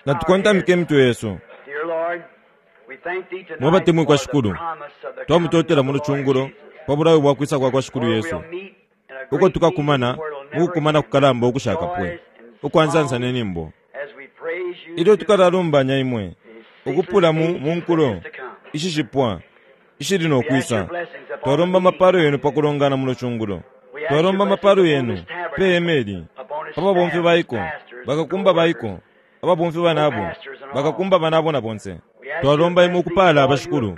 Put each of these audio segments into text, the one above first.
Natukontamike imitwe yesu. Mwe batemwikwa Shikulu, twamutotela muno cungulo pa bulayo bwa kwisa kwa kwa Shikulu Yesu, uko tukakumana mu kukumana kukalamba ukushakapwe ukwa nsansa ne nyimbo, ilyo tukalalumbanya imwe ukupula mu mu nkulo ishishipwa ishili no kwisa. Twalomba amapalo yenu pa kulongana muno cungulo. Twalomba amapalo yenu pe hema ili, pa babomfi baiko, bakakumba baiko, ababomfi banabo, bakakumba banabo na bonse. Twalomba imwe ukupaala abashikulu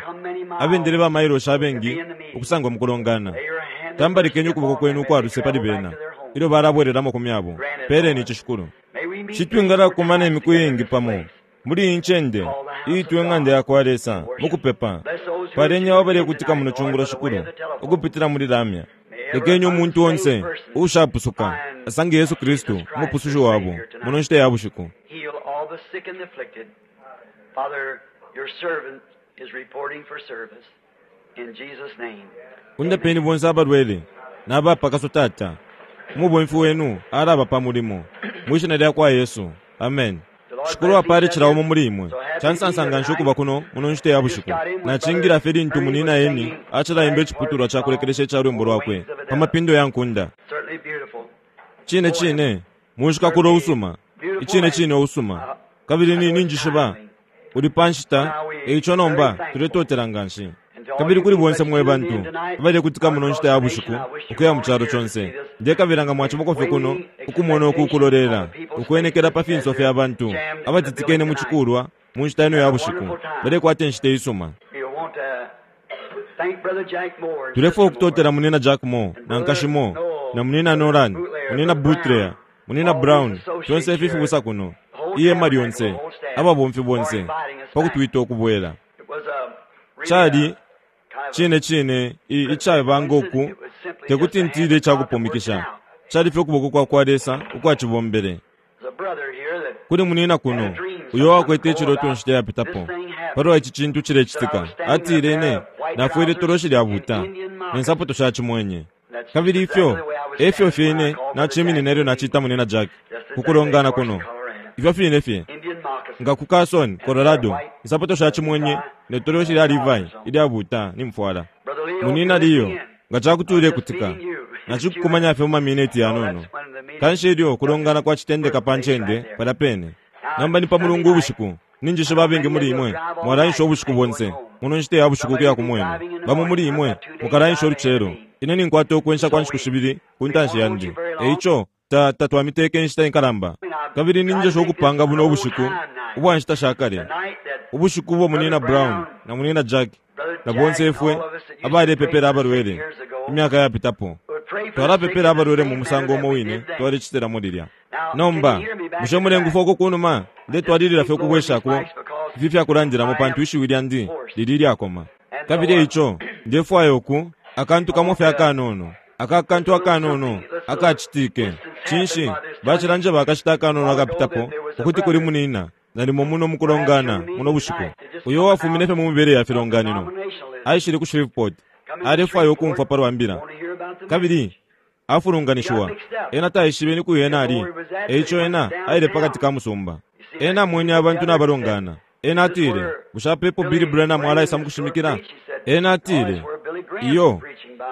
abendele ba mailoshi abengi ukusangwa mu kulongana. Tambalikeni ukuboko kwenu ukwa luse pali bena ilyo balabwelelamo ku myabo. Peeleni ici, Shikulu. Shi twingalakumana imiku iingi pamo muli iyi ncende iitwa Ing'anda ya kwa Lesa mu kupepa. Paleni abo abalekutika muno cungulo, Shikulu, ukupitila muli lamya. Lekeni umuntu onse uushapusuka asange Yesu Kristu Umupusushi wabo muno nshita ya bushiku. Heal all the sick and the afflicted. Father, your servant is reporting for service. In Jesus' name. Undapeni bonse abalwele na bapakaswa Tata. Umubomfi wenu alaba pa mulimo. Mwi Shina lya kwa Yesu. Amen. Shikulu apale cila umo muli imwe. Ca nsansa nga nshi ukuba kuno muno nshita ya bushiku. Nacingila fye lintu Munina Ernie acilaimba iciputulwa ca kulekelesha ica lwimbo lwakwe, Pa Mapindo ya Nkunda. Cine cine, munshikakulo usuma, icine cine usuma. Kabili ni, ninjishiba uli pa nshita, e ico nomba tuletotela nganshi. Kabili kuli bonse mwe bantu abalekutika muno nshita ya bushiku ukuya mu calo conse, ndekabila nga mwacibako fye kuno ukumona uku kulolela ukwenekela pa finso fya bantu abatitikene mu cikulwa mu nshita ino ya bushiku balekwata inshita isuma. Tulefwaya ukutotela Munina Jack Moore na Nkashi Moore, na Munina Nolan, Munina Butler, Munina Brown, fyonse ifi fibusa kuno, ihema lyonse, ababomfi bonse, pa kutwita ukubwela. Cali cine cine i, icaba ngo ku, te kuti ntile ica kupumikisha, cali fye ukuboko kwa kwa Lesa ukwacibombele. Kuli munina kuno uyo wakwete iciloto inshita yapitapo palwa ici cintu cilecitika, atile, Ine nafwele itoloshi lya buta ne nsapato sha cimwenye. Kabili ifyo efyo fye ine naciminina ilyo nacita Munina Jack ku kulongana kuno, ifyo fine fye nga ku Carson, Colorado, insapato sha cimwenye ne toloshi lya Levi ilya buta nimfwala. Munina Leo, nga cakuti ulekutika, nacikukumanya fye mu mamineti yanono. Kanshi ilyo kulongana kwacitendeka pa ncende palya pene. Nomba ni pa Mulungu ubushiku. Ninjishiba abengi muli imwe mwalaensha ubushiku bonse muno nshita ya bushiku ukuya ku mwenu. Bamo muli imwe mukalaensha ulucelo. Ine ninkwata ukwensha kwa nshiku shibili ku ntanshi yandi. E ico, ta, tatwamiteke inshita inkalamba. Kabili ninjesha ukupanga buno ubushiku ubwa nshita sha kale, ubushiku ubo Munyina Brown na Munyina Jack na bonse ifwe abalepepela abalwele imyaka yapitapo, twalapepela abalwele mu musango umo wine twalecitilamo lilya. Nomba, bushe mulengufwa uko kunuma? Ndetwalilila fye ukubweshako ifi fyakulandilamo pantu ishiwi lyandi lili ilyakoma. Kabili eico ndefwaya uku, akantu kamo fye akanono, aka kantu akanono akacitike. Cinshi, bacilanjeba akashita akanono akapitapo ukuti kuli munina nalimo muno mukulongana muno bushiku, uyo uwafumine fye mu mibele ya filonganino, aishile ku Shreveport, alefwaya ukumfwa palwa Mbila. Kabili afulunganishiwa, ena taishibe ni kwi ena ali, eico ena aile pakati ka musumba. Ena amwene abantu nabalongana. Ena atile, Bushe apa epo Billy Branham alaisa mukushimikila? Ena atile, Iyo,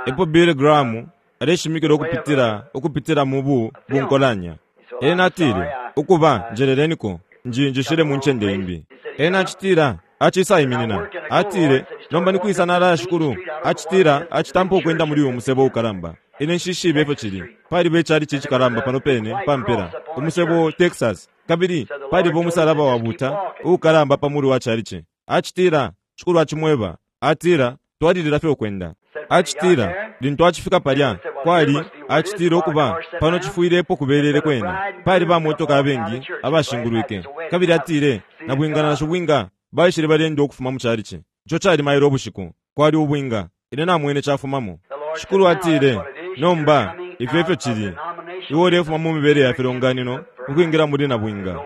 epo Billy Graham aleshimikila ukupitila, ukupitila mu bu, bunkolanya. Ena atile, Ukuba, njeleleniko, nji, njishile mu ncende imbi. Ena acitila, acisaiminina. Atile, Nomba nikwisa nalaya, Shikulu? Acitila, acitampa ukwenda muli uyu musebo ukalamba. Ine nshishibe ifyo cili. Paliba ichalichi icikalamba pano pene pa mpela, umusebo Texas, kabili paliba umusalaba wabuta uukalamba pa mulu wa chalichi. Acitila, Shikulu acimweba, atila, Twalilila fye ukwenda. Acitila, lintu acifika palya, kwali, acitila, ukuba, pano cifwile epo kubelele kwena. Pali ba motoka abengi abashingulwike. Kabili atile, Nabwinga na shibwinga baishile baleenda ukufuma mu chalichi. Ico cali mailo ubushiku. Kwali ubwinga. Ine namwene cafumamo. Shikulu atile, Nomba, ifyo efyo cili. Iwe ulefuma mu mibele ya filonganino ukwingila muli Nabwinga,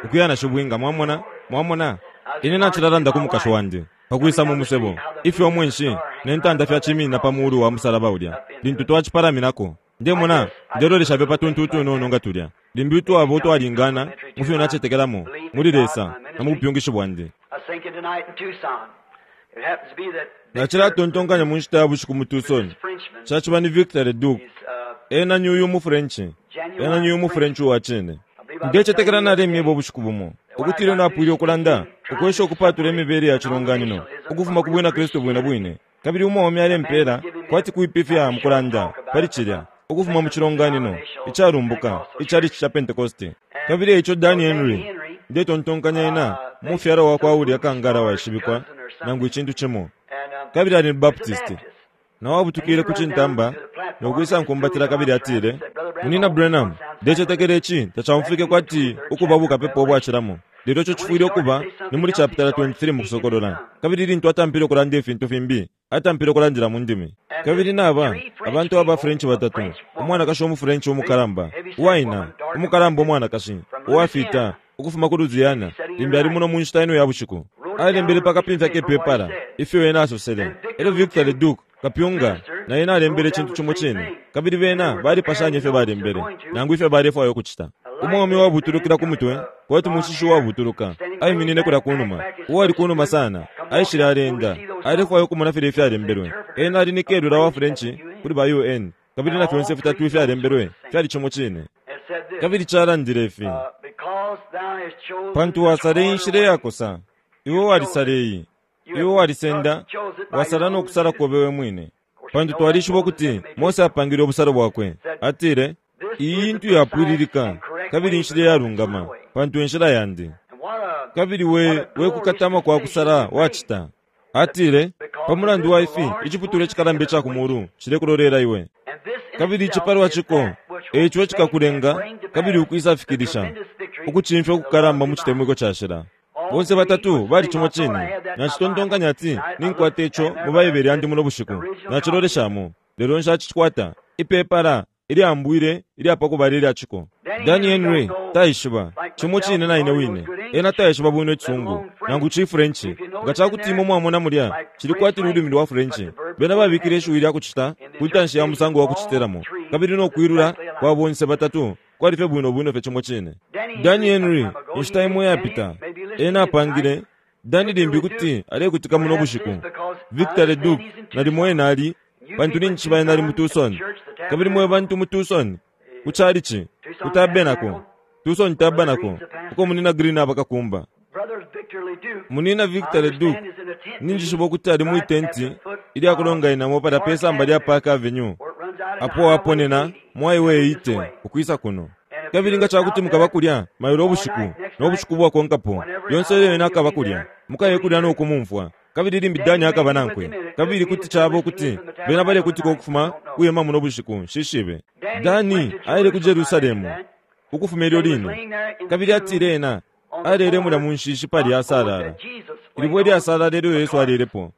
ukuya na Shibwinga. Mwamona? Mwamona? Ine nacilalanda ku mukashi wandi, pa kwisa mu musebo, ifyo umwenshi ne ntanda fyaciminina pa mulu wa musalaba ulya, lintu twacipalaminako. Ndemona, ndelolesha fye pa tuntu utunono nga tulya. Limbi utwaba utwalingana mu fyo nacetekelamo muli Lesa na mu bupyungishi bwandi. Nacilatontonkanya mu nshita ya bushiku mu Tucson. Caciba ni Victor Leduc. Ena ni uyu umuFrench. Ena ni uyu umuFrench uwa cine. Ndecetekela nalemyeba ubushiku bumo ukuti ilyo napwile ukulanda, ukwesha ukupatula imibele ya cilonganino ukufuma ku Bwina Kristu bwine bwine, kabili umwaume alempela kwati kuipifya mu kulanda pali cilya, ukufuma mu cilonganino icalumbuka ichalichi ca Pentekoste. Kabili eico Danny Henry, ndetontonkanya ena mufyala wakwa ulya kangala waishibikwa, nangu icintu cimo, kabili ali ni Baptist. Nao abutukile ku cintamba no kwisa nkumbatila kabili atile, Munyina Branham, ndecetekela ici tacaumfwike kwati ukuba bukapepa ubwacilamo, lelo ico cifwile ukuba ni muli chapitala 23 mu Kusokolola. Kabili lintu atampile ukulanda ifintu fimbi, atampile ukulandila mu ndimi. Kabili naba abantu aba French batatu, umwanakashi umu French umukalamba, uwaina, umukalamba umwanakashi, uwafita, ukufuma ku Louisiana, limbi ali muno mu nshita ino ya bushiku. Alembele pa kapimfya ke pepala ifyo ena asosele. Elyo Victor Leduc, kapyunga, na ena alembele icintu cimo cine, kabili bena balipashanye ifyo balembele, nangu ifyo balefwaya ukucita. Umwaume uwabutulukila ku mutwe, kwati mushishi uwabutuluka, aiminine kulya kunuma, uwali kunuma sana, aishile aleenda, alefwaya ukumona filya ifyalembelwe. Ena ali ni kelula wa French kuli ba UN, kabili na fyonse fitatu ifyalembelwe fyali cimo cine. Kabili calandile ifi, Pantu wasala inshila iyakosa, iwe walisala iyi. Iwe walisenda, wasala no kusala kobe we mwine. Pantu twalishiba ukuti Mose apangile ubusalo bwakwe. Atile, Iyi intu yapwililika, kabili inshila iyalungama, pantu e nshila yandi. Kabili we, we kukatama kwa kusala wacita. Atile, Pa mulandu wa ifi, iciputulwa icikalamba ica ku mulu cilekulolela iwe. Kabili ici palwa ciko, e ico icikakulenga kabili ukwisafikilisha ukucimfya ukukalamba mu citemwiko cashila. Bonse batatu bali cimo cine. Nacitontonkanya ati ninkwata ico mu Baibele yandi muno bushiku. Naciloleshamo, lelo nshacicikwata. Ipepala ilyambwile ilya pa kubala ilya ciko. Danny Henry taishiba, cimo cine na ine wine. Ena taishiba bwino Icisungu, nangu ciFrench. Nga ca kuti imwe mwamona mulya, cili kwati lulimi lwa French. Bena babikile ishiwi lya kucita ku ntanshi ya musango wa kucitilamo, kabili no kwilula kwa bonse batatu kwali fye bwino bwino fye cimo cine. Danny Henry, inshita imo iyapita, ena apangile, Danny limbi kuti alekutika muno bushiku. Victor Leduc, nalimo ena ali, pantu ninjishiba ena ali mu Tucson. Kabili mwe bantu mu Tucson, ku chalichi, ku tabernacle, Tucson Tabernacle, uko Munina Green aba kakumba. Munina Victor Leduc, ninjishiba ukuti ali mwi tenti ilya kulonganinamo palya pe samba lya Park Avenue, apo aponena mu Highway 80 ukwisa kuno. Kabili nga ca kuti mukaba kulya mailo ubushiku no bushiku bwakonkapo, lyonse ilyo ena akaba kulya, mukaye kulya no kumumfwa. Kabili limbi Danny akaba nankwe. Kabili kuti caba ukuti bena balekutika ukufuma kwi hema muno bushiku, nshishibe. Danny aile ku Jerusalemu ukufuma ilyo line. Kabili atile ena alele mulya mu nshishi palya asalala, ilibwe ilyasalala ilyo Yesu alelepo,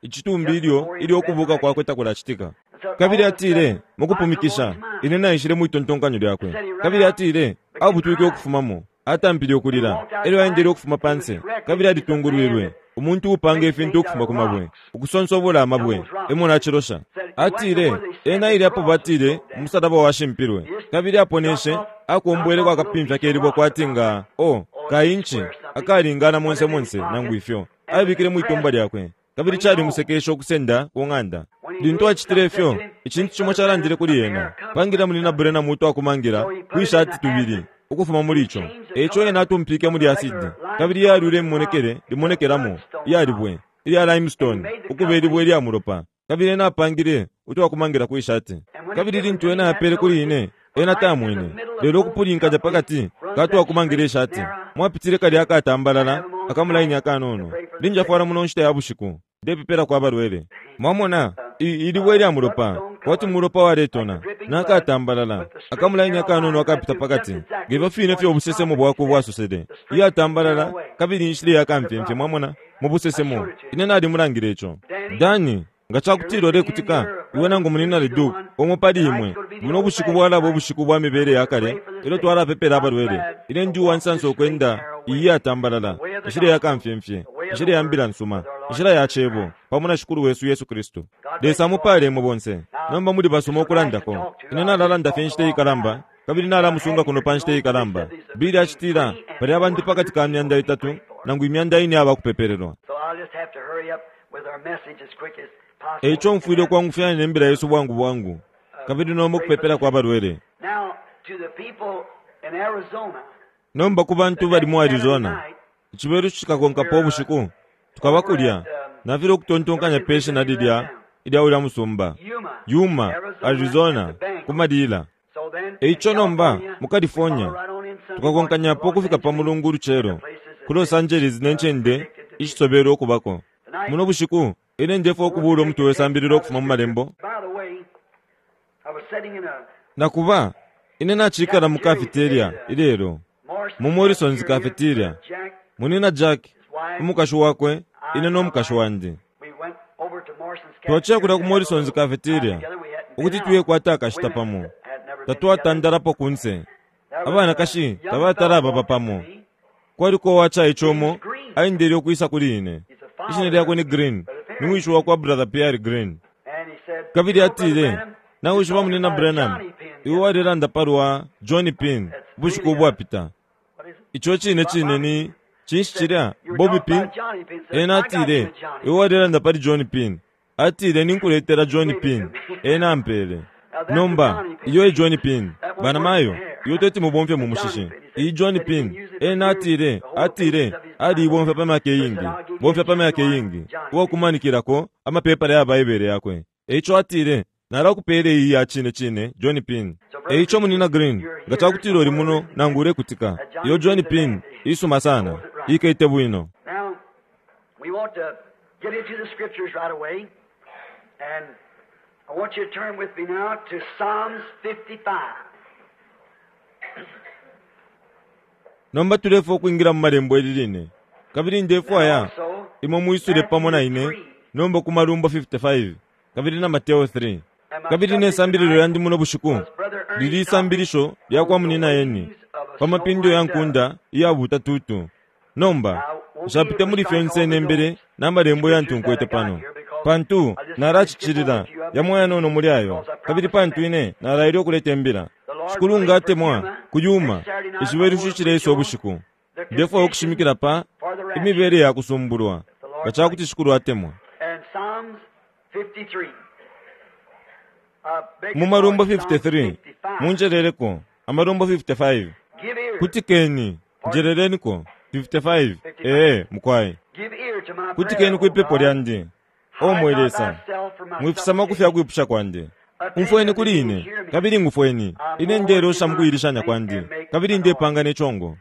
icitumbi ilyo ilyo ukubuka kwakwe takulacitika. Kabili atile, mukupumikisha, ine naishile mwitontonkanyo lyakwe. Kabili atile, abutwike ukufumamo, atampile ukulila, elyo aendele ukufuma panse, kabili alitungulwilwe, umuntu uupanga ifintu ukufuma ku mabwe, ukusonsobola amabwe, emo nacilosha. Atile, ena aile apo batile umusalaba washimpilwe, kabili aponeshe, akombweleko akapimfya ke libwe kwati nga, oh, ka inchi, akalingana monse monse, nangu ifyo. Abikile mwitumba lyakwe, kabili calimusekeshe ukusenda ku ng'anda. Lintu acitile ifyo, icintu cimo calandile kuli ena, Pangila Munyina Branham utwakumangila kwi shati tubili ukufuma muli ico. E ico ena atumpike muli asidi, kabili yalwile imimonekele limonekelamo iya libwe ilya limestone ukuba ilibwe ilya mulopa, kabili ena apangile utwakumangila kwi shati. Kabili lintu ena apele kuli ine, ena tamwene, lelo ukupulinkanya pa kati ka twakumangila ishati mwapitile kalya akatambalala akamulaini akanono. Linjafwala muno nshita ya bushiku, ndepepelako abalwele. Mwamona, i, ilibwe ilya mulopa, kwati mulopa waletona, na katambalala, akamulaini akanono akapita pakati, ngefyo fine fye ubusesemo bwakwe bwasosele, iyatambalala kabili inshila iya kamfyemfye, mwamona, mu busesemo. Ine nalimulangile ico. Danny, nga cakutila ulekutika, iwe nangu Munyina Leduc, umo pali imwe, buno bushiku bwalaba ubushiku bwa mibele ya kale, elyo twalapepela abalwele. Ine ndi uwansansa ukwenda iyi iyatambalala, inshila ya kamfyemfye, inshila ya Mbila nsuma, inshila ya Cebo, pamo na Shikulu wesu Yesu Kristu. Lesa amupale imwe bonse. Nomba muli basuma ukulandako. Ine nalalanda fye inshita ikalamba, kabili nalamusunga kuno pa nshita ikalamba. Billy acitila, pali abantu pakati ka 300 nangu 400 abakupepelelwa. Eico mfwile ukwangufyanya ne mbila yesu bwangu bwangu, kabili nomba ukupepelako abalwele. Nomba ku bantu bali mu Arizona, icibelushi cikakonkapo ubushiku, tukaba kulya, nafilwa ukutontonkanya pe shina lilya ilya ulya musumba, Yuma, Arizona, ku malila. Eico nomba, mu California, tukakonkanyapo ukufika pa Mulungu ulucelo, ku Los Angeles ne ncende ishisobelwe ukubako. Muno bushiku, ine ndefwaya ukubuula umutwe we sambililo ukufuma mu Malembo. Na kuba, ine nacikala mu cafeteria ilelo, mu Morrison's Cafeteria, Munyina Jack, umukashi wakwe, ine no mukashi wandi. Twaciya kulya ku Morrison's Cafeteria ukuti tuyekwata akashita pamo. Tatwatandalapo kunse. Abanakashi tabatala ababa pamo. Kwaliko uwacaice umo aendele ukwisa kuli ine. Ishina lyakwe ni Green, ni wishi wakwa Brother Pearry Green. Kabili atile, Nawishiba Munyina Branham, iwe walelanda palwa Johnny Pin ubushiku ubwapita. Ico cine cine ni, cinshi cilya, Bobby Pin? Ena atile, Iwe walelanda pali Johnny Pin. Atile, Ninkuletela Johnny Pin. Ena ampele. Nomba, iyo e Johnny Pin. Banamayo, iyo teti mubomfye mu mushishi. Iyi Johnny Pin. Ena atile, atile, aliibomfya pa myaka iingi, bomfya pa myaka iingi, uwakumanikilako amapepala ya Baibele yakwe. Eico atile, Nalakupela iyi ya cine cine Johnny Pin. Eico Munyina Green, nga cakutila uli muno nangu ulekutika, iyo Johnny Pin isuma sana. Ikete bwino. Now, we want to get into the scriptures right away. And I want you to turn with me now to Psalms 55. Nomba tulefwaya ukwingila mu Malembo ili line. Kabili ndefwaya imwe mwisule pamo na ine nomba ku Malumbo 55 kabili na Mateo 3. Kabili ne sambililo lyandi muno bushiku lili isambilisho lya kwa Munyina Ernie pa mapindo ya nkunda iyabuta tutu. Nomba, nshapite muli fyonse nembele na Malembo yantu nkwete pano, pantu nalacicilila yamo yanono muli ayo, kabili pantu ine nalaile ukuleta imbila. Shikulu nga atemwa, ku Yuma, icibelushi icileisa ubushiku, ndefwaya ukushimikila pa imibele ya kusumbulwa, nga ca kuti Shikulu atemwa. Mu Malumbo 53, munjeleleko, Amalumbo 55. Kutikeni, njeleleniko, 55, ee, mukwai. Kutikeni kwi pepo lyandi, O mwe Lesa, mwifisama ku fya kwipusha kwandi. Umfweni kuli ine, kabili ngufweni. Ine ndelosha mu kuilishanya kwandi, kabili ndepanga ne congo.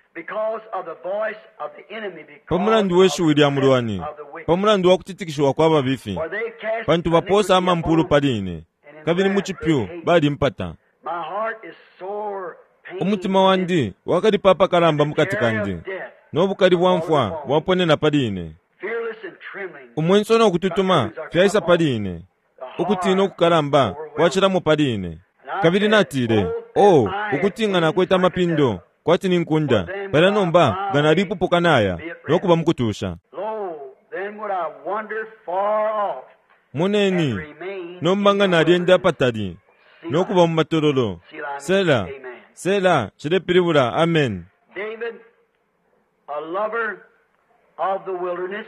Pa mulandu we shiwi lya mulwani, pa mulandu wa kutitikishiwa kwa babifi, pantu bapoosa amampulu pali ine, kabili mu cipyu balimpata. Umutima wandi wakalipa apakalamba mu kati kandi, no bukali bwa mfwa bwaponena pali ine. Umwenso no kututuma fyaisa pali ine, ukutina ukukalamba kwacilamo pali ine. Kabili natile, Oh, ukuti nga nakwete amapindo kwati ni nkunda, palya nomba nga nalipupuka naya no kuba mu kutusha. Moneni, nomba nga nalyenda apatali no kuba mu matololo. Sela, Sela cilepilibula Amen. David, a lover of the wilderness,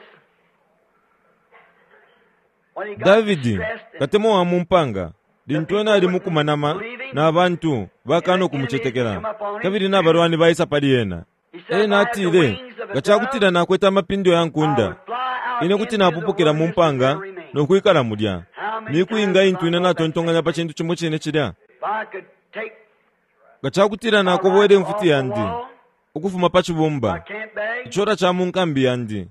when he got Davidi, distressed and katemwa wa mu mpanga, lintu ena ali mukumanama na bantu bakana ukumucetekela, kabili na balwani baisa pali ena. he said, Ena If I had the atile, wings of a nga ca kutila dove, nakwete amapindo ya I nkunda, would fly out ine kuti into the napupukila mu wilderness and mpanga there remain. no kwikala mulya. How many Miku times inga have intu I ine thought that natontonkanya pa cintu cimo cine cilya? If I could take Nga ca kutila my nakobwele rifle imfuti off the yandi wall, ukufuma pa my cibumba, camp bag, icola ca mu nkambi yandi,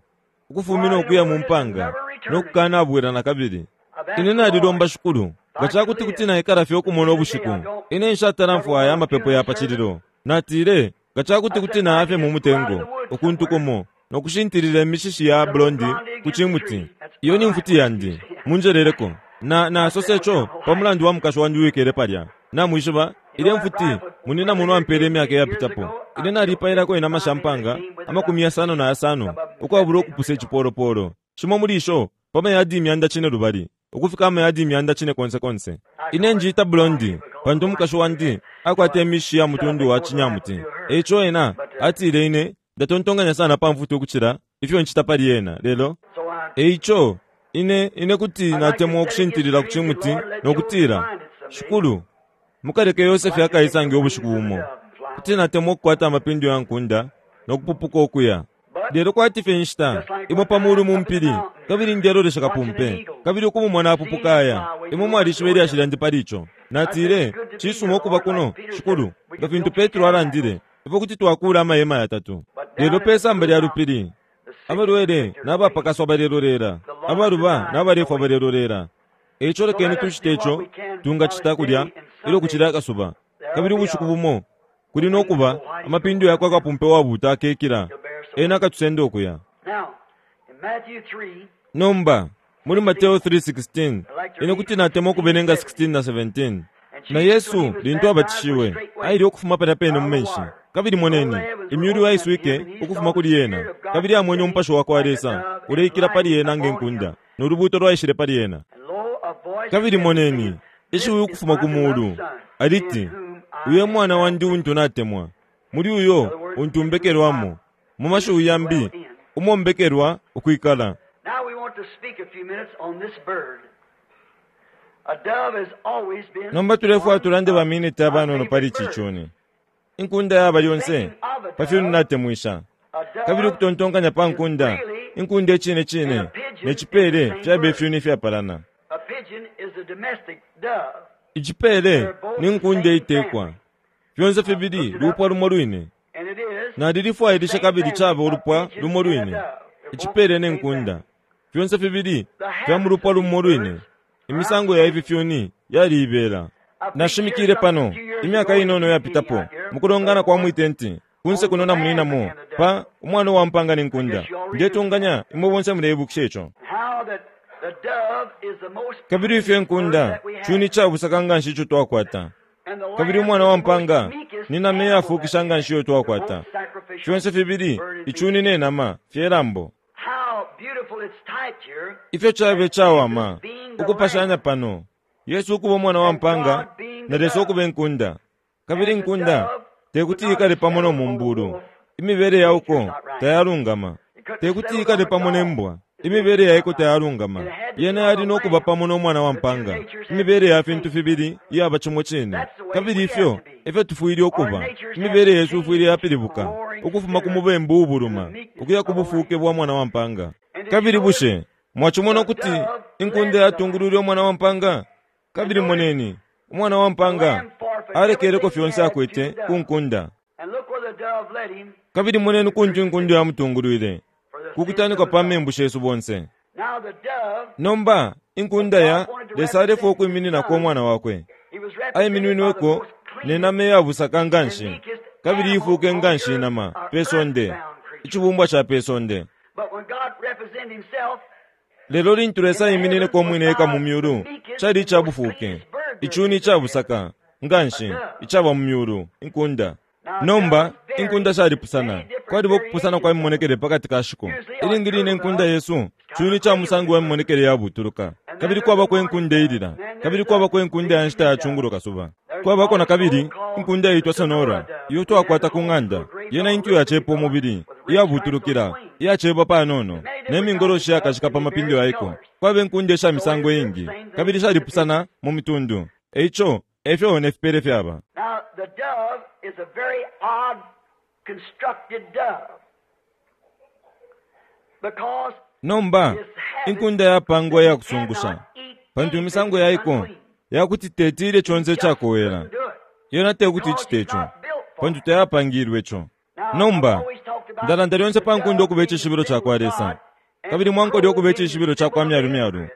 ukufumina fly in the ukuya mu wilderness and mpanga, never no return again. kukanabwela na kabili. I've asked Ine the Lord nalilomba Shikulu, if nga I ca could kuti kuti live. naikala fye ukumona To this day, ubushiku, I don't ine nshatala never mfwaya want a amapepo funeral ya pa service. cililo. Natile, nga ca kuti I kuti said, if I naya fye could mu just go out in mutengo, the woods ukuntu somewhere, kumo, no kushintilila imishishi ya some little blondi blondie ku against the cimuti. tree. That's Iyo my ni rifle. mfuti yandi, munjeleleko. Na nasose co pa mulandu wa mukashi wandi uwikele palya. Namwishiba, You ilya know that mfuti, rifle, munina Brother muno Linder ampele gave imyaka me years iyapitapo. ago. Ine I killed nalipailako inama 55 sha men that mpanga, came with it. amakumi yasano na yasano, Some of them ukwabula said ukupusa $700. icipolopolo. Cimo muli isho, pa mayadi 500, ukufika amayadi 900 konse. Ine njiita Blondie pantu umukashi wandi akwata imishi ya mutundu wa cinyamuti. E ico ena atile ine ndatontonkanya sana pa mfuti ukucila ifyo ncita pali ena, lelo e ico ine ine kuti natemwa ukushintilila ku cimuti no kutila, Shikulu, mukaleke Yosefe akaisange ubushiku bumo. Kuti natemwa ukukwata amapindo ya nkunda no kupupuka ukuya. Lelo kwati fye inshita imo pa mulu mu mpili, kabili ndelolesha kapumpe, kabili ukumumona apupuka aya. Imwe mwalishiba ilyashi lyandi pali ico. Natile, Cisuma ukuba kuno, Shikulu, nga fintu Petro alandile, ifwe kuti twakuula amahema yatatu. Lelo pe samba lya lupili, abalwele na bapakaswa balelolela, abaluba na balefwa balelolela. E ico lekeni tucite ico tungacita kulya ilyo kucili akasuba, kabili ubushiku bumo kuli no kuba amapindo yakwa kapumpe wabuuta akekila, ena akatusenda ukuya. Nomba, muli Mateo 3:16, ine kuti natemwa ukubelenga 16 na 17. Na Yesu, lintu abatishiwe, aile ukufuma palya pene mu menshi. Kabili moneni, imyulu yaiswike ukufuma kuli ena, kabili amwene umupashi wa kwa Lesa uleikila pali ena nge nkunda, no lubuuto lwaishile pali ena. Kabili moneni, ishiwi ukufuma ku muulu, aliti, Uyu e mwana wandi untu natemwa, muli uyo untu mbekelwamo. Mu mashiwi yambi, umo mbekelwa ukwikala. Nomba tulefwaya tulande baminiti abanono pali ici cuni. Inkunda yaba lyonse pa fyuni natemwisha. Kabili ukutontonkanya pa nkunda, inkunda icine cine ne cipele fyaba ifyuni ifyapalana. Icipele ni nkunda iitekwa. Fyonse fibili lupwa lumo lwine. Nalilifwailisha kabili caba ulupwa lumo lwine, icipele ne nkunda. Fyonse fibili fya mu lupwa lumo lwine. Imisango ya ifi fyuni yaliibela. Nashimikile pano, imyaka inono iyapitapo, mu kulongana kwa mwi tenti, kunse kuno na Munyina Moore, pa Umwana uwa Mpaanga ne Nkunda. Ndetunganya imwe bonse muleibukisha ico. Kabili ifyo inkunda cuni ica busaka nganshi ico twakwata, kabili umwana wa mpaanga ni nama iyafukisha nganshi iyo twakwata. Fyonse fibili icuni ne nama fye lambo. Ifyo cabe cawama ukupashanya pano, Yesu ukuba Umwana wa mpaanga na Lesa ukuba inkunda. Kabili inkunda te kuti ikale pamo no mumbulu, imibele ya uko tayalungama. Te kuti ikale pamo ne mbwa, imibele ya iko tayalungama. Yena yali no kuba pamo no mwana wa mpaanga, imibele ya fintu fibili iyaba cimo cine. Kabili ifyo e fyo tufwile ukuba. Imibele yesu ifwile yapilibuka ukufuma ku mubembu uubuluma ukuya ku bufuuke bwa mwana wa mpaanga. Kabili bushe mwacimona ukuti inkunda yatungulwile umwana wa mpaanga? Kabili moneni, umwana wa mpaanga alekeleko fyonse akwete ku nkunda. Kabili moneni kuntu inkunda yamutungulwile, ku kutanikwa pa membu shesu bonse. Nomba, inkunda ya Lesa alefwaya ukwimininako Umwana Wakwe. Aiminwinweko ne nama iya busaka nganshi, kabili iifuuke nganshi inama pe sonde, icibumbwa ca pe sonde. Lelo lintu Lesa aiminineko umwine eka mu myulu, cali ica bufuuke, icuni ica busaka nganshi icaba mu myulu, inkunda. Nomba, inkunda shalipusana. Kwaliba ukupusana kwa mimonekele pa kati ka shiko. Ilingi line inkunda yesu cuni ca musango wa mimonekele yabutuluka. Kabili kwabako inkunda iilila. Kabili kwabako inkunda ya nshita ya cungulo kasuba. Kwabako na kabili inkunda iitwa Sonora, iyo twakwata ku ng'anda. Yena intu yacepa umubili, iyabutulukila, iyacepa panono, ne mingoloshi iyakashika pa mapindo ya iko. Kwaba inkunda isha misango iingi, kabili shalipusana mu mitundu. E ico, e fyo ne fipele fyaba. Now, the dove is a very odd constructed dove. Because Nomba, inkunda yapangwa iya kusungusha, pantu imisango ya iko ya kuti teti ilye conse icakowela. Yena te kuti icite ico, pantu tayapangilwe ico. Nomba, ndalanda lyonse pa nkunda ukuba icishibilo ca kwa Lesa, kabili mwankole ukuba icishibilo ca kwa myalumyalu.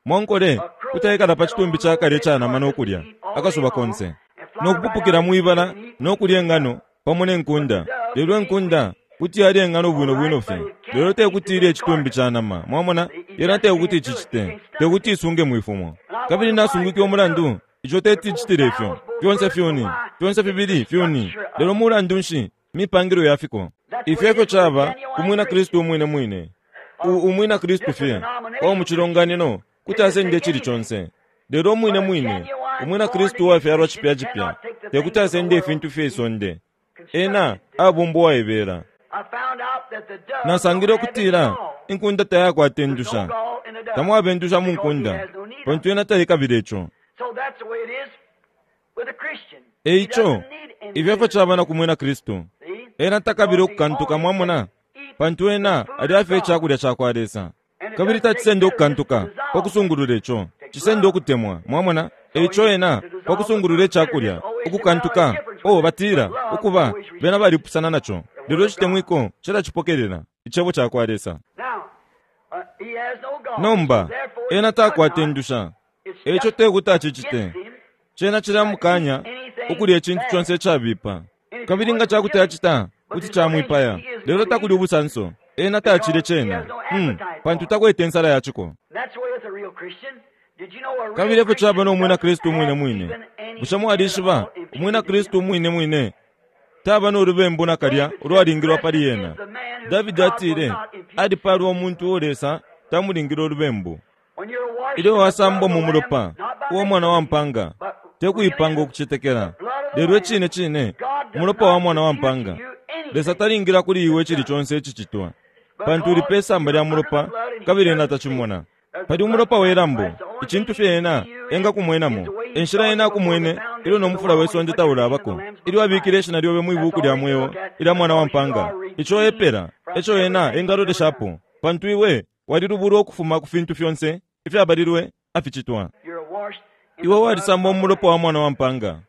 Mwankole kuti aikala pa citumbi ca kale ica nama no kulya akasuba konse, no kupupukila mwi bala no kulya ingano pamo ne nkunda. Lelo inkunda kuti yalya ingano bwino bwino fye, lelo te kuti ilye icitumbi ca nama. Mwamona? Yena te kuti icicite, te kuti isunge mwi fumo. Kabili nasungwike umulandu ico teti icitile ifyo. Fyonse fyuni, fyonse fibili fyuni, lelo mulandu nshi mipangilwe ya fiko? Ifyo efyo caba ku Mwina Kristu umwine mwine. U, Umwina Kristu fye uwa mu cilonganino Kuti asenda icili conse. Lelo umwine mwine, umwina Kristu uwafyalwa cipya cipya, te kuti asende ifintu fye isonde. Ena abumbwa uwaibela. Nasangile ukutila inkunda tayakwata indusha. Tamwaba indusha mu nkunda, pantu yena taikabila ico. E ico, ifyo efyo caba na ku mwina Kristu. Ena takabila ukukantuka, mwamona, pantu ena alya fye icakulya cakwa Lesa. Kabili tacisenda ukukantuka pa kusungulula ico. Cisenda ukutemwa, mwamona. E ico ena, pa kusungulula icakulya, ukukantuka, oh, batila, ukuba, bena balipusana naco. Lelo icitemwiko cilacipokelela, Icebo cakwa Lesa. Nomba, ena takwata indusha, e ico tekuti acicite. Cena cilamukanya ukulya icintu conse icabipa. Kabili nga cakuti acita, kuti camwipaya. Lelo takuli ubusanso, ena tacilye cena, hum, pantu takwete insala ya ciko. Kabili efyo caba no mwina Kristu umwine mwine. Bushe mwalishiba, umwina Kristu umwine mwine taba no lubembu nakalya ulwalingilwa pali ena? Davidi atile, Alipalwa umuntu uo Lesa tamulingile ulubembu. Ilyo wasambwa mu mulopa uwa Mwana wa mpaanga, te kuipanga ukucetekela, lelo icine cine umulopa wa Mwana wa mpaanga, Lesa talingila kuli iwe icili conse icicitwa, pantu uli pe samba lya mulopa kabili Ena tacimona. Pali umulopa we lambo, icintu fye Ena engakumwenamo, e nshila Ena akumwene ilyo no mufula we sonde taulabako, ilyo abikile ishina lyobe mwi Buku lya Mweo ilya Mwana wa mpaanga. Ico epela eco Ena engaloleshapo, pantu iwe Walilubulwa ukufuma ku fintu fyonse ifyabalilwe aficitwa. Iwe walisambwa mu mulopa wa Mwana wa mpaanga,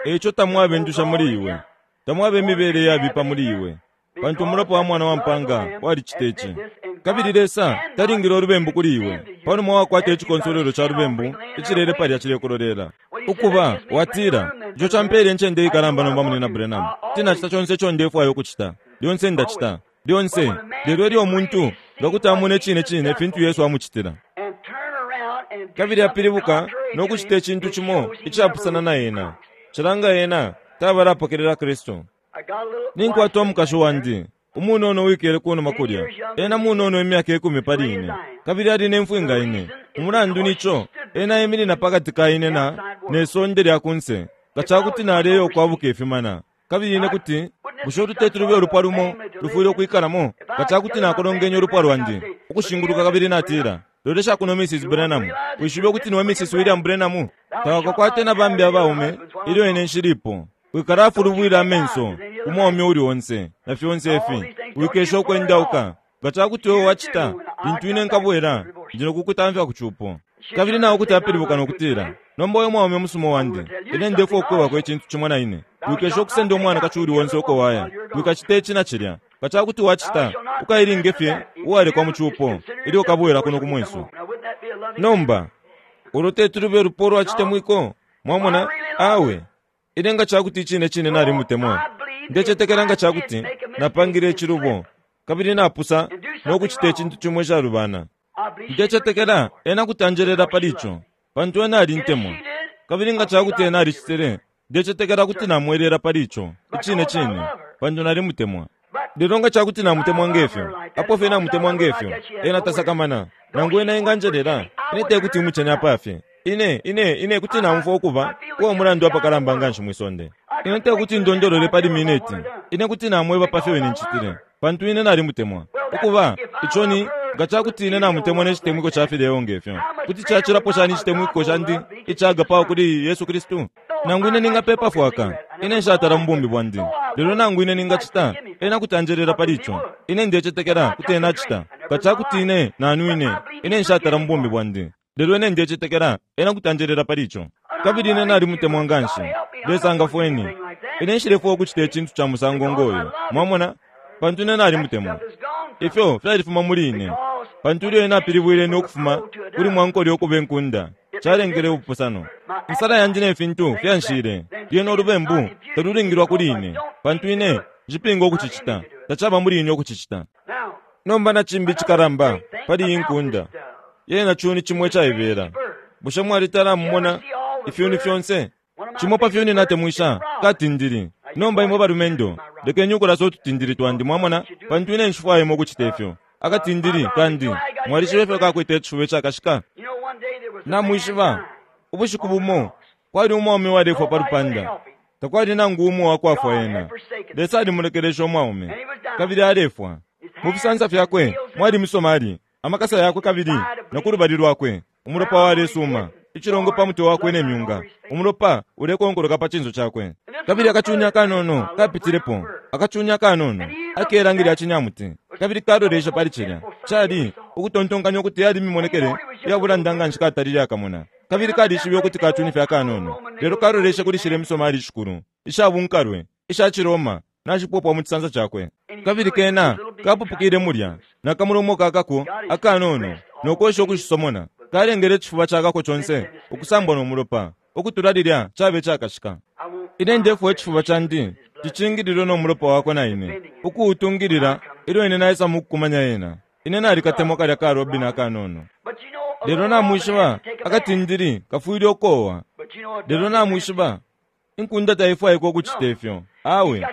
e ico tamwaba indusha muli iwe, tamwaba imibele iyabipa muli iwe, pantu umulopa wa Mwana wa mpaanga walicita ici. Kabili Lesa talingile ulubembu kuli iwe panuma wakwata icikonsolwelo ca lubembu icilele palya cilekulolela. Ukuba, watila, Ico campele incende ikalamba nomba, Munyina Branham. Kuti nacita conse ico ndefwaya ukucita. Lyonse ndacita. Lyonse. Lelo ilyo umuntu nga kuti amona icine cine fintu Yesu amucitila, kabili apilibuka no kucita icintu cimo icapusana na ena, cilanga ena tabala apokelela Kristu. Ninkwata umukashi wandi umunono uwikele kunuma kulya. Ena munono imyaka ikumi pali ine, kabili ali ne mfwi nga ine. Umulandu ni co ena eminina pakati ka ine na ne sonde lya kunse. Nga ca kuti naleya ukwabuka ifimana, Kabili ine kuti, bushe ulu teti lube ulupwa lumo lufwile ukwikalamo? Nga ca kuti nakolongenye ulupwa lwandi ukushinguluka kabili natila, Lolesha kuno, Mrs. Branham, wishibe ukuti niwe Mrs. William Branham? Tawakakwate na bambi abaume ilyo ine nshilipo. Wikalafulubwila amenso ku mwaume uli onse, na fyonse ifi. Wikesha ukwendauka. Nga ca kuti iwe wacita, lintu ine nkabwela, ndi no kukutamfya ku cupo. Kabili nao kuti apilibuka no kutila, Nomba we mwaume musuma wandi, ine ndefwaya ukukwebako icintu cimo na ine. Wikesha ukusenda umwanakashi uuli onse uko waya. Wikacita ici na cilya. Nga ca kuti wacita, ukailinge fye uwalekwa mu cupo ilyo ukabwela kuno ku mwesu. Nomba, ulo teti lube lupwa ulwa citemwiko? Mwamona? Awe. Ine nga ca kuti icine cine nalimutemwa, ndecetekela nga ca kuti napangile icilubo kabili napusa no kucita icintu cimo icalubana, ndecetekela ena kuti anjelela pali ico, pantu ena alintemwa. Kabili nga ca kuti ena alicitile, ndecetekela kuti namwelela pali ico, icine cine, pantu nalimutemwa. Lelo nga ca kuti namutemwa nge fyo, apo fye namutemwa nge fyo, ena tasakamana, nangu ena enganjelela, ine te kuti imucene apa fye. Ine, ine, ine kuti naumfwa ukuba uwa mulandu apakalamba nganshi mwi sonde. Ine tekuti ndondolole pali mineti. Ine kuti namweba pafyo ine ncitile, pantu ine nalimutemwa. Ukuba, ico ni, nga cakuti ine namutemwa ne citemwiko ca fileo nge fyo, kuti cacilapo shani icitemwiko candi ica agapao kuli Yesu Kristu? Nangu ine ningapepa fwaka, ine nshatala mu bumi bwandi. Lelo nangu ine ningacita, ena kuti anjelela pali ico. Ine ndecetekela kuti ena acita. Nga cakuti ine nanwine, ine nshatala mu bumi bwandi. Lelo ine ndecetekela ena kuti anjelela pali ico. Kabili ine nalimutemwa nganshi. Lesa ngafweni. Ine nshilefwaya ukucita icintu ca musango ngo yo. Mwamona? Pantu ine nalimutemwa. Ifyo fyalifuma muli ine. Pantu ilyo ena apilibwile ine ukufuma kuli mwankole ukuba inkunda, calengele ubupusano. Insala yandi ne fintu fyanshile. Lyena ulubembu talulingilwa kuli ine, pantu ine nshipinga ukucicita. Tacaba muli ine ukucicita. Nomba na cimbi icikalamba pali iyi nkunda. Yena cuni cimo icaibela. Bushe mwalitala amumona ifyuni fyonse? Cimo pa fyuni natemwisha katindili. Nomba imwe balumendo, lekeni ukulasa ututindili twandi, mwamona, pantu ine nshifwaya imwe ukucita ifyo. Akatindili kandi, mwalishiba ifyo kakwete icifuba icakashika? Namwishiba, ubushiku bumo kwali umwaume walefwa pa lupanda. Takwali nangu umo wakwafwa ena. Lesa alimulekelesha umwaume, kabili alefwa. Mu fisansa fyakwe mwali misomali, amakasa yakwe kabili na ku lubali lwakwe umulopa walesuma, icilongo pa mutwe wakwe ne myunga, umulopa ulekonkoloka pa cinso cakwe. Kabili akacunya akanono kapitilepo, akacunya akanono akelangi lya cinyamuti, kabili kalolesha pali cilya. Cali ukutontonkanya ukuti yali mimonekele iya bulanda nganshi katalile akamona. Kabili kalishibe ukuti kacuni fye akanono, lelo kaloleshe kuli shilya imisomali ishikulu, isha bunkalwe, isha ciRoma, nashipopwa mu cisansa cakwe. Kabili kena kapupukile mulya, na kamulomo kakako akanono, no kwesha ukushisomona. Kalengele icifuba cakako conse ukusambwa no mulopa, ukutula lilya cabe icakashika. Ine ndefwaya icifuba candi cicingililwe no mulopa wakwe na ine, ukuutungilila ilyo ine naisa mukukumanya ena. Ine nalikatemwa kalya ka robin akanono. Lelo namwishiba, akatindili kafwile ukowa. Lelo namwishiba, inkunda taifwaikwa ukucita ifyo. Awe,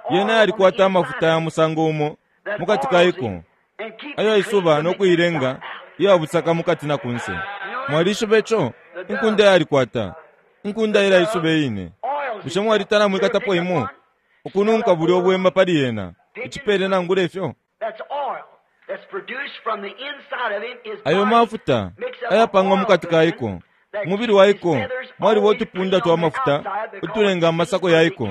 yena yalikwata amafuta ya musango umo mukati kaiko, ayo isuba no kuilenga iya busaka mukati na kunse. Mwalishiba ico? Inkunda yalikwata. Inkunda ilaisuba iyine. Bushe mwalitala mwikatapo imo? Ukununka bulya ubwema pali yena, icipele nangula ifyo? Ayo mafuta ayapangwa mukati kaiko, umubili waiko mwaliba utupunda twa mafuta utulenga amasako yaiko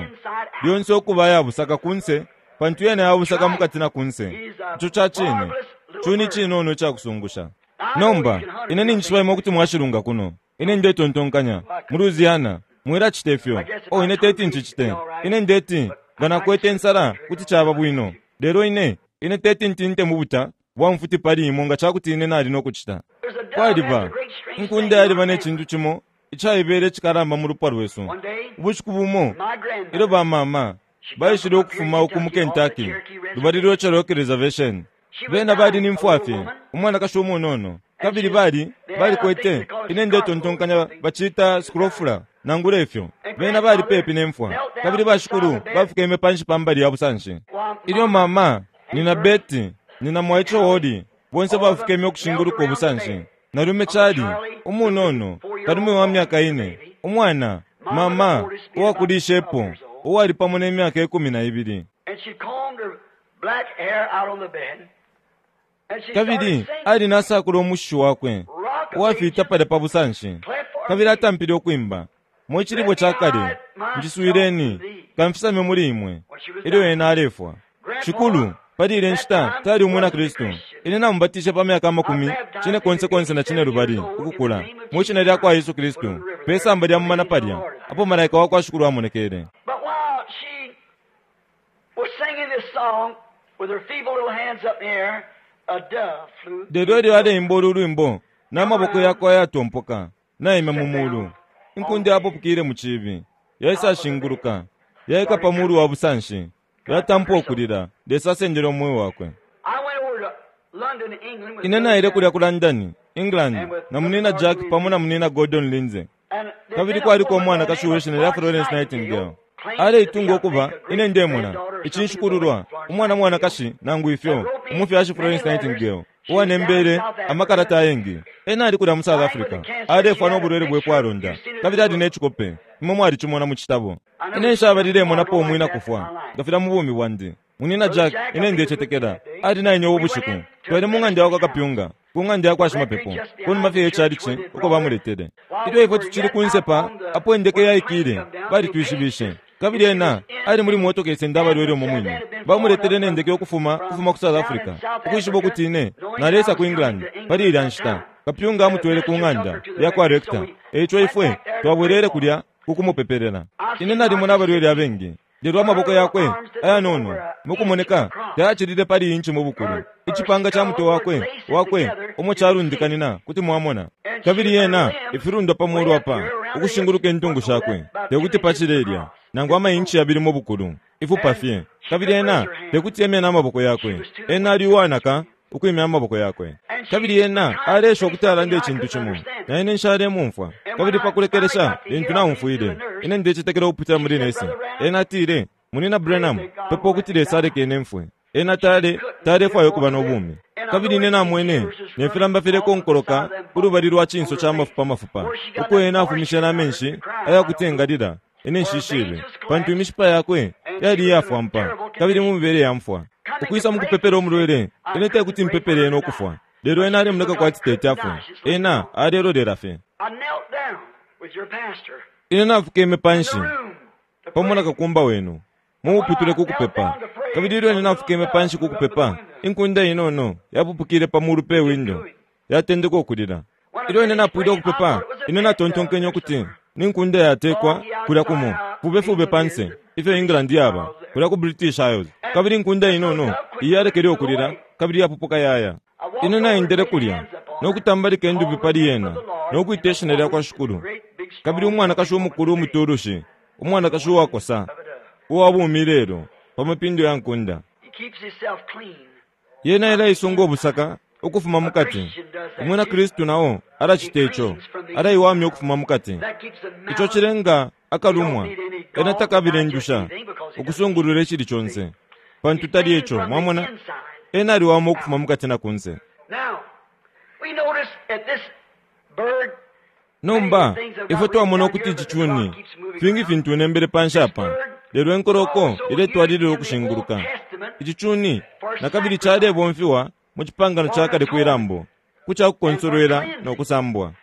lyonse ukuba ayabusaka kunse, pantu yena yabusaka mukati na kunse. Ico ca cine, cuni cinono icakusungusha. Nomba, ine ninjishiba imwe kuti mwashilunga kuno. Ine ndetontonkanya, mu Louisiana, mwilacita ifyo. Oh, ine teti ncicite. Ine ndeti, nga nakwete insala, kuti caba bwino. Lelo ine, ine teti ntinte mu buta bwa mfuti pali imwe nga cakuti ine nali no kucita. Kwaliba, inkunda yaliba ne cintu cimo icaibela icikalamba mu lupwa lwesu. Ubushiku bumo, ilyo ba mama baishile ukufuma uku mu Kentucky, lubali lwa Cherokee Reservation, bena bali ni mfwa fye, umwanakashi umunono, kabili bali, balikwete, ine ndetontonkanya bacita scrofula, nangula ifyo. Bena bali pepi ne mfwa, kabili bashikulu bafukeme panshi pa mbali ya busanshi. Ilyo mama, nina Betty, nina mwaice Wally, bonse bafukeme ukushinguluka ubusanshi. Nalume Charlie, umunono, kalume wa myaka ine, umwana, mama, uwakulishepo, uwali pamo ne myaka 12. Kabili ali nasakula umushishi wakwe uwafita palya pa busanshi, kabili atampile ukwimba, Mwe cilibwe ca kale, njiswileni, kamfisame muli imwe, ilyo ena alefwa. Shikulu, pali ile nshita tali umwina Kristu. Ine namubatishe pa myaka amakumi cine konse konse na cine lubali ukukula mwi shina lya kwa Yesu Kristu, pe samba lya mumana palya apo malaika wa kwa Shikulu amonekele. Lelo ilyo aleimba ulu lwimbo na maboko yakwe ayatompoka naimya mu mulu, inkunda yapupukile mu cibi, yaisashinguluka, yaika pa mulu wa busanshi, yatampa ukulila. Lesa asendele umweo wakwe. Ine naile kulya ku London, England, na munina Jack pamo na munina Gordon Lindsay. Kabili kwaliko umwanakashi uwe shina lya Florence Nightingale. Aleitunga ukuba, ine ndemona, icinshikululwa, umwana mwanakashi nangu ifyo, umufyashi Florence Nightingale, uwanembele amakalata ayengi. Ena ali kulya mu South Africa, alefwa no bulwele bwe kwalonda, kabili ali ne cikope, imwe mwalicimona mu citabo. Ine nshabalilemonapo umwina kufwa, nga filya mu bumi bwandi. Munina Jack, ine ndecetekela, ali na ine ubu bushiku. Twali mu ng'anda yakwa kapyunga, ku ng'anda yakwa shimapepo, kunuma fye ye chalichi, uko bamuletele. Ilyo ifwe tucili kunse pa, apo indeke yaikile, balitwishibishe. Kabili ena ali muli motoka isenda abalwele umo mwine. Bamuletele ne ndeke ukufuma, ukufuma ku South Africa, ukwishiba ukuti ine naleisa ku England pali ilya nshita. Kapyunga amutwele ku ng'anda yakwa rector. Eico ifwe twabwelele kulya ku kumupepelela. Ine nalimona abalwele abengi, lelo amaboko yakwe ayanono mukumoneka tayacilile pali inchi mu bukulu. Icipanga ca mutwe wakwe, wakwe umo calundikanina kuti mwamona. Kabili yena ifilundwa pa mulu apa ukushinguluka intungu shakwe tekuti pacile ilya nangu ama inchi yabili mu bukulu, ifupa fye. Kabili ena tekuti emye na maboko yakwe. Ena ali uwanaka ukwimya amaboko yakwe. Kabili ena aleesha ukuti alande icintu cimo, na ine nshalemumfwa. Kabili pa kulekelesha, lintu naumfwile, ine ndecetekela ukupitila muli nesi. Ena atile, Munina Branham, pepa ukuti Lesa aleke ine mfwe. Ena tale, talefwaya ukuba no bumi. Kabili ine namwene ne filamba filekonkoloka kulubali lwa cinso ca mafupa mafupa, uko ena afumishe na menshi ayakuti engalila. Ine nshishibe, pantu imishipa yakwe yali iyafwampa kabili mu mibele ya mfwa. Ukwisa mukupepela umulwele, ine tekuti mpepele ena ukufwa, lelo ena alemoneka kwati teti afwe. Ena alelolela fye. Ine nafukeme panshi pamo na kakumba wenu mu muputule ku kupepa. Kabili ilyo ine nafukeme panshi ku kupepa, inkunda inono yapupukile pa mulu pe windo, yatendeka ukulila. Ilyo ine napwile ukupepa, ine natontonkenye ukuti ni nkunda yatekwa kulya kumo fube fube panse, ifyo England yaba, kulya ku British Isles. Kabili inkunda inono iyi yalekele ukulila, kabili yapupuka yaya. Ine naendele kulya no kutambalika indupi pali yena no kwita ishina lya kwa Shikulu. Kabili umwanakashi umukulu umutulushi, umwanakashi uwakosa, uwa bumi lelo, pa mapindo ya nkunda. Yena ilaisunga ubusaka ukufuma mukati. Umwina Kristu nao alacita ico, alaiwamya ukufuma mukati. Ico cilenga akalumwa, ena takabila indusha ukusungulula icili conse, pantu tali ico. Mwamona, ena aliwama ukufuma mukati na kunse. Nomba ifwe twamona ukuti ici cuni, fingi fintu nembele panshi apa, lelo inkoloko iletwalilila ukushinguluka. Ici cuni nakabili calebomfiwa mu cipangano ca kale kwi lambo, ku ca kukonsolwela no kusambwa.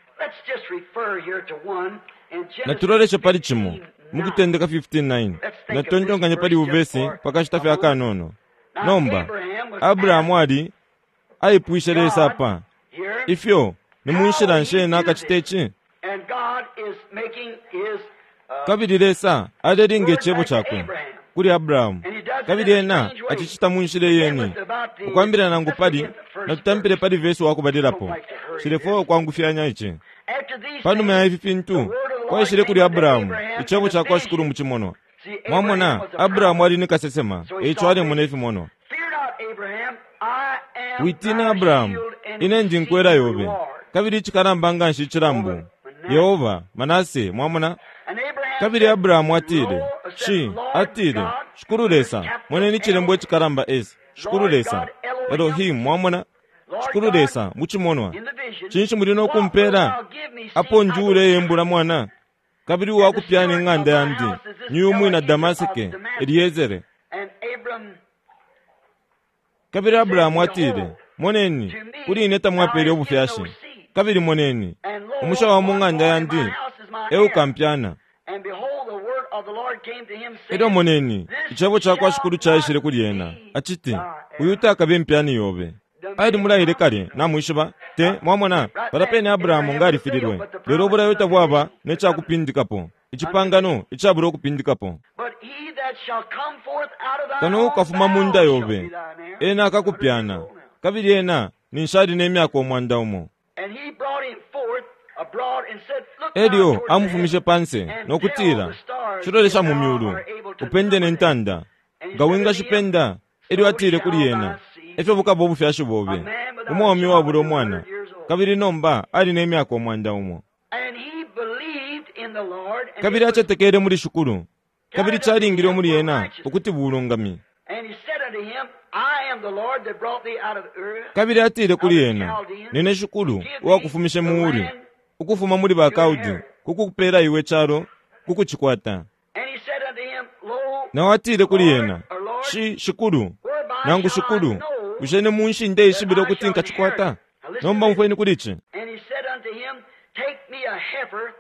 Natuloleshe pali cimo mu Kutendeka 15:9. Natutontonkanye pali uvesi pa kashita fye akanono. Nomba, Abrahamu ali aipwishe Lesa apa, ifyo ni mu nshila nshi ena akacita ici? Kabili Lesa alelinga icebo cakwe kuli Abrahamu, kabili ena acicita mu nshila iyeni. Ukwambila nangu pali, natutampile pali vesi wakubalilapo. Nshilefwaya ukwangufyanya ici. Panuma ya ifi fintu, kwaishile kuli Abrahamu icebo ca kwa Shikulu mu cimonwa. Mwamona, Abrahamu ali ni kasesema, eico alemona ifimonwa. Witina, Abrahamu, ine ndi nkwela yobe, kabili icikalamba nganshi icilambu. Yehova, Manase, mwamona? Kabili Abrahamu atile, Shi, atile, Shikulu Lesa, moneni icilembo icikalamba S, Shikulu Lesa, Elohim, mwamona? Shikulu Lesa, mu cimonwa. Cinshi muli no kumpela? Apo njule yembula mwana, kabili uwakupyana ing'anda yandi, ni umwina Damaseke, Eliezere. Kabili Abrahamu atile, Moneni, kuli ine tamwapele ubufyashi. Kabili moneni, umusha wa mu ng'anda yandi eukampyana. Elyo moneni, icebo ca kwa Shikulu caishile kuli ena, aciti, Uyu takabe impyani yobe. Ali mulaile kale, namwishiba, te mwamona, palya pene Abrahamu nga alifililwe. Lelo ubulayo tabwaba ne ca kupindikapo, icipangano icabula ukupindikapo. Kano ukafuma mu nda yobe, ena akakupyana, kabili ena ninshi ali ne myaka 100. Elyo amufumishe panse no kutila, Shilolesha mu myulu, upende ne ntanda, nga wingashipenda. Elyo atile kuli ena, Efyo bukaba ubufyashi bobe. Umwaume uwabula umwana, kabili nomba ali ne myaka 100. Kabili acetekele muli Shikulu, kabili calingile muli ena ukuti bulungami. Kabili atile kuli ena, Nine Shikulu uwakufumishe mu Uri, ukufuma muli ba Kaldi, ku kukupela iwe calo ku kucikwata. Nao atile kuli ena, Shi, Shikulu, nangu Shikulu, bushe ni mu nshi ndeishibila ukuti nkacikwata? Nomba umfweni kuli ici.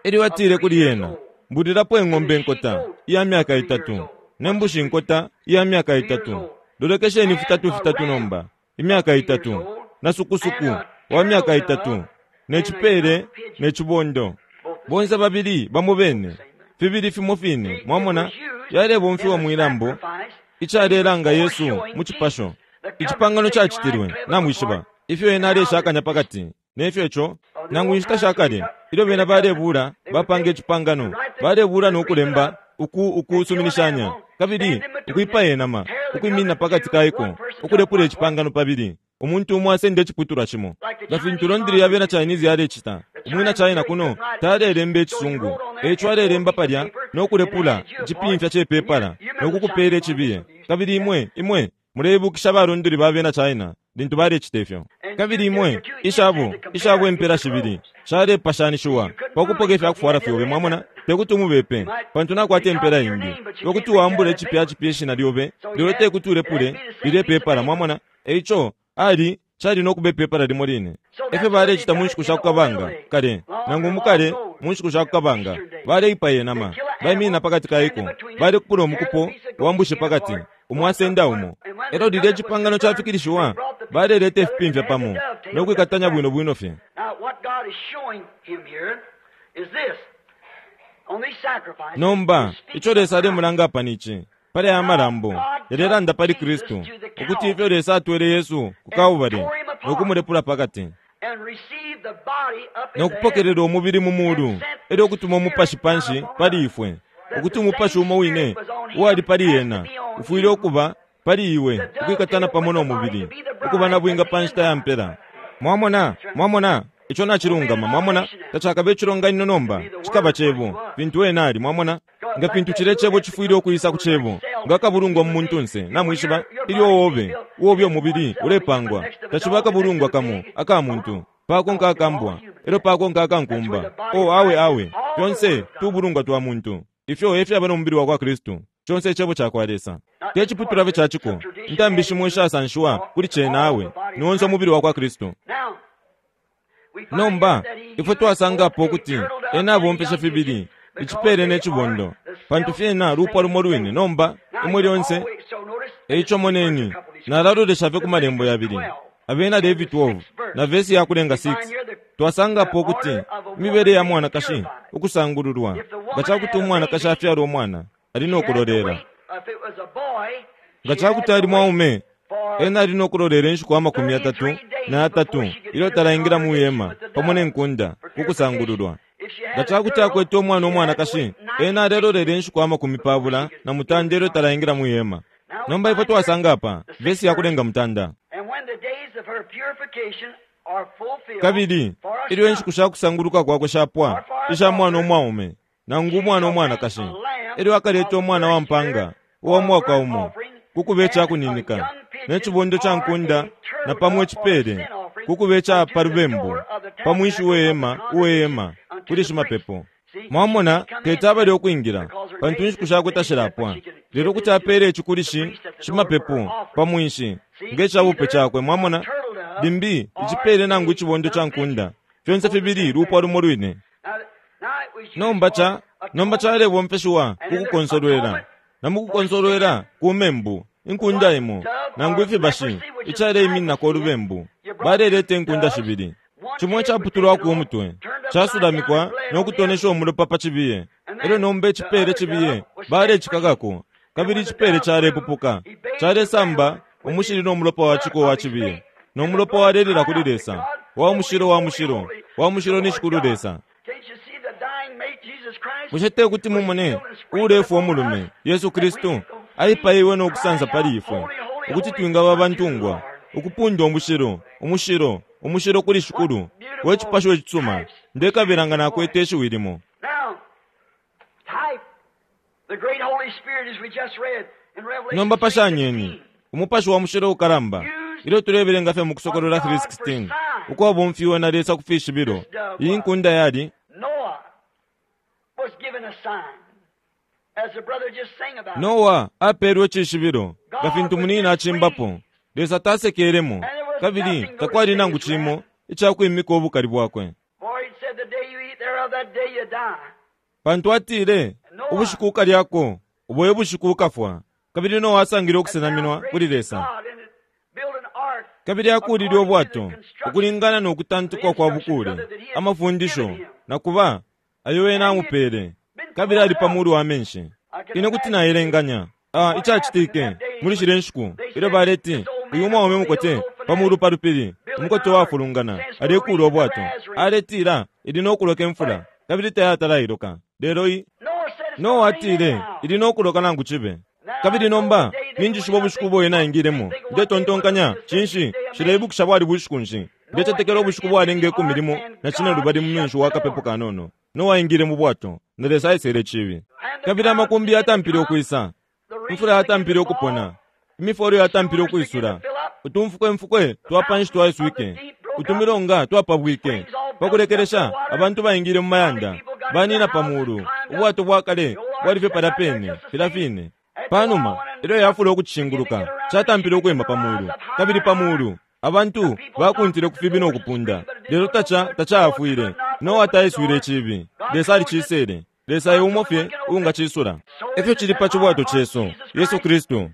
Elyo atile kuli ena, Mbulilapo ing'ombe nkota iya myaka 3, ne mbushi nkota iya myaka 3. Lolekesheni fitatu fitatu nomba, imyaka 3, na sukusuku wa myaka 3, ne cipele ne cibondo. Bonse babili bamo bene, fibili fimo fine, mwamona, yalebomfiwa mwilambo, icalelanga Yesu mu cipasho. Icipangano cacitilwe, namwishiba, ifyo ena aleshakanya pakati, nefyo ico, nangu inshita shakale, ilyo bena balebula, bapanga icipangano, balebula no kulemba, uku ukusuminishanya, kabili ukwipaya inama, ukwiminina pakati kaiko, ukulepula icipangano pabili. Umuntu umo asenda iciputulwa cimo. Nga fintu londri ya bena Chinese yalecita, umwina China kuno talelemba icisungu, eico alelemba palya no kulepula icipimfya ce pepala no kukupela icibiye. Kabili imwe, imwe muleibukisha balondri ba bena China lintu balecita ifyo. Kabili imwe ishabo, ishabo impela shibili shalepashanishiwa pa kupoka ifya kufwala fyobe, mwamona, te kuti umubepe, pantu nakwata impela imbi. Te kuti wambule cipya cipya ishina lyobe, lelo te kuti ulepule lilye pepala, mwamona. Eico ali cali no kuba ipepala limo line. Efyo balecita mu nshiku sha kukabanga kale, nangu mukale mu nshiku sha kukabanga, baleipaya inama, baiminina pakati ka iko, balekupula umukupo wa mbushi pakati, umwasenda umo. Elyo lilya icipangano cafikilishiwa, baleleta ifipimfya pamo no kwikatanya bwino bwino fye. Nomba, ico Lesa alemulanga apa ni ici, pali aya malambo, yalelanda pali Kristu, ukuti ifyo Lesa atwele Yesu ku Kalbale no kumulepula pakati, no kupokelela umubili mu mulu, elyo ukutuma umupashi panshi pali ifwe, ukuti umupashi umo wine uwali pali ena ufwile ukuba pali iwe, ukwikatana pamo no mubili, ukuba na bwinga pa nshita ya mpela. Mwamona? Mwamona? Ico nacilungama, mwamona, tacakabe icilonganino nomba, cikaba Cebo, fintu Ena ali, mwamona. Nga fintu cilya Cebo cifwile ukwisa ku Cebo, nga kabulungwa mu muntunse, namwishiba, ilyo obe, uobe umubili ulepangwa, taciba akabulungwa kamo aka muntu, pakonka akambwa, elyo pakonka akankumba. Oh, awe, awe, fyonse tubulungwa twa muntu. Ifyo efyaba no mubili wa kwa Kristu, conse Icebo cakwa Lesa. Te ciputulwa fye ca ciko, intambi shimo ishasanshiwa kuli cena, awe, ni onse umubili wa kwa Kristu. Nomba, ifwe twasangapo ukuti ena abomfeshe fibili, icipele ne cibondo, pantu fyena lupwa lumo lwine. Nomba, imwe lyonse. Eico moneni, nalalolesha fye ku malembo yabili, Abena Levi 12 na vesi ya kulenga 6. Twasangapo ukuti imibele ya mwanakashi ukusangululwa, nga ca kuti umwanakashi afyala umwana, ali no kulolela. Nga ca kuti ali mwaume, ena ali no kulolela inshiku 33 ilyo talaingila mu hema pamo ne nkunda ku kusangululwa. Nga ca kuti akwete umwana umwanakashi, ena alelolela inshiku 48 ilyo talaingila mu hema. Nomba ifwe twasanga apa, vesi ya kulenga mutanda. Kabili ilyo inshiku sha kusanguluka kwakwe shapwa, isha mwana umwaume nangu umwana umwanakashi, elyo akaleta umwana wa mpanga uwa mwaka umo ku kube ica kuninika, ne cibondo ca nkunda na pamo icipele ku kube ica pa lubembu, pa mwinshi we hema uwe hema kuli shimapepo. Mwamona, teti abale ukwingila, pantu inshiku shakwe tashilapwa. Lelo kuti apeele ici kuli shi, shimapepo, pa mwinshi, nge ca bupe cakwe. Mwamona? Limbi, icipele nangu icibondo ca nkunda, fyonse fibili lupwa lumo lwine. Nomba ca, nomba calebomfeshiwa ku kukonsolwela, na mu kukonsolwela ku membu, inkunda imo, nangu ifibashi, icaleimininako ulubembu. Baleleta inkunda shibili. Cimo icaputulwako umutwe, casulamikwa no kutonesha umulopa pa cibiye. Elyo nomba icipele cibiye balecikakako, kabili icipele calepupuka, calesamba umushili no mulopa wa ciko wa cibiye, no mulopa walelila kuli Lesa, Wa mushilo, wa mushilo, wa mushilo ni Shikulu Lesa. Bushe te kuti mumone uulefwa umulume, Yesu Kristu, aipaiwe no kusansa pali ifwe, ukuti twingaba abantungwa, ukupunda umushilo, umushilo, umushilo kuli Shikulu, we cipasho icisuma. Ndekabila nga nakwete ishiwi limo. Nomba pashanyeni Umupashi wa Mushilo ukalamba, ilyo tulebelenga fye mu Kusokolola 3:16, ukwabomfiwe na Lesa ku fishibilo. Iyi nkunda yali Noa apeelwe icishibilo, nga fintu munina acimbapo. Lesa tasekelemo, kabili takwali nangu cimo ica kwimika ubukali bwakwe. Pantu atile, Ubushiku ukalyako, ubo e bushiku ukafwa. Kabili Noa asangile ukusenaminwa kuli Lesa. Kabili akuulile ubwato ukulingana no kutantikwa kwa bukuule, amafundisho, na kuba, ayo ena amupeele, kabili ali pa mulu wa menshi. Ine kuti naelenganya a icacitike muli shilya nshiku ilyo baleti, Uyu mwaume mukote pa mulu pa lupili, umukote uwafulungana, alekuula ubwato. Aletila ili no kuloka imfula, kabili tayatala iloka. Lelo i. Noa atile ili no kuloka nangu cibe. Kabili nomba, ninjishiba ubushiku ubo ena aingilemo. Ndetontonkanya, cinshi, nshileibukisha bwali bushiku nshi. Ndecetekela ubushiku bwalenga ikumi limo na cinelubali mu mwenshi wa kapepo kanono. Noa aingile mu bwato, na Lesa aisele icibi. Kabili amakumbi yatampile ukwisa, imfula yatampile ukupona, imifolo yatampile ukwisula, Utumfukwemfukwe twa panshi twaiswike, utumilonga twapabwike. Pa kulekelesha abantu baingile mu mayanda, banina pa mulu. Ubwato bwa kale bwali fye palya pene filya fine. Pa numa ilyo yafula ukucishinguluka, catampile ukwima pa mulu kabili pa mulu. Abantu bakuntile ku fibi no kupunda, lelo taca tacaafwile. Noa taiswile icibi, Lesa alicisele. Lesa e umo fye uungacisula. E fyo cili pa cibwato cesu, Yesu Kristu.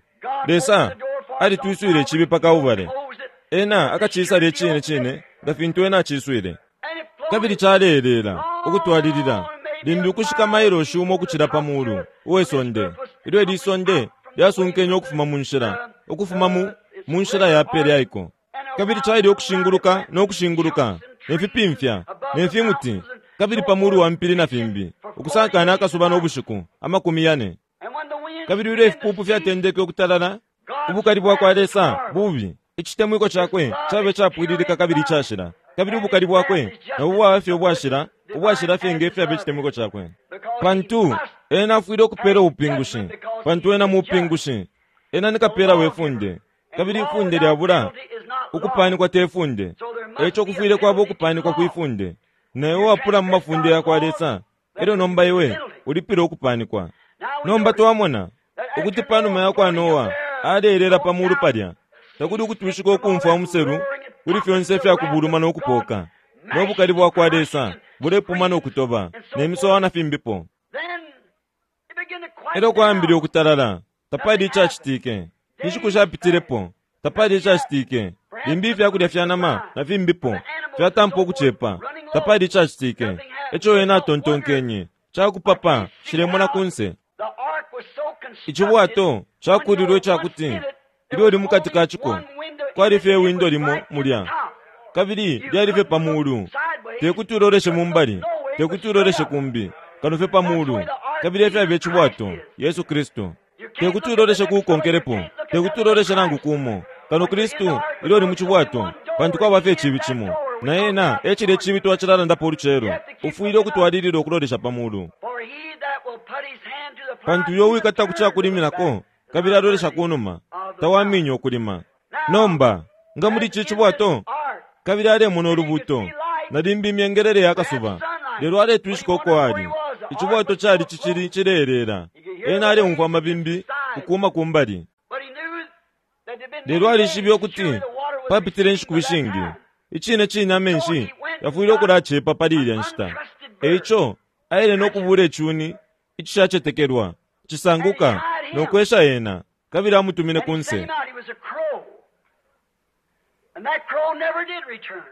Lesa alitwiswile icibi pa Kalbale. Ena akacisala icine cine nga fintu Ena aciswile. Kabili caleeleela, ukutwalilila, limbi ukushika mailoshi umo ukucila pa mulu uwe sonde, ilyo ili sonde lyasunkenye ukufuma mu nshila, ukufuma mu, mu nshila ya pe lyaiko. Kabili caile ukushinguluka no kushinguluka, ne fipimfya, ne fimuti, kabili pa mulu wa mpili na fimbi, ukusankana akasuba no bushiku, 40. Kabili ilyo ifipupu fyatendeke ukutalala, ubukali bwa kwa Lesa bubi, icitemwiko cakwe cabe capwililika kabili icashila, kabili ubukali bwakwe nabo bwaba fye ubwashila, ubwashila fye nge fyaba icitemwiko cakwe. Pantu ena afwile ukupela ubupingushi, pantu ena mupingushi. Ena ni kapela we funde, kabili ifunde lyabula ukupanikwa te funde. E ico kufwile kwaba ukupanikwa kwi funde. Na iwe wapula mu mafunde ya kwa Lesa, e lyo nomba iwe ulipile ukupanikwa. Nomba twamona ukuti pa numa ya kwa Noa aleelela pa mulu palya, takuli ukutwishika ukumfwa umuselu kuli fyonse ifya kubuluma no kupooka, no bukali bwa kwa Lesa bulepuma no kutoba, ne misowa na fimbipo. E lyo kwaambile ukutalala, tapali icacitike. Inshiku shapitilepo, tapali icacitike. Limbi ifya kulya fya nama na fimbipo fyatampa ukucepa, tapali icacitike. E co ena atontonkenye, Ca kupapa, nshilemona ku nse. Icibwato cakuulilwe ica kuti ilyo uli mu kati ka ciko, kwali fye iwindo limo mulya, kabili lyali fye pa muulu. Te kuti uloleshe mu mbali, te kuti uloleshe kumbi, kano fye pa muulu. Kabili e fyaba icibwato, Yesu Kristu. Te kuti uloleshe ku ukonkelepo, te kuti uloleshe nangu kumo, kano Kristu ilyo uli mu cibwato, pantu kwaba fye iciibi cimo, na ena e cilya iciibi twacilalandapo ulucelo. Ufwile ukutwalilila ukulolesha pa muulu. Pantu uyo uwikata ku ca kuliminako kabili alolesha ku numa, tawaminya ukulima. Nomba, nga muli ici cibwato, kabili alemona ulubuuto, na limbi imyengelele ya kasuba, lelo aletwishika uko ali. Icibwato cali cicili cileeleela. Ena aleumfwa amabimbi ukuuma ku mbali. Lelo alishibe ukuti papitile inshiku ishingi. Icine cine amenshi yafwile ukulacepa pali ilya nshita. E ico aile no kubuula icuni icishacetekelwa, cisanguka, no kwesha ena, kabili amutumine ku nse.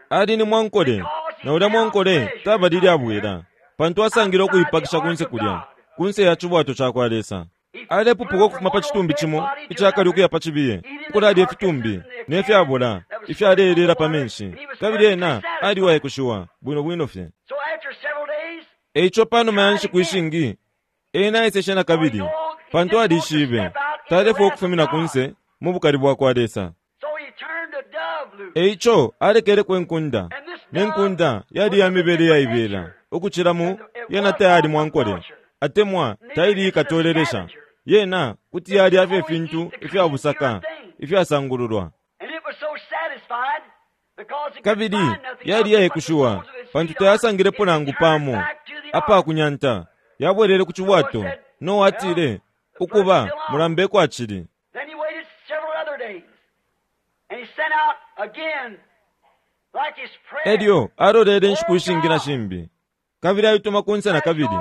Ali ni mwankole, na ulya mwankole tabalile abwela, pantu asangile ukuipakisha ku nse kulya, ku nse ya cibwato ca kwa Lesa. Alepupuka ukufuma pa citumbi cimo ica kale ukuya pa cibiye, ukulalya ifitumbi ne fyabola ifyaleeleela pa menshi, kabili ena ali uwaikushiwa bwino bwino fye. E ico pa numa ya nshiku ishingi, ena aeseshe na kabili, pantu alishibe talefwaya ukufumina ku nse mu bukali bwa kwa Lesa. E ico alekeleko inkunda, ne nkunda yali ya mibele iyaibela ukucila mu yena tayali mwankole atemwa taili ikatolelesha. Yena kuti yalya fye ifintu ifya busaka ifyasangululwa. Kabili yali iyaikushiwa pantu tayasangilepo nangu pamo apa kunyanta. Yabwelele ku cibwato. Noa atile, Ukuba, mulamba eko acili. Elyo alolele inshiku ishingi na shimbi, kabili aituma ku nse na kabili,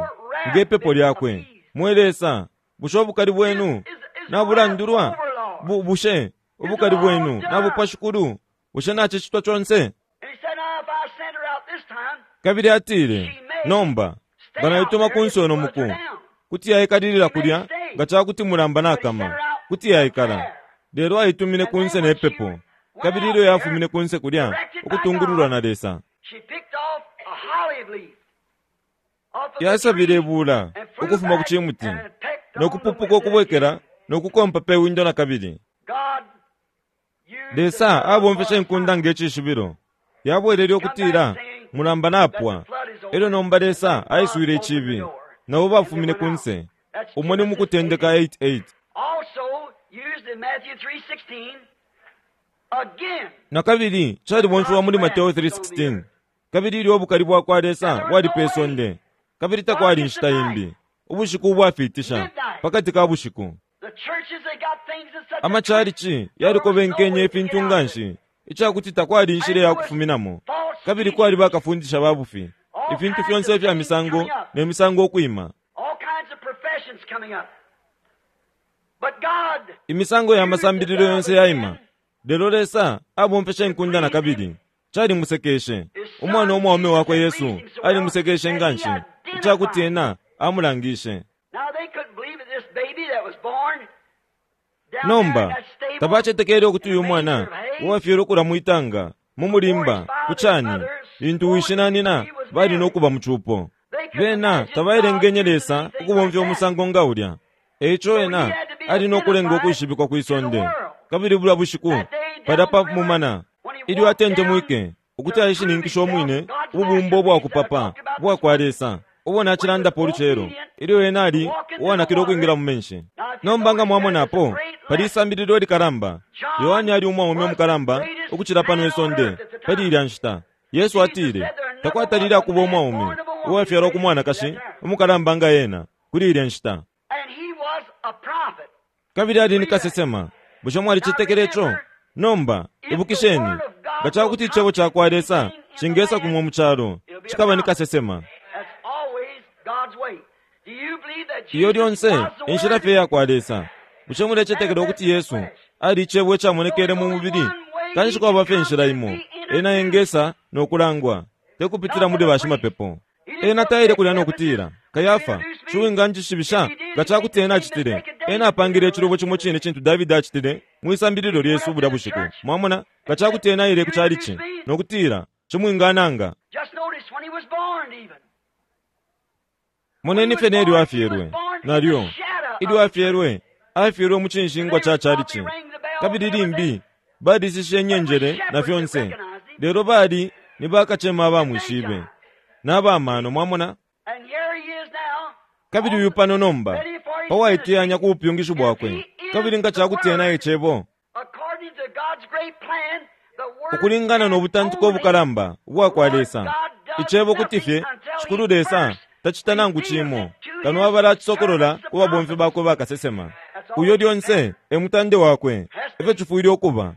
nge pepo lyakwe, Mwe Lesa, bushe ubukali bwenu nabulandulwa? Bu, bushe ubukali bwenu nabupwa, Shikulu? Bushe nacicitwa conse? Kabili atile, Nomba, nga naituma ku nse uno muku, kuti yaikalilila kulya nga ca kuti mulamba nakama, kuti yaikala. Lelo aitumine ku nse ne pepo, kabili ilyo yafumine ku nse kulya ukutungululwa na Lesa, yasabile ibula ukufuma ku cimuti no kupupuka ukubwekela no kukompa pe windo na kabili. Lesa abomfeshe inkunda nge cishibilo. Yabwelele ukutila mulamba napwa. E lyo nomba Lesa aiswile icibi, na bo bafumine ku nse. Umo ni mu Kutendeka 8:8. Again, Na kabili calibomfiwa muli Mateo 3:16. Kabili ilyo ubukali bwa kwa Lesa bwali pe sonde, kabili takwali inshita imbi, ubushiku ubwafiitisha, pakati ka bushiku. the churches they got things in such a Amachalichi yalikobenkenye ifintu nga nshi, ica kuti takwali inshila ya kufuminamo. Kabili kwali bakafundisha ba bufi, ifintu fyonse ifya misango ne misango ukwima. all kinds of professions coming up. But God Imisango ya masambililo yonse yaima. Lelo Lesa abomfeshe inkunda na kabili. Calimusekeshe. Umwana umwaume wakwe Yesu alimusekeshe nga nshi, ica kuti ena amulangishe. Now they couldn't believe that this baby that was born down there in Nomba, that stable tabacetekele ukuti uyu mwana uwafyelwe ukula mwitanga, mu mulimba, ku cani, lintu wishi na nina bali no kuba mu cupo. Bena tabaelengenye Lesa ukubomfya umusango nga ulya. Eico ena ali no kulenga ukwishibikwa kwi sonde. Kabili bulya bushiku, palya pa mumana, ilyo atentemwike, ukuti aishininkishe umwine ububumbo bwa kupapa ubwa kwa Lesa, ubo nacilandapo ulucelo, ilyo ena ali uwanakile ukwingila mu menshi. Nomba nga mwamonapo, pali isambililo likalamba. Yohane ali umwaume umukalamba ukucila pano isonde pali ilya nshita. Yesu atile, takwatalile akuba umwaume uwafyalwa ku mwanakashi umukalamba nga ena kuli ilya nshita. and he was a prophet. Kabili ali ni kasesema. Bushe mwalicetekele ico? Nomba, ibukisheni, nga ca kuti icebo ca kwa Lesa cingesa kumwe mu calo, cikaba ni kasesema. That's always God's way. Do you believe that Iyo Jesus lyonse was the inshila Word? fye ya kwa Lesa. Bushe mulecetekela ukuti Yesu ali icebo icamonekele mu mubili? Kanshi kwaba fye inshila imo, ena engesa no kulangwa, te kupitila muli bashimapepo. Ena taile kulya no kutila, Kayafa, shiwinganjishibisha nga ca kuti ena acitile. Ena apangile icilubo cimo cine cintu Davidi acitile mwisambililo lyesu bulya bushiku. Mwamona, nga ca kuti ena aile ku chalichi no kutila, chimwingananga. Just notice when he was born even. Moneni fye nelyo afyelwe, nalyo. Ilyo afyelwe, afyelwe mu cinshingwa ca chalichi. Kabili limbi, balishishe inyenjele na fyonse. Lelo bali ni bakacema abamwishibe. N'abamano mwamona. And here he is now. Kabili uyu pano nomba, pawaiteyanya ku bupyungishi bwakwe. Kabili nga ca kuti ena ecebo, According to God's great plan, the word ukulingana no butantiko obukalamba ubwa kwa Lesa. Icebo kuti fye, Shikulu Lesa tacita nangu cimo, kano abala acisokolola ku babomfi bakwe bakasesema. Uyo lyonse e mutande wakwe, efyo cifwile ukuba.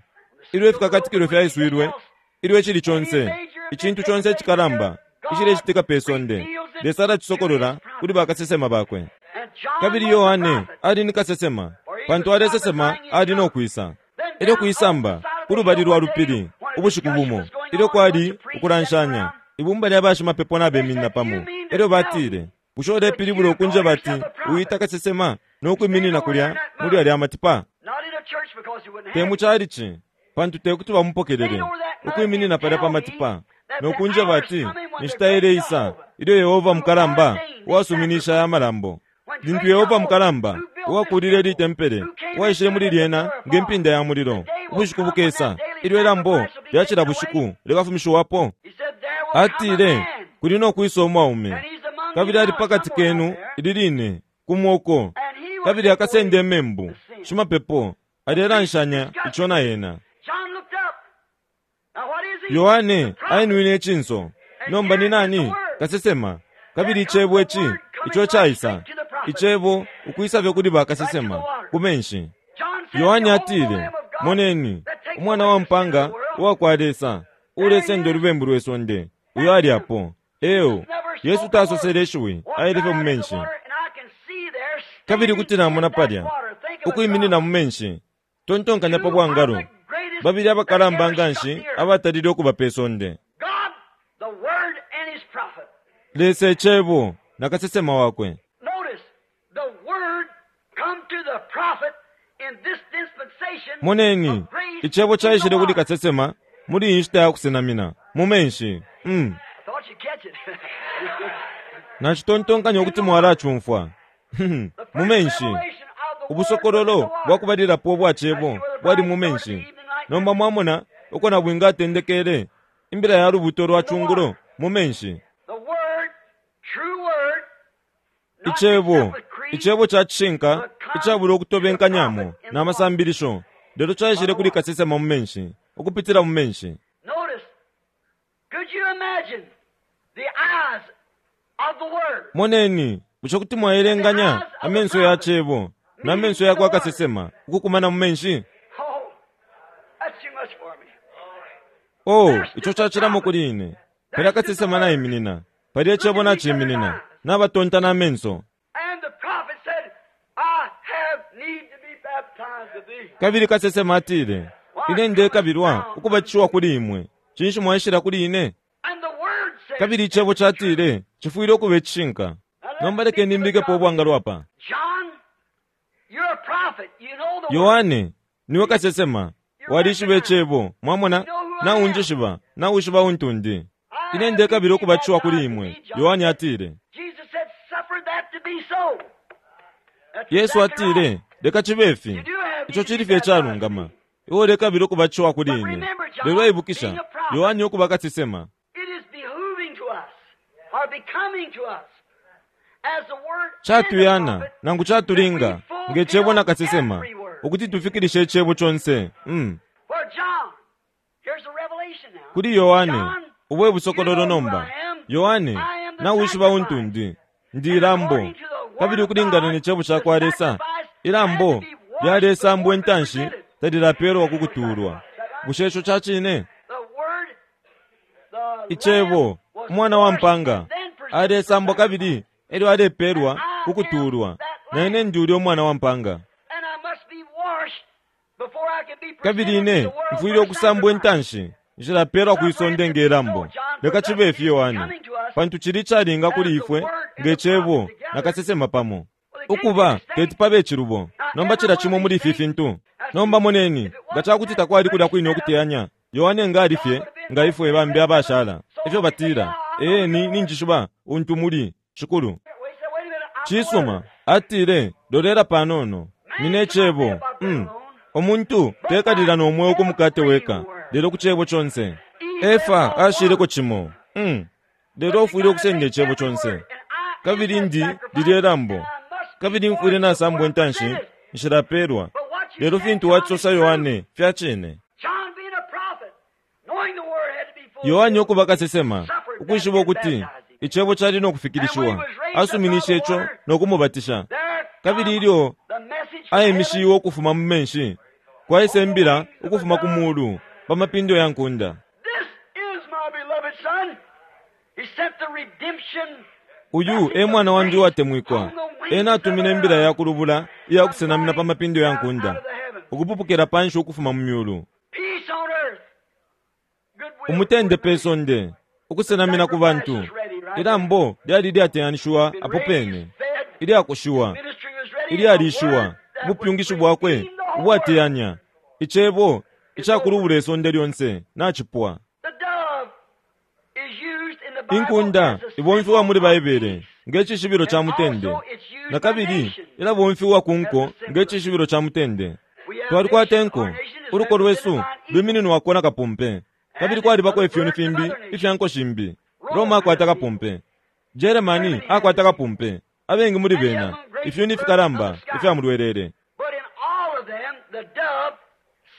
Ilyo ifikakatikilo fyaiswilwe, ilyo icili conse, icintu conse icikalamba, icilecitika pe sonde, Lesa alacisokolola kuli bakasesema bakwe. And John Kabili was the Yohane prophet. ali ni kasesema, pantu alesesema ali no kwisa. Ilyo kuisamba ku lubali lwa lupili ubushiku bumo, ilyo kwali ukulanshanya, ibumba lya bashimapepo nabeminina pamo. Elyo batile, bushe ulepilibula ukunjeba ati uita kasesema no kwiminina kulya muli alya matipa? Not in a church because he wouldn't Te have mu it. chalichi, pantu te kuti bamupokelele, ukwiminina palya pa matipa, no kunjeba ati inshita ileisa ilyo Yehova mukalamba uwasuminisha aya malambo. Lintu Yehova mukalamba uwakulile litempele uwaishile muli lyena nge mpinda ya mulilo, ubushiku bukesa ilyo ilambo lya cila bushiku likafumishiwapo. He said, there will come a Atile, man, kuli no kwisa umwaume, and he's among kabili you ali now pakati somewhere kenu out there, ili line kumwoko, and he will kabili take akasenda away imembu. the sin. Shimapepo alelanshanya ico na ena. John looked up. Now what is he? Yohane The prophet. ainwine icinso. Nomba ni nani? Kasesema. Kabili icebo ici, ico caisa. Icebo ukwisa fye kuli bakasesema, ku menshi. John said, Yohane "Behold, the atile, Lamb of God moneni, that takes umwana away wa the sin of mpanga the world." uwa kwa Lesa, ulesenda ulubembu lwe sonde, uyo ali apo. Eo, Yesu tasosele ishiwi, Walked aile fye right mu out of the menshi. water, and I can see there Kabili standing kuti namona in that palya, water. Think of a ukwiminina drop. mu menshi. Tontonkanya pa bwangalo. Two of the greatest Babili abakalamba that ever nga struck nshi the earth. abatalile ukuba pe sonde. God, the Word and His prophet. Lesa icebo na kasesema wakwe. Notice, the Word come to the prophet in this dispensation Moneni, of grace icebo in the caishile kuli water. kasesema muli iyi nshita ya kusenamina, mu menshi. I thought you'd catch it. Nacitontonkanya ukuti mwalacumfwa. The Mu first menshi. revelation of the Word was in the Ubusokololo water. bwa kubalilapo ubwa cebo bwali mu menshi. Nomba mwamona uko nabwinga atendekele imbila ya lubuto lwa cungulo mu menshi. The Word, true Word, not Icebo, mixed up with creed, icebo ca cishinka icabula ukutobenkanyamo na masambilisho. Lelo caishile kuli kasesema mu menshi, ukupitila mu menshi. Notice, could you imagine the eyes of the Word? Moneni, bushe kuti mwaelenganya amenso ya Cebo na menso ya kwa kasesema ukukumana mu menshi? Oh, that's too much for me. Oh, ico cacilamo kuli ine. Palya kasesema naiminina, palya Cebo naciminina, nabatonta na menso. And the prophet said, I have need to be baptized of thee. Kabili kasesema atile, Ine ndekabilwa ukubatishiwa kuli imwe. Cinshi mwaishila kuli ine? And the Word said, Kabili icebo catile, cifwile ukuba icishinka. Nomba lekeni mbikepo ubwangalo apa. John, you're a prophet. You know the Word. Yohane, niwe kasesema. Walishiba icebo, mwamona? Naunjishiba, nawishiba untu ndi. Ine ndekabila ukubatishiwa kuli imwe. Yohane atile. Jesus said, suffer that to be so. That's Yesu exactly atile, right. leka cibe ifi. Ico cili fye icalungama. Iwe ulekabila ukubatishiwa kuli ine. Lelo ibukisha, Yohane ukuba kasesema. It is behooving to us, or becoming to us, as the Word and the Catuyana, prophet, nangu catulinga, nge cebo na kasesema, ukuti tufikilishe icebo conse. For John, here's the revelation now. Kuli Yohane, ubu e busokololo nomba. Yohane, nawishiba untu ndi. Ndi ilambo. Kabili ukulingana ne cebo ca kwa Lesa, ilambo lyalesambwa intanshi talilapelwa ku kutuulwa. Bushe ico ca cine? The Word, the Icebo, Lamb was umwana wa mpanga, washed and then presented alesambwa for kabili elyo alepelwa ku kutuulwa. Na ine ndi ulya umwana wa mpanga. And I must be washed before I can be presented Kabili to ine the world mfwile for ukusambwa sacrifice. intanshi nshilapelwa kwisonde nge lambo. Leka cibe ifi Yohane, pantu cili calinga kuli ifwe nge cebo na kasesema pamo. Ukuba teti pabe icilubo. Nomba cila cimo muli ifi fintu. Nomba moneni, nga cakuti takwali kulya kwine ukuteyanya, Yohane nga ali fye nga ifwe bambi abashala. Ifyo batila, ee ni ninjishiba untu muli, Shikulu. Well, he said, wait a minute, I'm the Cisuma, Word. atile, lolela panono. Nine cebo. Omuntu tekalila no mweo ku mukate weka, lelo ku cebo conse. Efa ashileko cimo. Lelo ufwile ukusenda icebo conse. Kabili ndi lilye lambo. Kabili mfwile nasambwa intanshi, nshilapelwa. Lelo fintu wacisosa Yohane fya cine. John being a prophet, knowing the Word had to be fulfilled. Yohane ukuba kasesema, ukwishiba ukuti icebo cali no kufikilishiwa, asuminishe ico no kumubatisha. There Kabili ilyo the message from aimishiwe ukufuma mu menshi, kwaisa imbila ukufuma ku mulu pa mapindo ya nkunda. This is my beloved son. He sent the redemption Uyu e mwana wandi uwatemwikwa. Ena atumine imbila ya kulubula iya kusenamina pa mapindo ya nkunda, ukupupukila panshi ukufuma mu myulu. peace on earth. Goodwill Umutende pe sonde, ukusenamina ku bantu. Ilambo lyali lyateyanishiwa apo pene, ilyakushiwa, Ministry was ready. ilyalishiwa, ubupyungishi bwakwe ubwateyanya, icebo icakulubula isonde lyonse nacipwa. The dove is used in the Bible Inkunda as a ibomfiwa muli symbol of Baibele peace. nge cishibilo ca mutende, na kabili ilabomfiwa ku nko nge cishibilo ca mutende. We have Twalikwata nation- inko, our nation is uluko lwesu represented by an lwimininwako na kapumpe, kabili kwalibako ifyoni fimbi ifya nko shimbi. Roma akwata kapumpe, Germany akwata kapumpe, abengi muli bena ifyoni fikalamba ifya mulwelele. But in all of them, the dove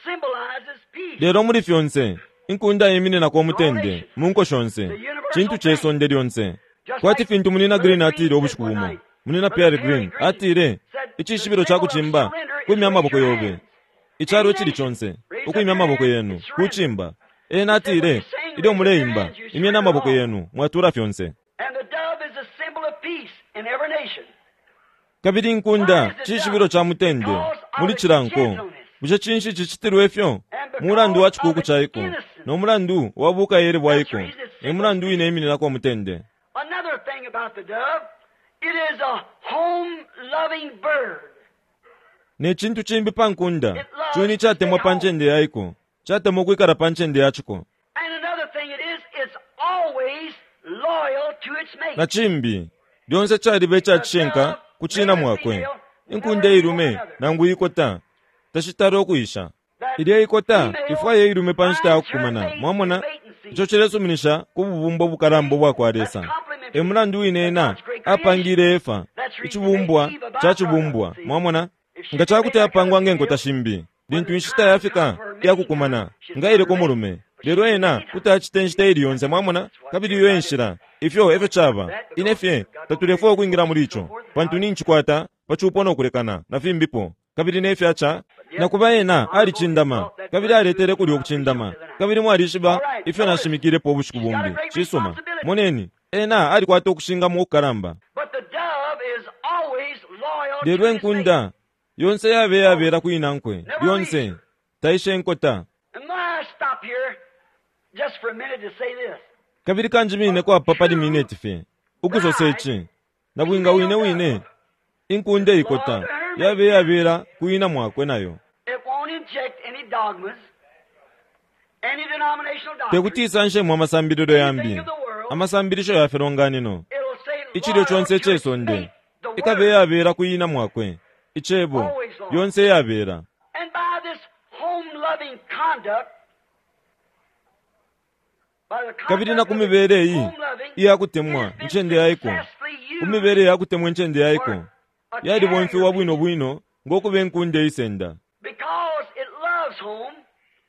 symbolizes peace. Lelo muli fyonse, inkunda imininako umutende mu nko shonse, cintu ce sonde lyonse. Kwati fintu Munina Green atile ubushiku bumo. Munina Pierre Green atile, icishibilo ca kucimba kwimya amaboko yobe. Icalo icili conse, ukwimya amaboko yenu, kucimba. Ena atile, ilyo muleimba, imyeni amaboko yenu, mwatula fyonse. And the dove is a symbol of peace in every nation. Kabili inkunda cishibilo ca mutende muli cila nko. Bushe cinshi cicitilwe ifyo? Mulandu wa cikuuku caiko, no mulandu wa bukayele bwaiko, e mulandu wine imininako umutende. Another thing about the dove, it is a home-loving bird. Ne cintu cimbi pa nkunda, cuni catemwa pa ncende yaiko, catemwa ukwikala pa ncende yaciko. And another thing it is, it's always loyal to its mate. Na cimbi, lyonse caliba icacishinka ku cina mwakwe. Inkunda ilume nangu ikota, tashitala ukuisha. Ilya ikota ifwaya ilume pa nshita ya kukumana, mwamona? Ico cilesuminisha ku bubumbo bukalamba ubwa Lesa. E mulandu wine ena apangile Efa, icibumbwa ca cibumbwa, mwamona? Nga cakuti apangwa nge nkota shimbi, Lintu inshita yafika iya kukumana, nga ileka umulume. Lelo ena kuti acita inshita ili yonse, mwamona, kabili iyo e nshila. Ifyo efyo caba. Ine fye tatulefwaya ukwingila muli ico, pantu nincikwata pa cupo no kulekana, na fimbipo, kabili ne fya ca. Na kuba ena alicindama, kabili aletele kulya ukucindama. Kabili mwalishiba ifyo nashimikilepo ubushiku bumbi. Cisuma. Moneni, ena alikwata ukushingamo ukukalamba. Lelo inkunda yonse yabe yabela ku inankwe, lyonse taisha inkota. Kabili kanjimineko apa pali mineti fye, ukusosa ici. Nabwinga wine wine, inkunda ikota yabe yabela ku ina mwakwe nayo. Te kuti isanshemo amasambililo yambi, amasambilisho ya filonganino, icilyo conse ice sonde, ikabe yabela ku ina mwakwe, Icebo, lyonse iyabela. Kabili na ku mibele iyi iya kutemwa incende yaiko, ku mibele ya kutemwa incende yaiko, yalibomfiwa bwino bwino ngo kuba inkunda isenda.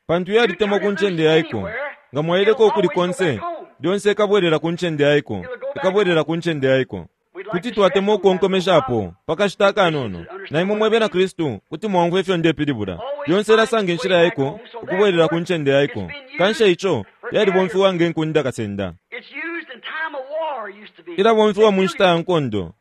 Pantu yalitemwa ku ncende yaiko, nga mwaileka ukuli konse, lyonse ikabwelela ku ncende yaiko, ikabwelela ku ncende yaiko. Kuti twatemwa ukukonkomeshapo pa kashita akanono, na imwe mwe Bena Kristu kuti mwaumfwa ifyo ndepilibula. Lyonse ilasanga inshila yaiko ukubwelela ku ncende yaiko. Kanshi eico yalibomfiwa nge nkunda kasenda. Ilabomfiwa mu nshita ya nkondo.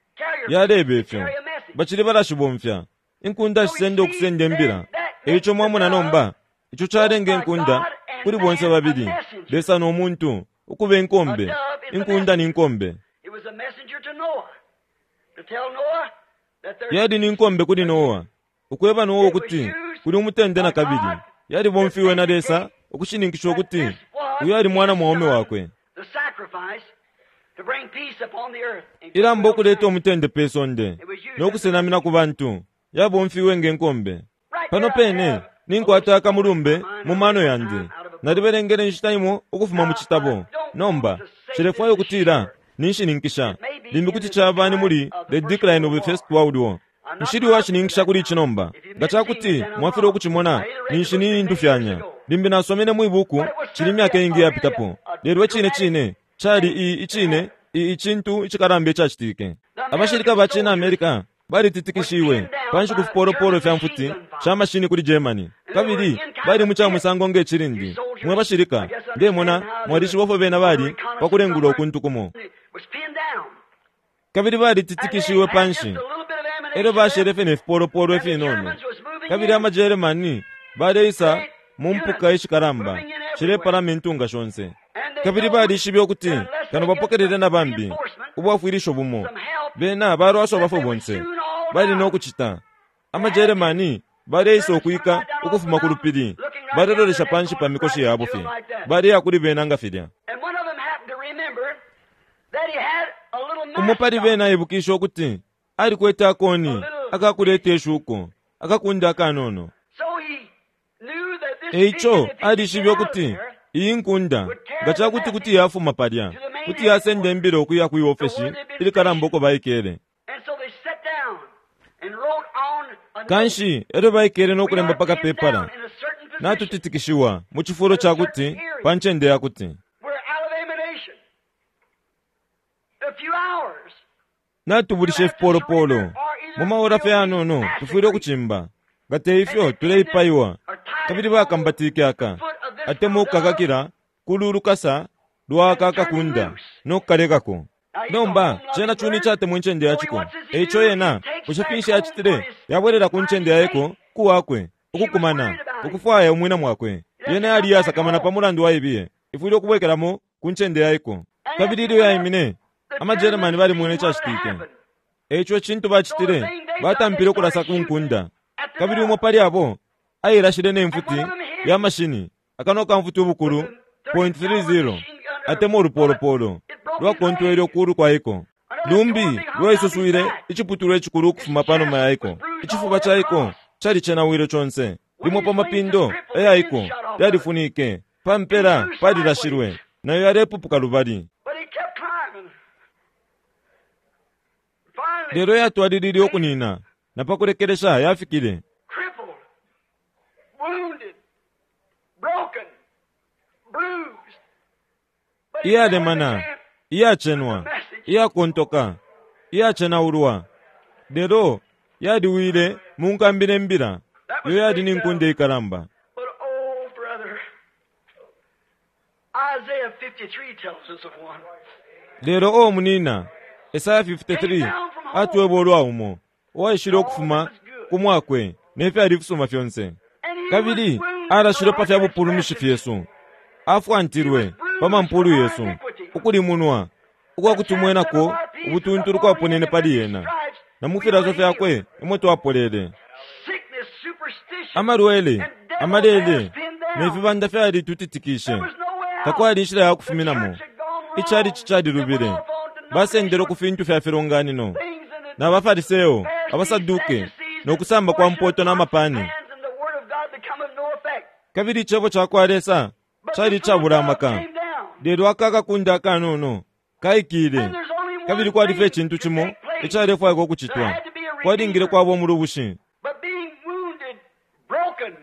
Yaleba ifyo. Bacili balashibomfya. Inkunda shisenda ukusenda imbila. Eico mwamona nomba, ico calenga inkunda kuli bonse babili, Lesa no muntu, ukuba inkombe. Inkunda ni nkombe. Yali ni nkombe kuli Noa, ukweba Noa ukuti kuli umutende na kabili. Yalibomfiwe na Lesa ukushininkisha ukuti uyu ali mwana mwaume wakwe. Ilambo ukuleta umutende pe sonde no kusenamina ku bantu yabomfiwe nge nkombe. Pano pene ninkwata akamulumbe mu mano yandi. Nalibelengele inshita imo ukufuma mu citabo. Nomba, nshilefwaya ukutila ninshininkisha. Limbi kuti caba ni muli The Decline of the First World War. Nshili uwashininkisha kuli ici nomba. Nga ca kuti mwafilwa ukucimona, ninshi nindufyanya. Limbi nasomene mwi buku cili imyaka iingi iyapitapo. Lelo icine cine, cali i, icine, i, icintu icikalamba icacitike. Abashilika ba cina America balititikishiwe panshi ku fipolopolo fya mfuti sha mashini kuli Germany, kabili bali mu ca musango nge cilindi. Mwe bashilika, ndemona mwalishiba ifyo bena bali pa kulengula ukuntu kumo. Kabili balititikishiwe panshi, elyo bashele fye ne fipolopolo ifinono, kabili ama Germany baleisa mu mpuka ishikalamba shilepalama intunga shonse. Kabili balishibe ukuti kano bapokelele na bambi ubwafwilisho bumo, bena balwaswa bafwe bonse. Bali no kucita. AmaJeremani baleisa ukwika ukufuma ku lupili, balelolesha panshi pa mikoshi yabo fye, baleya kuli bena nga filya. Umo pali bena aibukishe ukuti alikwete akoni akakuleta ishuko, akakunda akanono. E ico alishibe ukuti iyi nkunda, nga ca kuti kuti yafuma palya, kuti yasenda imbila ukuya kwi ofeshi ilikalamba uko baikele. Kanshi e lyo baikele no kulemba pa kapepala, Natutitikishiwa mu cifulo ca kuti pa ncende ya kuti. Natubulisha ifipolopolo. Mu maora fye yanono tufwile ukucimba. Nga te ifyo tuleipaiwa. Kabili bakambatike aka, atemwa ukukakakila kulu lukasa lwa aka kakunda no kukalekako. Nomba, cena cuni icatemwa incende ya ciko. E ico yena, bushe finshi yacitile? Yabwelela ku ncende ya iko, ku wakwe, ukukumana, ukufwaya umwina mwakwe. Yena yali iyasakamana pa mulandu wa ibiye. Ifwile ukubwekelamo ku ncende ya iko. Kabili ilyo yaimine, amaJeremani balimwene icacitike. E ico icintu bacitile, batampile ukulasa ku nkunda. Kabili umo pali abo ailashile ne mfuti ya mashini, akanwa ka mfuti ubukulu 0.30 atemwa ulupolopolo lwakontwele ukulu kwa iko. Lumbi lwaisuswile iciputulwa icikulu ukufuma pa numa ya iko. Icifuba ca iko calicenawile conse. Limo pa mapindo aya iko yalifunike, pa mpela palilashilwe, nayo yalepupuka lubali. Lelo yatwalilile ukunina, na pa kulekelesha yafikile. Iyalemana, iyacenwa, iyakontoka, iyacenaulwa, lelo yaliwile mu nkambi ne mbila. Iyo yali ni nkunda ikalamba. But oh, brother, Isaiah 53 tells us of one. Lelo o munina, Esaya 53 atweba ulwa umo uwaishile ukufuma ku mwakwe ne fyali ifisuma fyonse. And he Kabili was wounded alashilwe for pa our fya bupulumushi transgressions. fyesu, afwantilwe pa mampulu yesu, ukulimunwa ukwakutumwenako ubutuntulu kwaponene pali yena, na mu filaso fyakwe imwe twapolele. Sickness, superstition, Amalwele, and devils amalele has been down. ne fibanda fyalitutitikishe. There was no way out. Takwali inshila ya The kufuminamo. church had gone wrong. Icalici calilubile. They went off on Basendele ku denominational fintu fya filonganino. things and the Na baFariseo, Pharisees, abaSaduke, Sadducees, no kusamba kwa mpoto na mapani. hands and the word of God become of no effect. Kabili icebo ca kwa Lesa But cali the little icabula dove amaka. came down. Lelo aka akakunda akanono kaikile. And there's only one Kabili kwali fye thing icintu to cimo take place. icalefwaikwa ukucitwa. Kwalingile kwaba umulubushi. But being wounded, broken,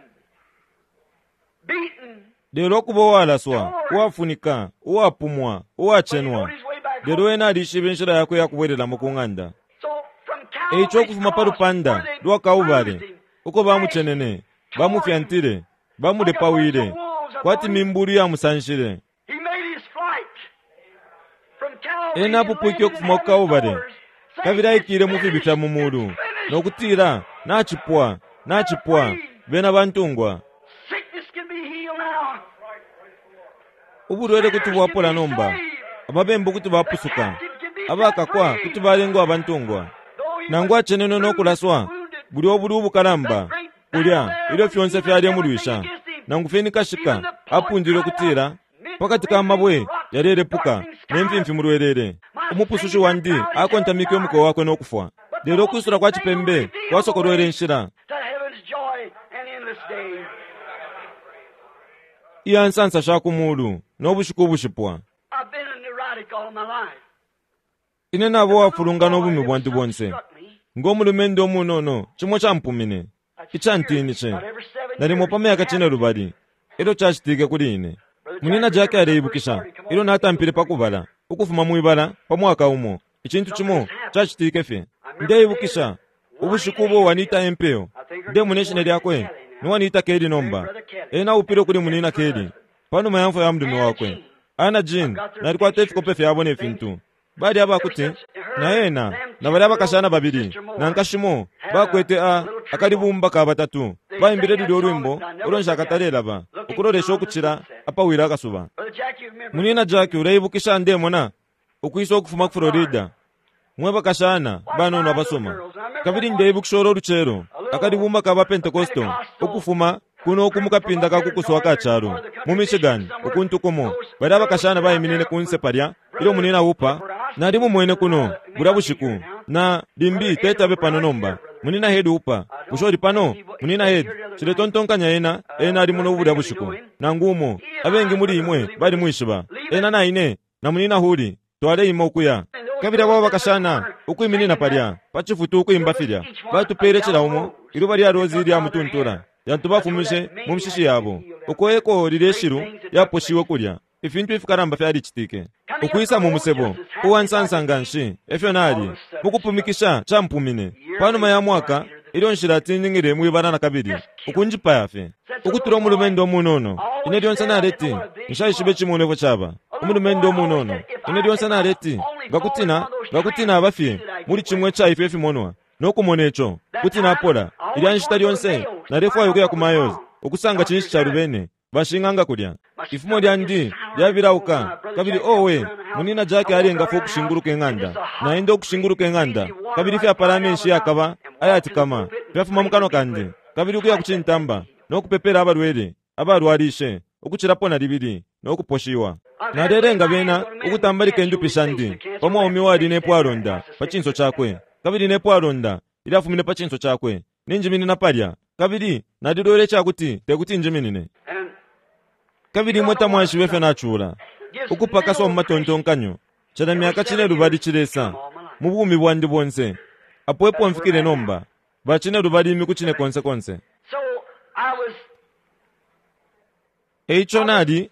beaten, Lelo ukuba uwalaswa, uwafunika, uwapumwa, but he uwacenwa. rode his way back Lelo home. ena alishibe inshila yakwe ya kubwelelamo ku ng'anda. So from E ico Calvary's ukufuma pa cross, lupanda where they lwa Kaubale, bruised him, uko bamucenene, bamufyantile, bamulepawile, kwati mimbulu yamusanshile. he made his flight from Calvary Ena and apupwike landed in ukufuma ku heaven's Kaubale, doors, saying, kabili aikile mu "It's fibi fya mu finished, mulu, it's finished." no kutila, nachipwa, nachipwa, bena bantungwa. Sickness can be healed now. Ubulwele kuti bwapola nomba, ababembu kuti bapusuka, abakakwa kuti balengwa abantungwa. Though he Nangu was acenenwe no kulaswa, wounded, buli obuli ubukalamba, kulya ilyo fyonse fyalemulwisha. Nangu fye ni kashika apundile ukutila, pakati ka mabwe yalelepuka ne mfimfi mulwelele. Umupusushi wandi akontamike umukowa wakwe no kufwa. Lelo ukwisula kwa cipembe kwasokolwele inshila to heaven's joy and endless day. iya nsansa sha ku mulu no bushiku ubushipwa. I've been a neurotic all my life. Ine nabo wafulungana ubumi bwantu bonse. Struck me. Ngo mulumendo umunono cimo campumine, icantinishe. About every 7 Nalimo years, pa myaka cine lubali, elyo cacitike kuli ine. Munina Jack aleibukisha ilyo natampile pa kubala, ukufuma mwibala pa mwaka umo, icintu cimo cacitike fye. Ndeibukisha ubushiku ubo Wanita Empeo, ndemuna ishina lyakwe, ni Wanita Kelly nomba. Ena upile kuli munina Kelly, panuma ya mfwa ya mulume wakwe. Ana Jean, nalikwata ifikope fyabo ne fintu. Bali abakuti, na ena, na bali abakashana babili, na nkashimo, bakwete a akalibumba ka batatu. Baimbile lulyo ulwimbo, ulo nshakatalelaba, ukulolesha ukucila apawila akasuba. Brother Jack, you remember Munina Jack uleibukisha ndemona ukwisa ukufuma ku Florida. Mwe bakashana banono abasoma. Kabili ndeibukisha ulo lucelo, akalibumba ka ba Pentecostal, ukufuma kuno uku mukapinda ka kukuswa ka calo, mu Michigan, ukuntu kumo. Bali abakashana baiminine kunse palya, ilyo munina upa, nali mumwene kuno, bulya bushiku, na limbi tetabe pano nomba. Munina Head upa, bushe uli pano? Munina Head, ciletontonkanya ena, ena ali muno bulya bushiku. Nangu umo, abengi muli imwe bali mwishiba. Ena na ine, na munina Huli, twaleima ukuya. Kabili abo bakashana ukwiminina palya, pa cifutu ukwimba filya. Batupele cila umo, iluba lya rozi lya mutuntula, yantu bafumishe mu mishishi yabo. Uko eko lilye shilu yaposhiwe kulya. Ifintu ifikalamba fyalicitike. Ukwisa mu musebo, uwansansa nga nshi, efyo nali, mukupumikisha campumine. Panuma ya mwaka, ilyo nshila tiningile mwibala na kabili, ukunjipaya fye. Ukutula umulumendo umunono, ine lyonse naleti, nshaishibe cimono ifyo caba. Umulumendo umunono, ine lyonse naleti, ngakutina, ngakutina aba fye, muli cimwe ca ifyo ifimonwa, no kumona ico, kuti napola. Ilya nshita lyonse, nalefwaya ukuya ku Mayos, ukusanga cinshi calubene, bashing'anga kulya. Ifumo lyandi lyabilauka, kabili owe, munina Jack alengafwa ukushinguluka ing'anda. Naenda ukushinguluka ing'anda, kabili fyapala amenshi yakaba ayatikama, fyafuma mu kanwa kandi, kabili ukuya ku cintamba, no kupepela abalwele, abalwalishe, ukucilapo na libili, no kuposhiwa. Nalelenga bena ukutambalika indupi shandi, pa mwaume uwali ne pwalonda pa cinso cakwe, kabili ne pwalonda ilyafumine pa cinso cakwe, ninjiminina palya, kabili nalilwele icakuti tekuti njiminine. And Kabili imwe tamwaishibe ifyo nacula, ukupakaswa mu matontonkanyo, cila myaka cine lubali cilesa, mu bumi bwandi bonse. Apo epo mfikile nomba, ba cine lubali imiku cine konse konse. so I was E ico nali,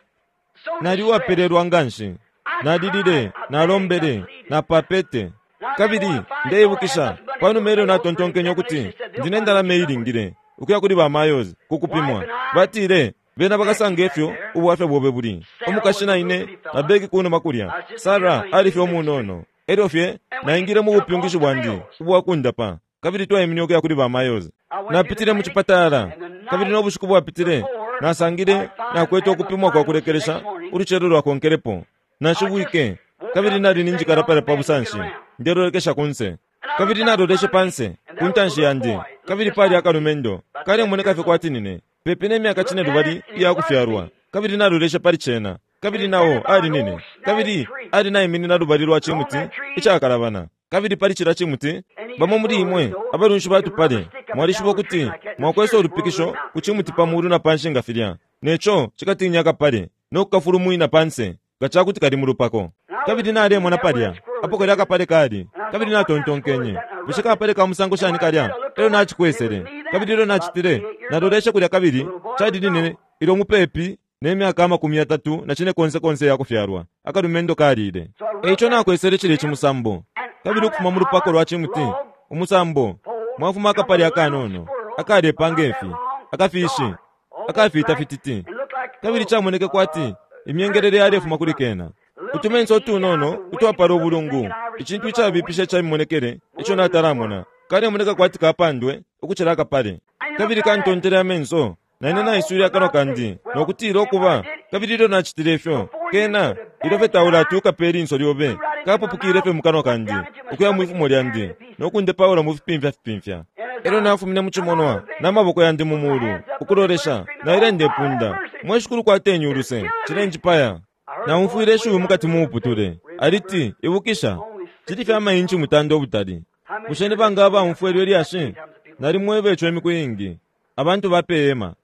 Nali uwapelelwa nganshi. Nalilile, nalombele, napapete. Kabili ndeibukisha panuma ilyo natontonkenye ukuti ndi ne ndalama iilingile ukuya kuli ba Mayos ku kupimwa. Batile, Bena bakasanga ifyo ubwafya bobe buli. Umukashi na ine na Becky kunuma kulya, Sarah ali fye umunono. Elyo fye naingile mu bupyungishi bwandi ubwa kundapa, kabili twaimine ukuya kuli ba Mayos. Napitile mu cipatala, kabili no bushiku bwapitile nasangile nakwete ukupimwa kwa kulekelesha ulucelo lwakonkelepo. Nashibwike, kabili nali ninjikala palya pa busanshi, ndelolekesha kunse. Kabili naloleshe panse, ku ntanshi yandi, kabili pali akalumendo, kalemoneka fye kwati nine, pepi ne myaka cinelubali iya kufyalwa. Kabili naloleshe pali cena, kabili nao ali nine. Kabili ali naiminina lubali lwa cimuti icakalabana. Kabili pali cilya cimuti, bamo muli imwe abalunshi ba tupale mwalishiba ukuti mwakwesa ulupikisho ku cimuti pa mulu na panshi nga filya, ne co cikatinya akapale no kukafulumwina panse nga ca kuti kali mu lupako. Kabili nalemona palya apo kalya akapale kali, kabili natontonkenye, Bushe kapale ka musango shani kalya? Elyo nacikwesele. Kabili ilyo nacitile, naloleshe kulya kabili cali line ilyo mupepi ne myaka amakumi yatatu na cinekonse konse ya kufyalwa, akalumendo kalile. E ico nakwesele cilya icimusambo, kabili ukufuma mu lupako lwa cimuti, umusambo, mwafuma akapale akanono, akalepa nge fi, akafishi, akafiita fititi, kabili camoneke kwati imyengelele yalefuma kuli kena. Utumenso utunono utwapala ubulungu, icintu icabipisha ica mimonekele ico natalamona, kalemoneka kwati kapandwe ukucila akapale. Kabili kantontele amenso, na ine naiswile akanwa kandi no kutila ukuba, kabili ilyo nacitile ifyo, kena, ilyo fye taulati ukape ilinso lyobe, kapupukile fye mu kanwa kandi, ukuya mwi fumo lyandi, no kundepaula mu fipimfya fipimfya. Elyo nafumine mu cimonwa, na maboko yandi mu mulu, ukulolesha, naile ndepunda, Mwe Shikulu kwateni uluse, cilenjipaya. Naumfwile ishiwi mukati mu muputule, aliti, Ibukisha, cili fye amainchi mutanda ubutali. Bushe ni banga abaumfwa ilyo lyashi? Nalimweba ico imiku iingi. Abantu ba pe hema.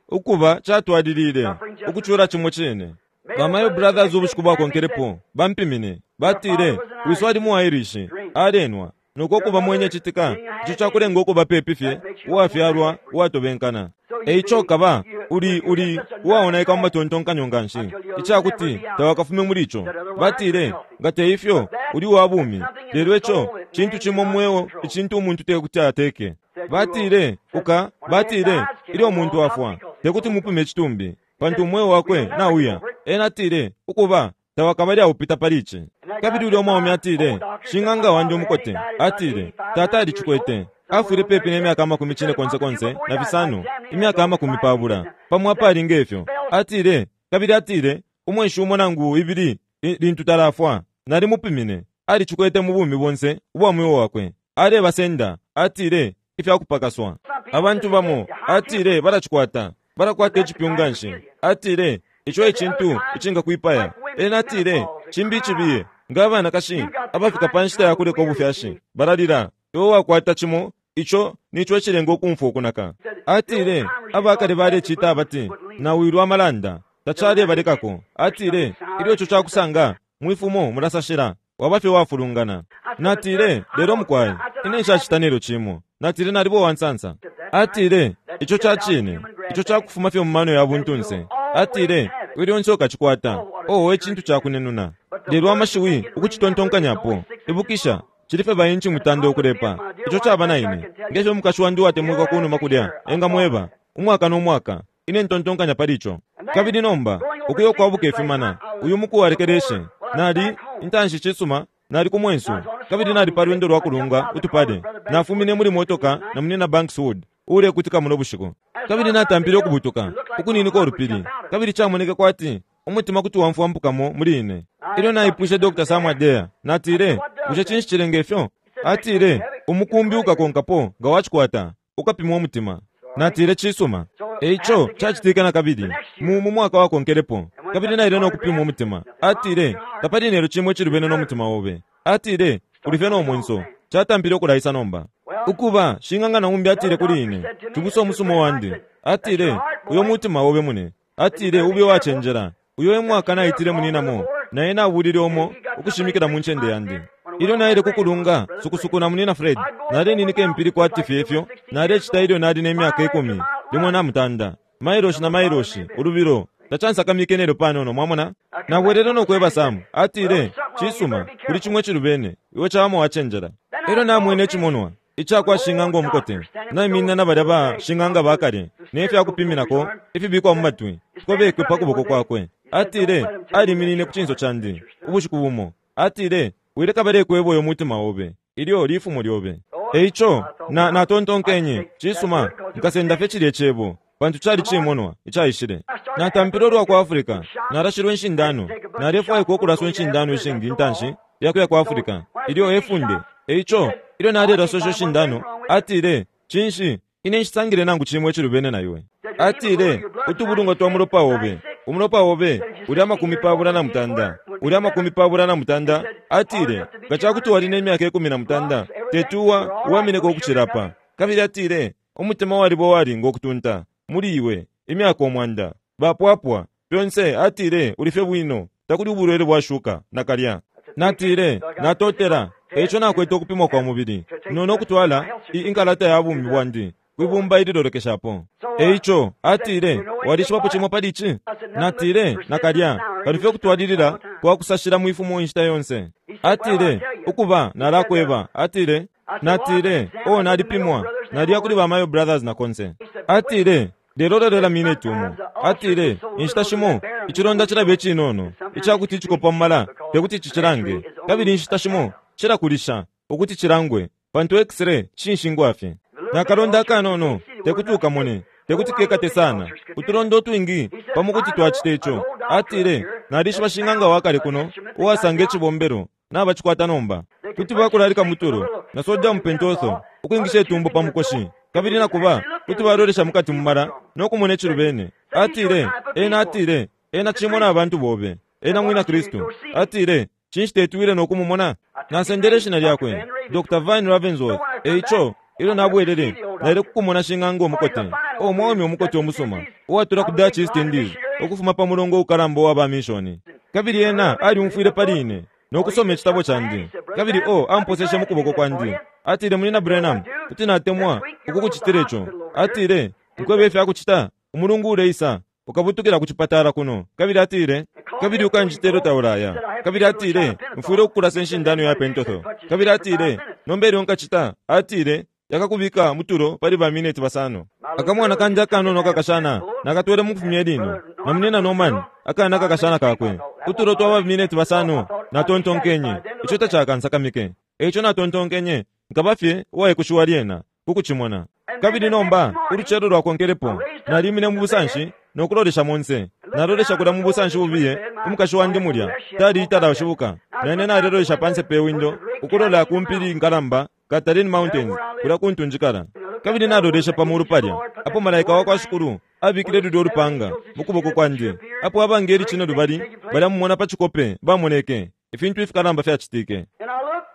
Ukuba, catwalilile, ukucula cimo cine. Ba Mayo Brothers ubushiku bwakonkelepo, bampimine. Batile, Wiso ali mu Irish, alenwa, noko kuba mwenye citika, ico cakulenga ukuba pepi fye uwafyalwa uwatobenkana. E ico kaba uli, uli uwaonaika mu matontonkanyo nganshi, icakuti tawakafume muli ico. Batile, Nga te ifyo, uli uwa bumi. Lelo ico cintu cimo mu mweo icintu umuntu tekuti ateke. Batile, Uka, batile, ilyo umuntu afwa, tekuti mupime icitumbi, pantu umweo wakwe nauya. Ena atile, Ukuba, tawakabale aupita pali ici. Kabili ulya umwaume atile, Shing'anga wandi umukote, atile, Tata alicikwete. Afwile pepi ne myaka amakumi cine konse konse na fisano, imyaka amakumi pabula, pamo apali ngefyo. Atile, kabili atile, Umweshi umo nangu ibili lintu talafwa, nalimupimine, alicikwete mu bumi bonse ubwa mweo wakwe. Alebasenda, atile, ifya kupakaswa. Abantu bamo, atile, balacikwata, balakwata icipyu nganshi. Atile, Ico e cintu icingakwipaya. Ena atile, Cimbi icibiye, nga abanakashi abafika pa nshita ya kuleka ubufyashi, balalila, iwe wakwata cimo ico nico icilenga ukumfwa ukunaka. Atile, Abakale balecita abati, Nawilwa amalanda. Tacalebalekako. Atile, Ilyo ico cakusanga, mwi fumo mulasashila, waba fye uwafulungana. Natile, Lelo mukwai, ine nshacita nelyo cimo. Natile, Naliba uwa nsansa. Atile, Ico ca cine. Ico ca kufuma fye mu mano ya buntunse. Atile, Iwe lyonse ukacikwata. Oh, we cintu ca kunenuna! Lelo amashiwi ukucitontonkanyapo, ibukisha, cili fye ba inchi mutanda ukulepa. Ico caba na ine. Nge fyo umukashi wandi uwatemwikwa kunuma kulya engamweba, umwaka no mwaka, Ine ntontonkanya pali ico. Kabili nomba, ukuya ukwabuka ifimana, uyu muku walekeleshe, nali, intanshi cisuma, nali ku mwensu, kabili nali pa lwendo lwa kulunga utupale. Nafumine muli motoka na Munyina Banks Wood, uulekutika muno bushiku. Kabili natampile ukubutuka, ukuninika ulupili, kabili camoneke kwati umutima kuti wamfwampukamo muli ine. Ilyo naipwishe Dr. Sam Adair, natile, Bushe cinshi cilenga ifyo? Atile, Umukumbi ukakonkapo nga wacikwata, ukapimwa umutima. Natile, Cisuma. E ico cacitike na kabili mu, mu mwaka wakonkelepo, kabili naile no kupimwa umutima. Atile, Tapali nelyo cimo icilubene no mutima obe. Atile, Uli fye no mwenso. Catampile ukulaisa nomba. Ukuba, shing'anga na umbi atile kuli ine, cibusa umusuma wandi, atile, Uyo mutima obe, mune. Atile, Ube uwacenjela. Uyo e mwaka naitile muninamo, na ena abulile umo ukushimikila mu ncende yandi. Ilyo naile ku kulunga sukusuku na Munyina Fred, naleninika impili kwati fye ifyo nalecita ilyo nali ne myaka ikumi limo na mutanda, mailoshi na mailoshi, ulubilo. Tacansakamike nelyo panono, mwamona. Nabwelele no kweba Sam. Atile, Cisuma, kuli cimo icilubene. Iwe cawama wacenjela. Elyo namwene icimonwa icakwa shing'anga umukote naiminina na balya ba shing'anga ba kale ne fya kupiminako ifibikwa mu matwi fikobekwe pa kuboko kwakwe. Atile, Aliminine ku cinso candi ubushiku bumo. Atile, Wileka balekweba uyo mutima obe. Ilyo lifumo lyobe. E ico, na, natontonkenye, Cisuma, nkasenda fye cilye cebo, pantu cali cimonwa icaishile. Natampile ulwa ku Africa, nalashilwe inshindano. Nalefwaikwa ukulaswa inshindano ishingi intanshi ya kuya ku Africa. Ilyo e funde. E ico, ilyo nalelaswa isho nshindano, atile, Cinshi, ine nshisangile nangu cimo icilubene na iwe. Atile, Utubulungwa twa mulopa obe, umulopa obe uli 38, uli 33, atile, nga ca kuti wali ne myaka 13, teti uwa, uwamineko ukucila apa. Kabili atile, Umutima waliba uwalinga ukutunta, muli iwe, imyaka 100. Bapwapwa, fyonse, atile, uli fye bwino, takuli ubulwele bwa shuka, nakalya. Natile, Natotela. E ico nakwete ukupimwa kwa mubili, no, no kutwala i, inkalata ya bumi bwandi kwi bumba ililolekeshapo. E ico, atile, Walishibapo cimo pali ici? Natile, Nakalya, kano fye ukutwalilila kwa kusashila mwi fumo inshita yonse. Atile, Ukuba, nalakweba. Atile, Natile, Oh, nalipimwa. Naliya kuli ba Mayo Brothers na konse. Atile, Lelo lolela mineti umo. Atile, Inshita shimo icilonda cilaba icinono ica kuti icikopa mu mala te kuti cicilange, kabili inshita shimo cilakulisha ukuti cilangwe, pantu X-ray cinshingwa fye. Na kalonda akanono te kuti ukamone, te kuti kekate sana. Utulonda utwingi pamo kuti twacita ico. Atile, Nalishiba shing'anga wa kale kuno uwasanga icibombelo nabacikwata nomba. Kuti bakulalika mutulo na sodium pentothal ukwingisha itumbo pa mukoshi, kabili na kuba kuti balolesha mukati mu mala no kumona icilubene. Atile, ena atile, ena cimona abantu bobe. Ena mwina Kristu. Atile, Cinshi teti wile no kumumona? Nasendele ishina lyakwe, Dr. Vine Ravensworth. E ico, ilyo nabwelele, naile ku kumona shing'anga umukote, oh, umwaume umukote umusuma, uwatula ku Dutch East Indies, ukufuma pa mulongo ukalamba uwa ba minshoni. Kabili ena alyumfwile pali ine, no kusoma icitabo candi. Kabili, oh, amposeshe mu kuboko kwandi. Atile, Munyina Branham, kuti natemwa ukukucitila ico. Atile, Nkwebe ifya kucita, umulungu uleisa, ukabutukila ku cipatala kuno. Kabili atile, Kabili ukanjita ilyo taulaya. Kabili atile, Mfwile ukukulasa inshindano ya pentotho. Kabili atile, Nomba ilyo nkacita, atile, yakakubika mutulo pali ba mineti basano. Akamwana kandi akanono akakashana nakatwele mukufumya ilino, na munyina Norman, akana akakashana kakwe. Utulo twa ba mineti basano, natontonkenye, ico tacakansakamike. Eico natontonkenye, Nkaba fye uwaikushiwa lyena, ku kucimona. Kabili nomba, ulucelo lwakonkelepo, nalimine mu busanshi no kulolesha monse. Nalolesha kulya mu busanshi bubiye, umukashi wandi mulya, tali talashibuka. Naine nalelolesha panse pe windo, ukulola ku mpili nkalamba, Catalin Mountains, kulya kuntu njikala. Kabili naloleshe pa mulu palya, apo Malaika wakwa Shikulu abikile lulyo lupanga mu kuboko kwandi, apo abangeli cinelubali balya mumona pa cikope bamoneke, ifintu ifikalamba fyacitike.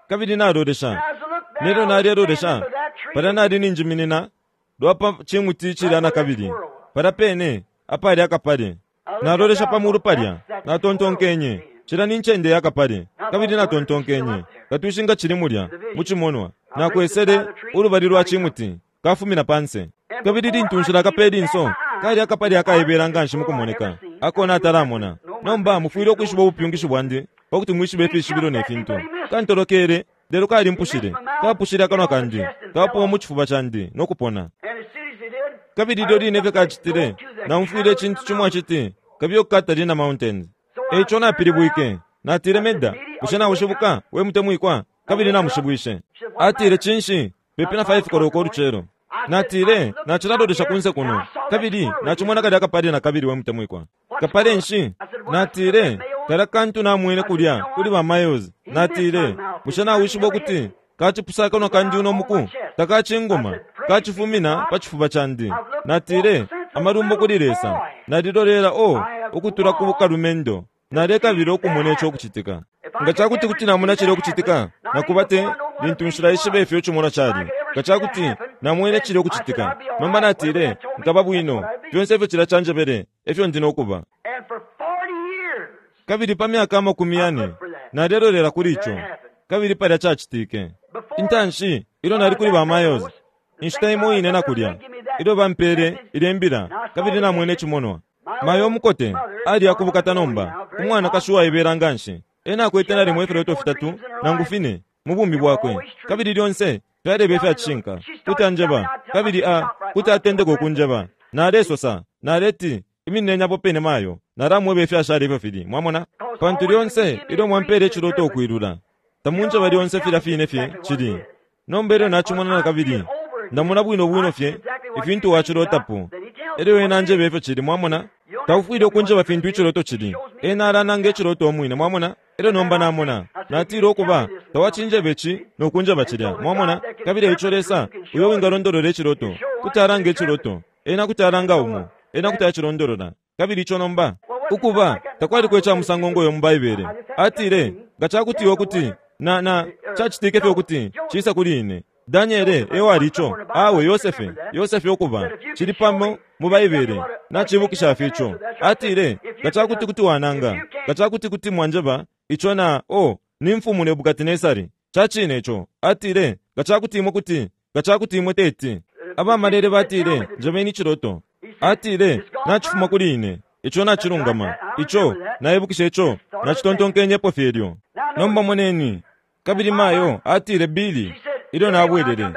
Kabili nalolesha, nelyo nalelolesha, palya nali ninjiminina lwa pa cimuti cilya nakabili, palya pene apali akapale. Nalolesha pa mulu palya, natontonkenye, Cilya ni ncende ya kapale. Kabili natontonkenye, Katwishi nga cili mulya, mu cimonwa. Nakwesele ulubali lwa cimuti, kafumina panse. Kabili lintu nshilakape ilinso, kali akapale akaibela nganshi mukumoneka, ako natalamona. Nomba mufwile ukwishiba ubupyungishi bwandi, pa kuti mwishibe ifishibilo ne fintu. Kantolokele, lelo kalimpushile. Kapushile akanwa kandi, kapuma mu cifuba candi, no kupona. Kabili ilyo line fye kacitile, naumfwile icintu cimo aciti, Kabiye ku Catalina Mountains. E ico napilibwike. Natile, Meda, bushe naushibuka, we mutemwikwa? Kabili namushibwishe. Atile, Cinshi, pepi na 5 koloko ulucelo. Natile, Nacilalolesha kunse kuno, kabili nacimona kalya kapale nakabili, we mutemwikwa. Kapale nshi? Natile, Kalya kantu namwene kulya kuli ba Miles. Natile, Bushe nawishiba ukuti kacipusa akanwa kandi uno muku? Takacinguma, kacifumina pa cifuba candi. Natile, Amalumbo kuli Lesa! Nalilolela, oh, ukutula ku bukalumendo. Nalekabila ukumona ico ukucitika. Nga ca kuti kuti namona cilya ukucitika, na kuba te lintu nshilaishiba ifyo icimonwa cali, nga ca kuti namwene cilya ukucitika, nomba natile, Nkaba bwino. Fyonse ifyo cilya canjebele, e fyo ndi no kuba. Kabili pa myaka 40 nalelolela kuli ico, kabili palya cacitike. Intanshi, ilyo nali kuli ba Mayos, inshita imo ine na kulya, ilyo bampele ilye mbila, kabili namwene icimonwa. Mayo umukote aliya kubukata nomba, umwanakashi uwaibela nganshi. Ena akwete nalimo ifiloto fitatu nangu fine mu bumi bwakwe, kabili lyonse fyaleba ifya cishinka. Kuti anjeba, kabili a kuti atendeka ukunjeba. Nalesosa, naleti, Iminineni apo pene mayo, nalamweba ifyashala ifyo fili. Mwamona? Pantu lyonse ilyo mwampela iciloto ukwilula, tamunjeba lyonse filya fine fye cili. Nomba ilyo nacimona na kabili, ndamona bwino bwino fye ifintu wacilotapo. Elyo ena anjeba ifyo cili, mwamona? Taufwile ukunjeba fintu iciloto cili. Ena alananga iciloto umwine, mwamona? Elyo nomba namona. Natile ukuba, tawacinjeba ici no kunjeba cilya, mwamona? Kabili eico Lesa, uyo wingalondolola iciloto, kuti alanga iciloto. Ena kuti alanga umo. Ena kuti acilondolola. Kabili ico nomba, ukuba, takwaliko ica musango ngo yo mu Baibele. Atile, Nga ca kuti iwe kuti, na, na, cacitike fye ukuti ciisa kuli ine. Daniele e wali ico? Awe, Yosefe, Yosefe ukuba, cili pamo mu Baibele. Nacibukisha fye ico. Atile, Nga ca kuti kuti wananga, nga ca kuti kuti mwanjeba ico na, oh, ni Mfumu Nebukatinesari. Ca cine ico. Atile, Nga ca kuti imwe kuti, nga ca kuti imwe teti. Abamalele batile, Njebeni iciloto. Atile, Nacifuma kuli ine. Ico nacilungama. Ico, naibukisha ico, nacitontonkenyepo fye ilyo. Nomba moneni. Kabili mayo atile, Billy, ilyo nabwelele,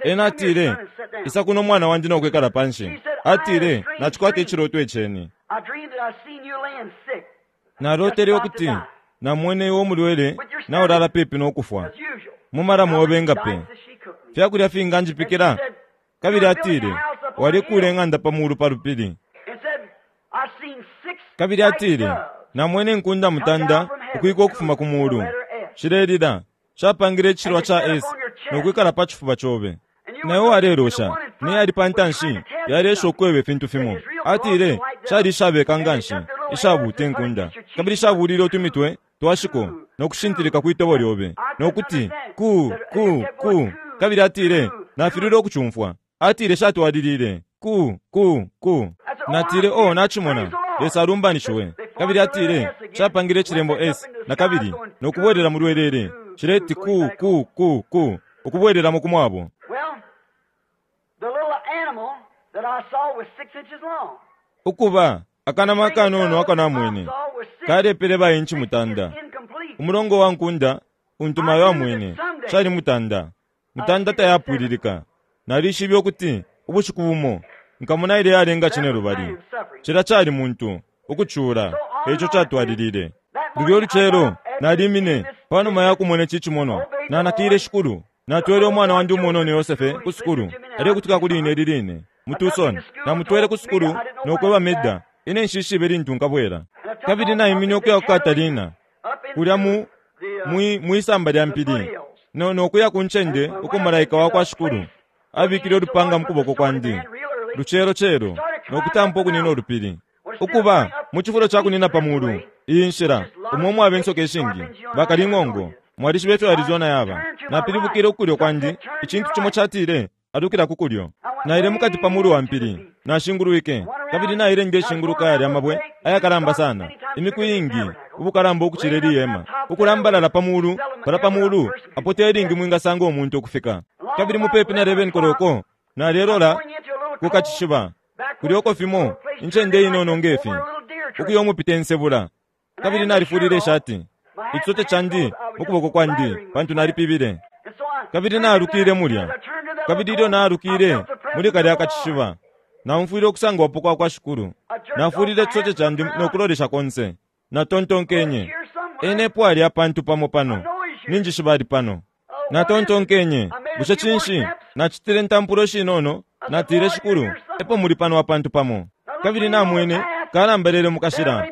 ena atile, Isa kuno mwana wandi no kwikala panshi. Atile, Nacikwata iciloto iceni. Nalotele ukuti namwene iwe umulwele naulala pepi no kufwa, mu malamu obe nga pe. Fyakulya finga njipikila? Kabili atile, Walikuula ing'anda pa mulu pa lupili. Kabili atile, Namwene inkunda mutanda ukwika ukufuma ku mulu, shilelila, shapangile icishilwa ca S no kwikala pa cifuba cobe. Na iwe walelosha, ne yali pa ntanshi yaleesha ukukweba ifintu fimo. Atile, Shali ishabeka nganshi, ishabuuta inkunda, kabili shabuulile utumitwe twa shiko no kushintilika kwi tobo lyobe, no kuti, Ku, ku, ku. Kabili atile, Nafililwe ukucumfwa. Atile shatwalilile, Ku, ku, ku. Natile, Oh, nacimona. Lesa alumbanishiwe. Kabili atile, Shapangile icilembo S na kabili, no kubwelela mu lwelele, shileti ku, ku, ku, ku, ukubwelelamo ku mwabo. Ukuba, akanama akanono ako namwene, kalepele ba inchi mutanda. Umulongo wa nkunda untu mayo amwene, cali mutanda. Mutanda tayapwililika. Nalishibe ukuti ubushiku bumo nkamona ilya yalenga cinelubali. Cilya cali muntu, ukucula, eico catwalilile. Lulyo lucelo nalimine, panuma ya kumona ici cimonwa, nanakile Shikulu. Natwele umwana wandi umunono Yosefe ku sukulu. Alekutika kuli ine ili line, mu Tucson. Namutwele ku sukulu no kweba Meda, Ine nshishibe lintu nkabwela. Kabili naimine ukuya ku Catalina, kulya mu, mwi, mwisamba lya mpili, no, no kuya ku ncende uko Malaika wakwa Shikulu abikile ulupanga mu kuboko kwandi, lucelo celo, no kutampa ukunina ulupili. Ukuba, mu cifulo ca kunina pa mulu, iyi nshila, umo umwaba insoka ishingi, bakaling'ongo. Mwalishiba ifyo Arizona yaba. Napilibukile ku kulyo kwandi, icintu cimo catile, Alukila ku kulyo. Naile mukati pa mulu wa mpili, nashingulwike, kabili naile ndeshinguluka yalya mabwe ayakalamba sana, imiku iingi ubukalamba ukucila ili hema, ukulambalala pa mulu palya pa mulu apo te lingi mwingasanga umuntu ukufika. Kabili mupepi na 11 koloko, nalelola ku kacishiba, kulya uko fimo, incende inono nge fi, ukuya umupita insebula. Kabili nalifulile ishati, icisote candi mu kuboko kwandi, pantu nalipibile. Kabili naalukile mulya, kabili ilyo naalukile muli kalya kacishiba, naumfwile ukusangwapo kwa kwa Shikulu. Nafulile icisote candi no kulolesha konse. Natontonkenye, Ena epo ali apantu pamo pano. Ninjishiba ali pano. Natontonkenye, Bushe cinshi? Nacitile intampulo shinono, natile, Shikulu, epo muli pano apantu pamo. Kabili namwene kalambelele mu kashila.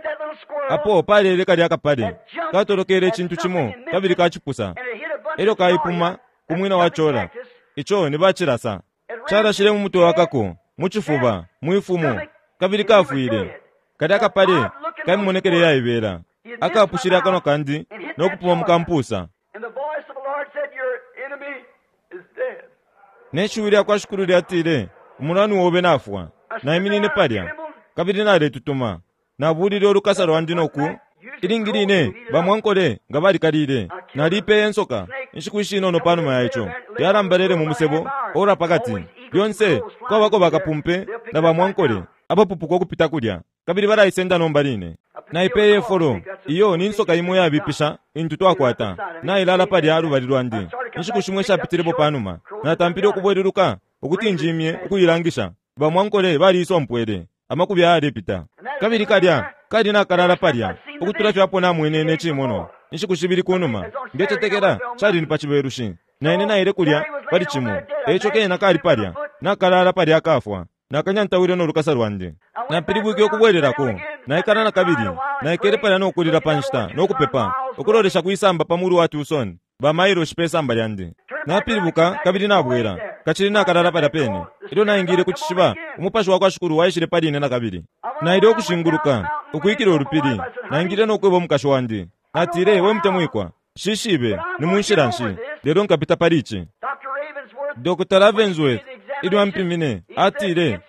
Apo palele kalya kapale, katolokele icintu cimo kabili kacipusa, elyo kaipuma ku mwina wa cola. Ico ni bacilasa. Calashile mu mutwe wa kako, mu cifuba, mwi fumo, kabili kafwile. Kalya kapale ka mimonekele iyaibela akapushile akanwa kandi no kupuma mu kampusa. Ne shiwi lya kwa Shikulu lyatile, Umulwani obe nafwa. Naiminine palya, kabili naletutuma. Nabuulile ulukasa lwandi no ku. Ilingi line bamwankole nga balikalile. Naliipeye insoka inshiku ishinono pa numa ya ico. Yalambalele mu musebo ora pa kati. Lyonse kwabako bakapumpe na bamwankole abapupuka ukupita kulya. Kabili balaisenda nomba line. Naipeye folo. Iyo ni nsoka imo yabipisha intu twakwata. Nailala palya lubali lwandi. Inshiku shimo ishapitilepo panuma, natampile ukubweluluka ukuti njimye ukuilangisha. Bamwankole baliisompwele. Amakubi ayalepita. Kabili kalya kali nakalala palya ukutula fye apo namwenene icimonwa inshiku shibili kunuma. Ndecetekela cali ni pa Cibelushi. Na ine naile kulya pali Cimo. E ico kena kali palya, nakalala palya akafwa. Nakanyantawile no lukasa lwandi. Napilibwike ukubwelelako, naikala na kabili. Naikele palya no kulila pa nshita, no kupepa, ukulolesha kwisamba pa mulu wa Tucson, ba mailoshi pe samba lyandi. Napilibuka kabili nabwela, kacili nakalala palya pene. Ilyo naingile ku cishiba, Umupashi wa kwa Shikulu waishile pali ine na kabili. Naile ukushinguluka, ukwikila ulupili. Naingile no kweba umukashi wandi. Natile, We mutemwikwa, nshishibe ni mu nshila nshi, lelo nkapita pali ici. Dr. Ravensworth, ilyo ampimine, atile,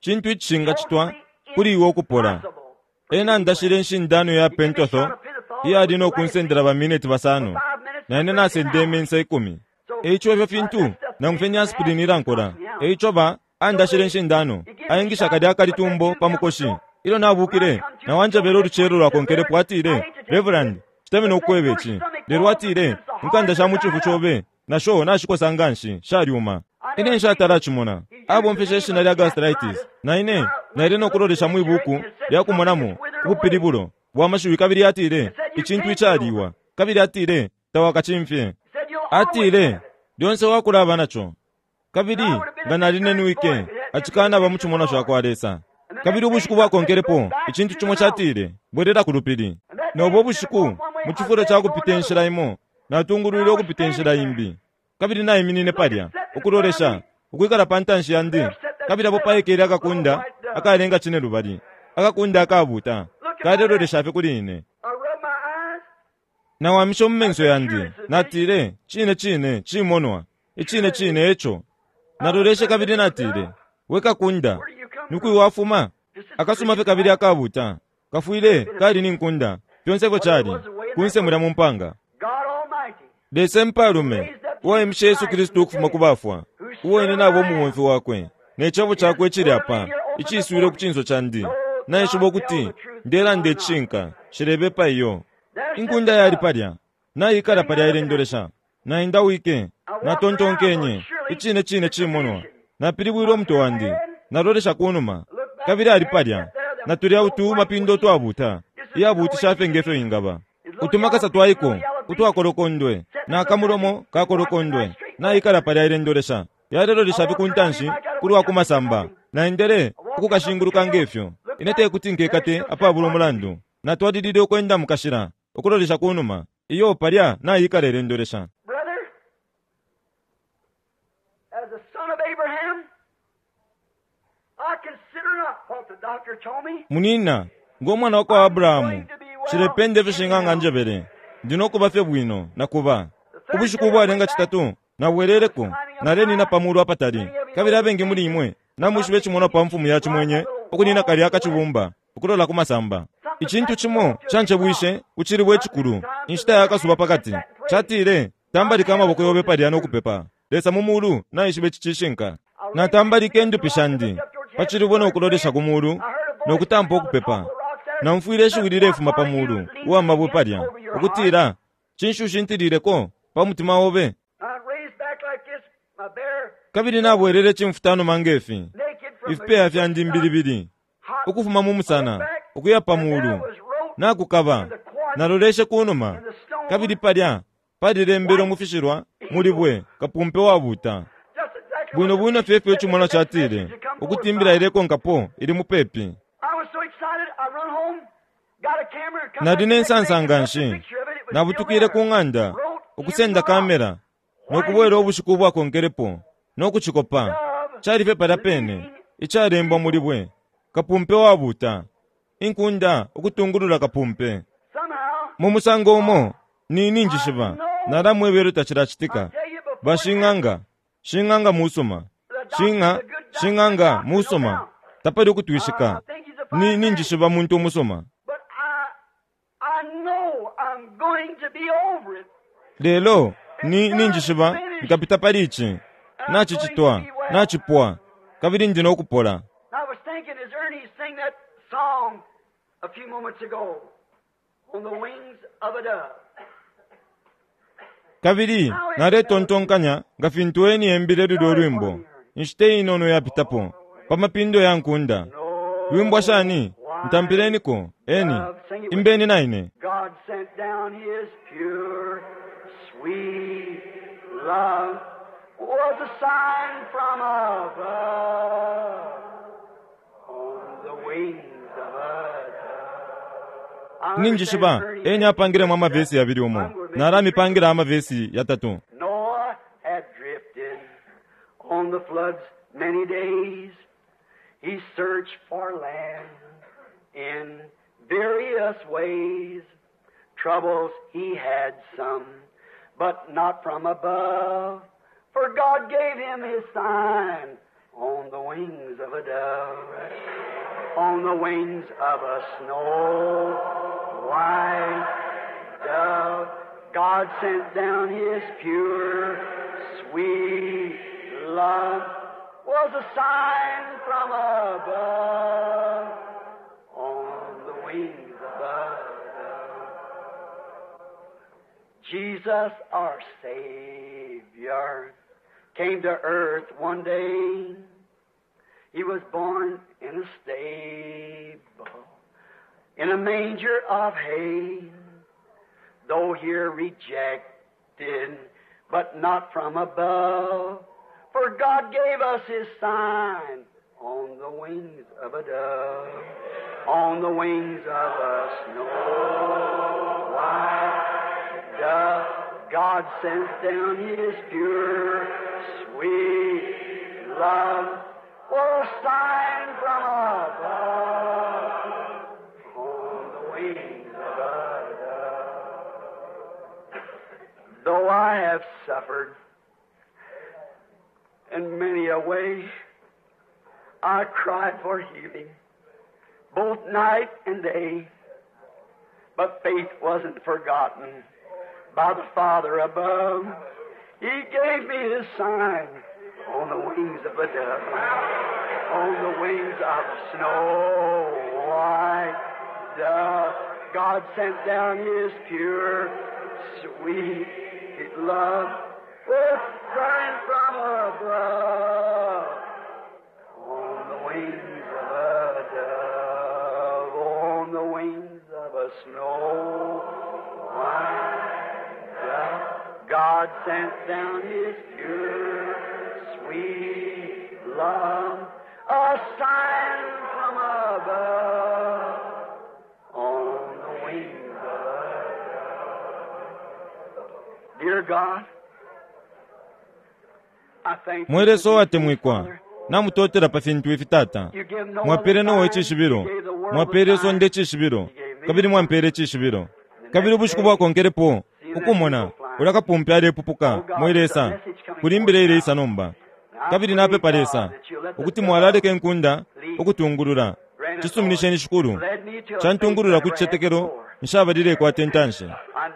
Cintu icishingacitwa kuli iwe ukupola. Ena andashile inshindano ya pentothal iyali no kunsendela bamineti basano, na ine nasendeme insa ikumi. E ico ifyo fintu, nangu fye ni aspirin ilankola. E ico ba andashile inshindano, aingisha kalya akalitumbo pa mukoshi. Ilyo nabukile, na anjebele ulucelo lwakonkelepo, atile, Reverend, nshitemenwe ukukweba ici, lelo atile, inkanda sha mu cifu cobe na sho nashikosa nga nshi, shalyuma. Ine nshatala cimona. Abomfeshe ishina lya gastritis. Na ine naile no kulolesha mwi buku lya kumonamo ubupilibulo bwa mashiwi kabili atile, Icintu icaliwa. Kabili atile, Tawakacimfye. Atile, Lyonse wakulaba na co. Kabili nga nalinenwike, acikanaba mu cimonwa ca kwa Lesa. Kabili ubushiku bwakonkelepo, icintu cimo catile, Bwelela ku lupili. No bo bushiku, mu cifulo ca kupita inshila imo, natungulwilwe ukupita inshila imbi. Kabili naiminine palya, ukulolesha, ukwikala pa ntanshi yandi, kabili apo paikele akakunda akalenga cinelubali, akakunda akabuuta, kalelolesha fye kuli ine. Nawamishe mu menso yandi, natile, Cine cine, cimonwa. Icine cine e co. Naloleshe kabili natile, We kakunda, ni kwi wafuma? Akasuma fye kabili akabuuta. Kafwile kali ni nkunda, fyonse ifyo cali, kunse mulya mu mpanga. Lesa Impalume, uwaimishe Yesu Kristu ukufuma ku bafwa, uo ine naba umubomfi wakwe, ne Cebo Cakwe icili apa, iciiswile ku cinso candi, naishiba ukuti ndelanda icishinka, nshilebepa iyo. Inkunda yali palya, naikala palya ilendolesha. Naendawike, natontonkenye, Icine cine cimonwa. Napilibwile umutwe wandi, nalolesha ku numa, kabili ali palya, na tulya utu mapindo utwabuuta, iyabuutisha fye nge fyo ingaba. Utumakasa twaiko utwakolokondwe, na kamulomo kakolokondwe, naikala palya ilendolesha. Yalelolesha fye ku ntanshi, ku lwa ku masamba. Naendele ukukashinguluka nge fyo. Ine te kuti nkekate apabula umulandu. Natwalilile ukwenda mu kashila, ukulolesha ku numa. Iyo palya naikala ilendolesha. Brother, as a son of Abraham, I consider not what the doctor told me. Munina, ngo mwana wa kwa Abrahamu, nshilependa ifyo shing'anga anjebele. Ndi no kuba fye bwino, na kuba. Ubushiku ubwalenga citatu, nabweleleko, nalenina pa mulu apatali. Kabili abengi muli imwe namwishiba icimonwa pa mfumu ya cimwenye ukunina kalya akacibumba ukulola ku masamba. Icintu cimo cancebwishe ku cilibwe icikulu, inshita ya kasuba pa kati. Catile, Tambalika amaboko yobe palya no kupepa. Lesa mu Mulu naishiba ici cishinka. Natambalike indupi shandi pa cilibwe no kulolesha ku mulu no kutampa ukupepa. Naumfwile ishiwi lilefuma pa mulu uwa mabwe palya, ukutila, Cinshi ushintilileko pa mutima obe? Kabili nabwelele icimfutanuma nge fi, ifipeya fyandi mbilibili, ukufuma mu musana ukuya pa mulu, nakukaba. Naloleshe ku numa, kabili palya palilembelwe mu fishilwa mu libwe, Kapumpe wabuuta. Bwino bwino fye ifyo icimonwa catile, ukuti imbila ilekonkapo ili mupepi. Nali ne nsansa nga nshi. Nabutukile ku ng'anda, ukusenda kamera, no kubwela ubushiku ubwakonkelepo no kucikopa. Cali fye palya pene, icalembwa mu libwe, Kapumpe wabuuta, inkunda ukutungulula kapumpe. Mu musango umo, ni, ninjishiba, nalamweba ilyo tacilacitika. Bashing'anga, shing'anga musuma, shing'a, shing'anga musuma, tapali ukutwishika. Ni, ninjishiba muntu umusuma. Lelo, ni, ninjishiba nkapita pali ici. Nacicitwa, nacipwa, kabili ndi no kupola. song a few moments ago on the wings of a dove. Kabili naletontonkanya nga fintu eni embile lulyo lwimbo inshita inono yapitapo pa mapindo ya nkunda. Lwimbwa shani? Ntampileniko eni imbeni naine. God sent down His pure, sweet love was a sign from above on the wings of a dove. I Ninjishiba understand eni apangilemo amavesi yabili umo nalamipangila amavesi yatatu. Noah had drifted on the floods many days. He searched for land in various ways. Troubles he had some, but not from above. For God gave him his sign on the wings of a dove, on the wings of a snow white dove. God sent down his pure, sweet love was a sign from above on the wings of a dove. Jesus, our Savior, came to earth one day. He was born in a stable, in a manger of hay. Though here rejected, but not from above. For God gave us His sign on the wings of a dove, on the wings of a snow white dove. God sent down His pure, sweet love for a sign from above on the wings of a dove. Though I have suffered in many a way, I cried for healing, both night and day. But faith wasn't forgotten by the Father above. He gave me His sign on the wings of a dove, on the wings of a snow white dove. God sent down His pure, sweet love with sign from above. On the wings of a dove, on the wings of a snow white dove, God sent down His pure, sweet love, a sign from above, on the wings of a dove. Dear God, I thank you Mwe Lesa for these things, uwatemwikwa Father. namutotela pa fintu ifi tata. You give no Mwapele other Noa sign. icishibilo, You gave the world mwapele a sign. isonde icishibilo, kabili mwampele icishibilo. Kabili ubushiku bwakonkelepo ukumona ulya kapumpe alepupuka mwe Lesa kuli imbila ileisa nomba. Kabili napepa Lesa ukuti mwalaleka inkunda ukutungulula. Cisuminisheni Shikulu. Led me to a Cantungulula faith ku I never had cicetekelo before. nshabalile intanshi. I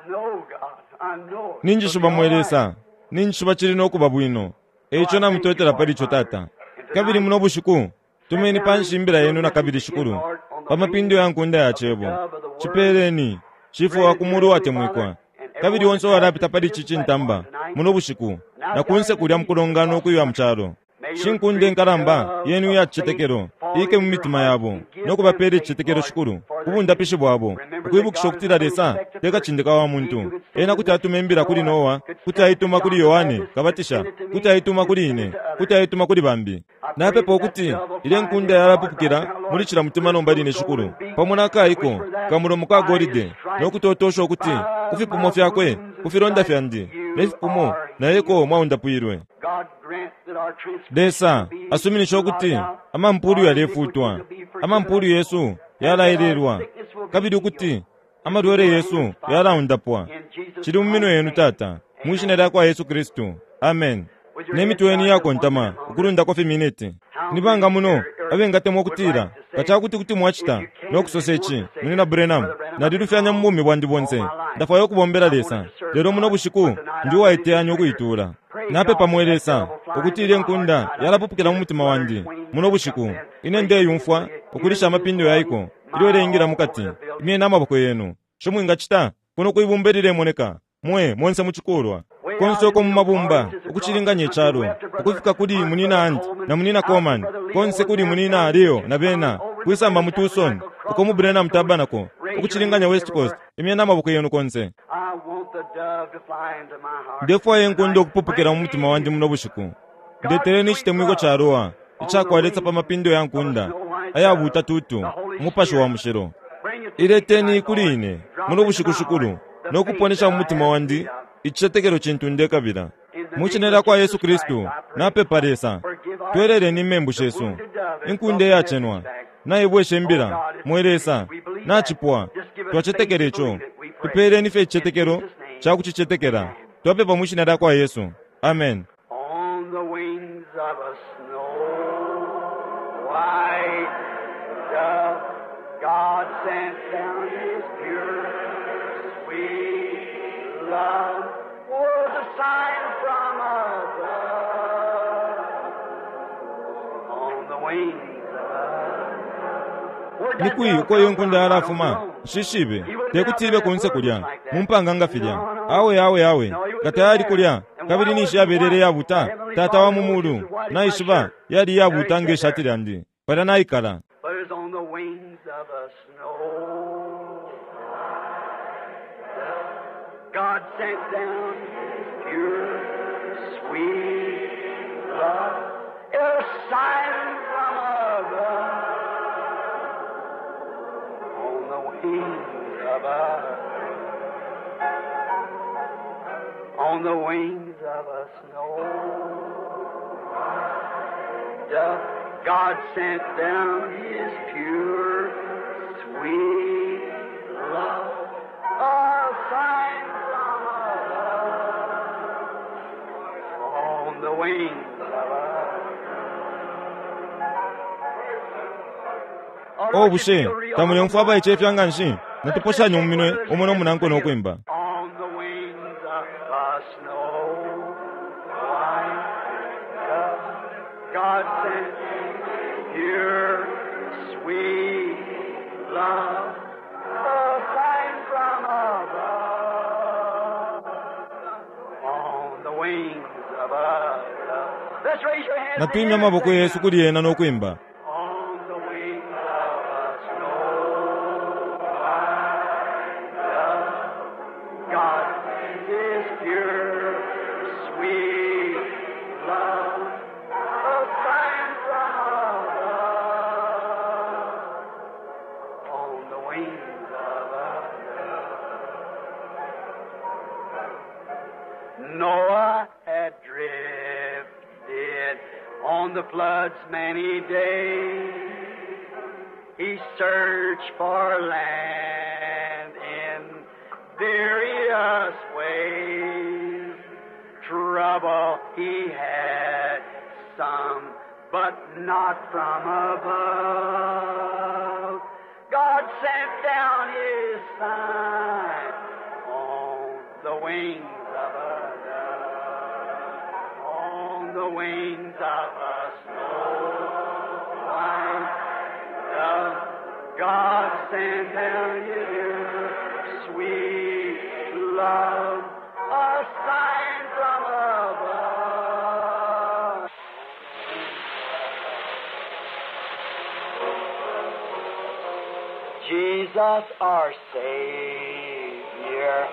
know, God. I know. it. Ninjishiba It'll be mwe all right. Lesa, ninjishiba cili no kuba bwino. Eico namutotela pali ico tata. Kabili muno bushiku tumeni panshi imbila yenu na kabili Shikulu pa mapindo ya nkunda ya cebo. Cipeleni Shifwe wa kumulu watemwikwa. Kabili onse uwalapita pali ici cintamba muno bushiku na kunse kulya mukulongana ukuywa mu calo. Shinkunda inkalamba yenu iya cicetekelo ike mu mitima yabo no kubapela icicetekelo Shikulu ku bundapishi bwabo ukwibukisha ukutila Lesa te kacindika wa muntu. Ena kuti atuma imbila kuli Noa, kuti aituma kuli Yohane Kabatisha, kuti aituma kuli ine, kuti aituma kuli bambi. Napepa ukuti ile nkunda yalapupukila muli cila mutima nomba line Shikulu pamo na kaiko kamulomo ka golide no kutotosha ukuti ku fipumo fyakwe ku filonda fyandi ne fipumo naeko mwaundapwilwe. God grant that our transgressions Lesa be asuminisha ukuti blotted out, amampulu our yalefutwa, iniquities will be forgiven amampulu us, yesu and that our yalaelelwa, sickness will be kabili healed. ukuti amalwele yesu yalaundapwa. In Jesus Cili mu minwe Christ's yenu name. tata, mwishina lya kwa Yesu Kristu. Amen. With your Ne heads mitwe yenu bowed just one yakontama minute longer. ukulundako fiminiti. How Ni banga many muno here abengatemwa would ukutila like to nga say, cakuti kuti if mwacita you can no and kusosa want ici, to say Munina this, Branham, Brother Branham, I've been nalilufyanya mu wrong bumi bwandi all bonse my life. ndafwaya ukubombela I Lesa wanted to serve lelo muno God, bushiku but tonight ndi I'm ready to uwaiteyanya surrender. ukuituula. Pray Napepa God mwe that that Lesa dove will fly ukuti ilye nkunda yalapupukila mu mutima wandi muno bushiku. Ine ndeyumfwa ukulisha amapindo yaiko ilyo ileingila mukati. Imyeni amaboko yenu. Sho mwingacita kuno kwibumba ililemoneka, mwe monse mucikulwa, konse uko mu mabumba ukucilinganya icalo, ukufika kuli Munina Hunt na Munina Coleman, konse kuli Munina Leo na bena, kwisamba mu Tucson, uko mu Branham Tabernacle, ukucilinganya West Coast, imyeni amaboko yenu konse. I want the dove to fly into my heart. Ndefwaya inkunda ukupupukila mu mutima wandi muno bushiku. Ndeteleni icitemwiko ca Roa icakwa Lesa pa mapindo ya nkunda ayabuta tutu, Umupashi wa Mushilo. Bring it to me Ileteni tonight, kuli Lord. ine Drop muno into bushiku my shikulu, heart the no faith kuponesha that mu I mutima have wandi need of. icicetekelo cintu ndekabila. In the Mu name cine of lya kwa Yesu Jesus Christ, Kristu I pray. napepa Lesa, Forgive our tweleleni imembu the shesu. wounded dove has Inkunda brought the iyacenwa message back. naibwesha Oh imbila, God, it's mwe finished. Lesa, We believe that. nacipwa. Just give us faith Twacetekela to ico. believe it. We pray. Tupeeleni fye In icicetekelo Jesus' name, ca kucicetekela. amen. Twapepa mu shina lya kwa Yesu. Amen. On the wings of a snow white dove, God sent down His pure, sweet love. Was a sign from above. On the wings of a Where'd Ni that kwi dove uko iyo come nkunda from? I don't yalafuma? know. Nshishibe. He would have Te been out kuti there ibe in that kunse wilderness kulya like mu that. mpanga nga filya. No, no. Awe awe awe. No, he would Nga have been tayali there. kulya And why kabili ninshi wasn't yabelele white? yabuta. Heavenly Tata wa Father mu knows mulu it's as white as my naishiba shirt. yali There he yabuta nge sat shati there. lyandi. Palya naikala. But it's on the wings of a snow dove. God sent down His pure, sweet love. A sign from above. On the wings of a on the wings of a snow dove, God sent down His pure, sweet love. A sign from above. On the wings of a Oh, O don't you bushe feel real tamuleumfwa humble? abaicefya nga nshi? Let's just Natuposhanya mu shoot minwe one another's umo no hands munankwe no together. kwimba. On the wings of a snow white dove, God sent pure, sweet love, a sign from above. On the wings of a dove. Let's raise your hands in the Natwimya air and amaboko sing yesu now. kuli ena no kwimba. On the wings of a snow white dove, God is pure, sweet love, a sign from above. On the wings of a dove. Noah had drifted on the flood's many days. He searched for land in various ways. Trouble he had some, but not from above. God sent down his sign on the wings of a dove, on the wings of a snow white dove. God sent down his sweet love, a sign from above. Jesus our Savior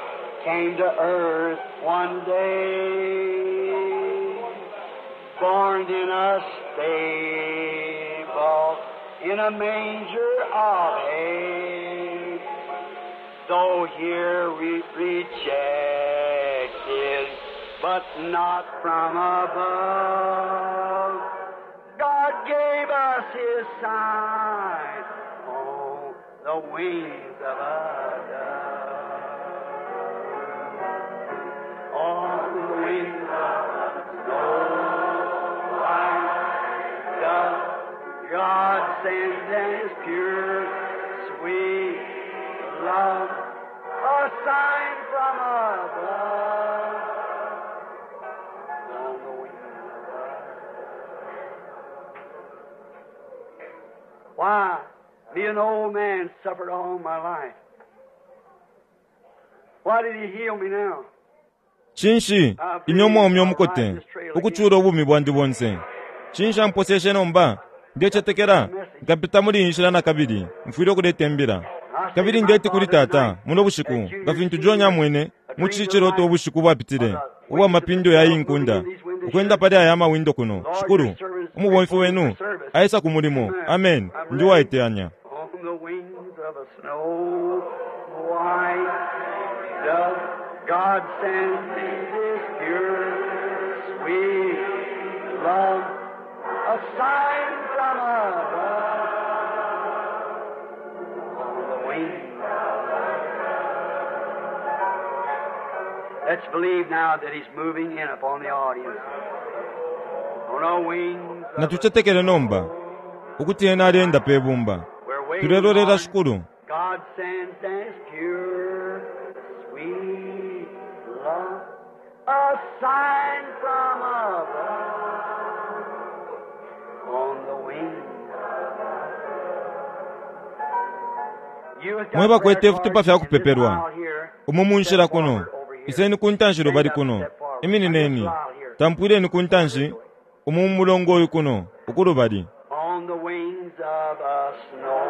came to earth one day, born in a stable, in a manger of hay. Though here we rejected, but not from above. God gave us His sign on the wings of a dove. On the wings of a snow white dove, God sends in His pure, sweet love, a sign from above. On the wings of a an old man, suffered all my life. Why did he heal me now? Cinshi ine umwaume umukote ukucula ubumi bwandi bonse? Cinshi amposeshe nomba? Ndecetekela nkapita muli iyi nshila na kabili, mfwile ukuleta imbila. Kabili ndeti kuli tata muno bushiku, nga fintu John amwene mu ci ciloto ubushiku bwapitile, ubwa mapindo ya iyi nkunda, ukwenda pali aya mawindo kuno, Shikulu, umubomfi wenu aisa ku mulimo. Amen. Ndi uwaiteyanya. On the wings of a snow white dove, God sends His pure, sweet love, a sign from above. On the wings. Let's believe now that He's moving in upon the audience. On the wings. Of a Natucetekele nomba ukuti ena aleenda pe bumba. We're waiting Tulelolela on Shikulu. God sends His pure, sweet love, a sign from above, on the wings. You have got Mwe bakwete prayer ifitupa cards fya in this kupepelwa. aisle here. Umu mu nshila Step kuno. forward over here. Iseni ku ntanshi Stand lubali up, kuno. step forward. Iminineni. This aisle here. Tampwileni ku ntanshi. Umu mu mulongo uyu kuno. Ukulubali. On the wings of a snow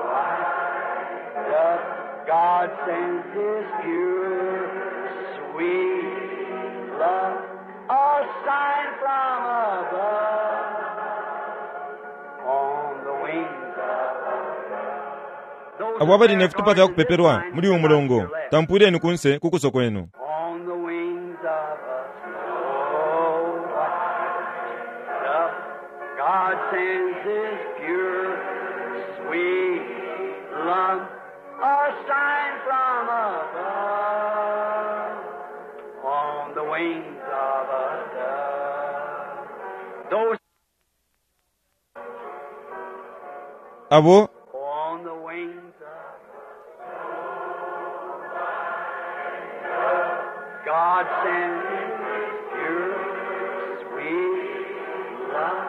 white dove, God sends His pure, sweet love, a sign from above. On the wings of a Abo abali ne fitupa fya kupepelwa muli uyu mulongo, tampwileni kunse ku kuso kwenu. On the wings of a snow white dove, God sends His pure, sweet love, a sign from above. On the wings of a dove. Those Abo on the wings of God sends His pure, sweet love,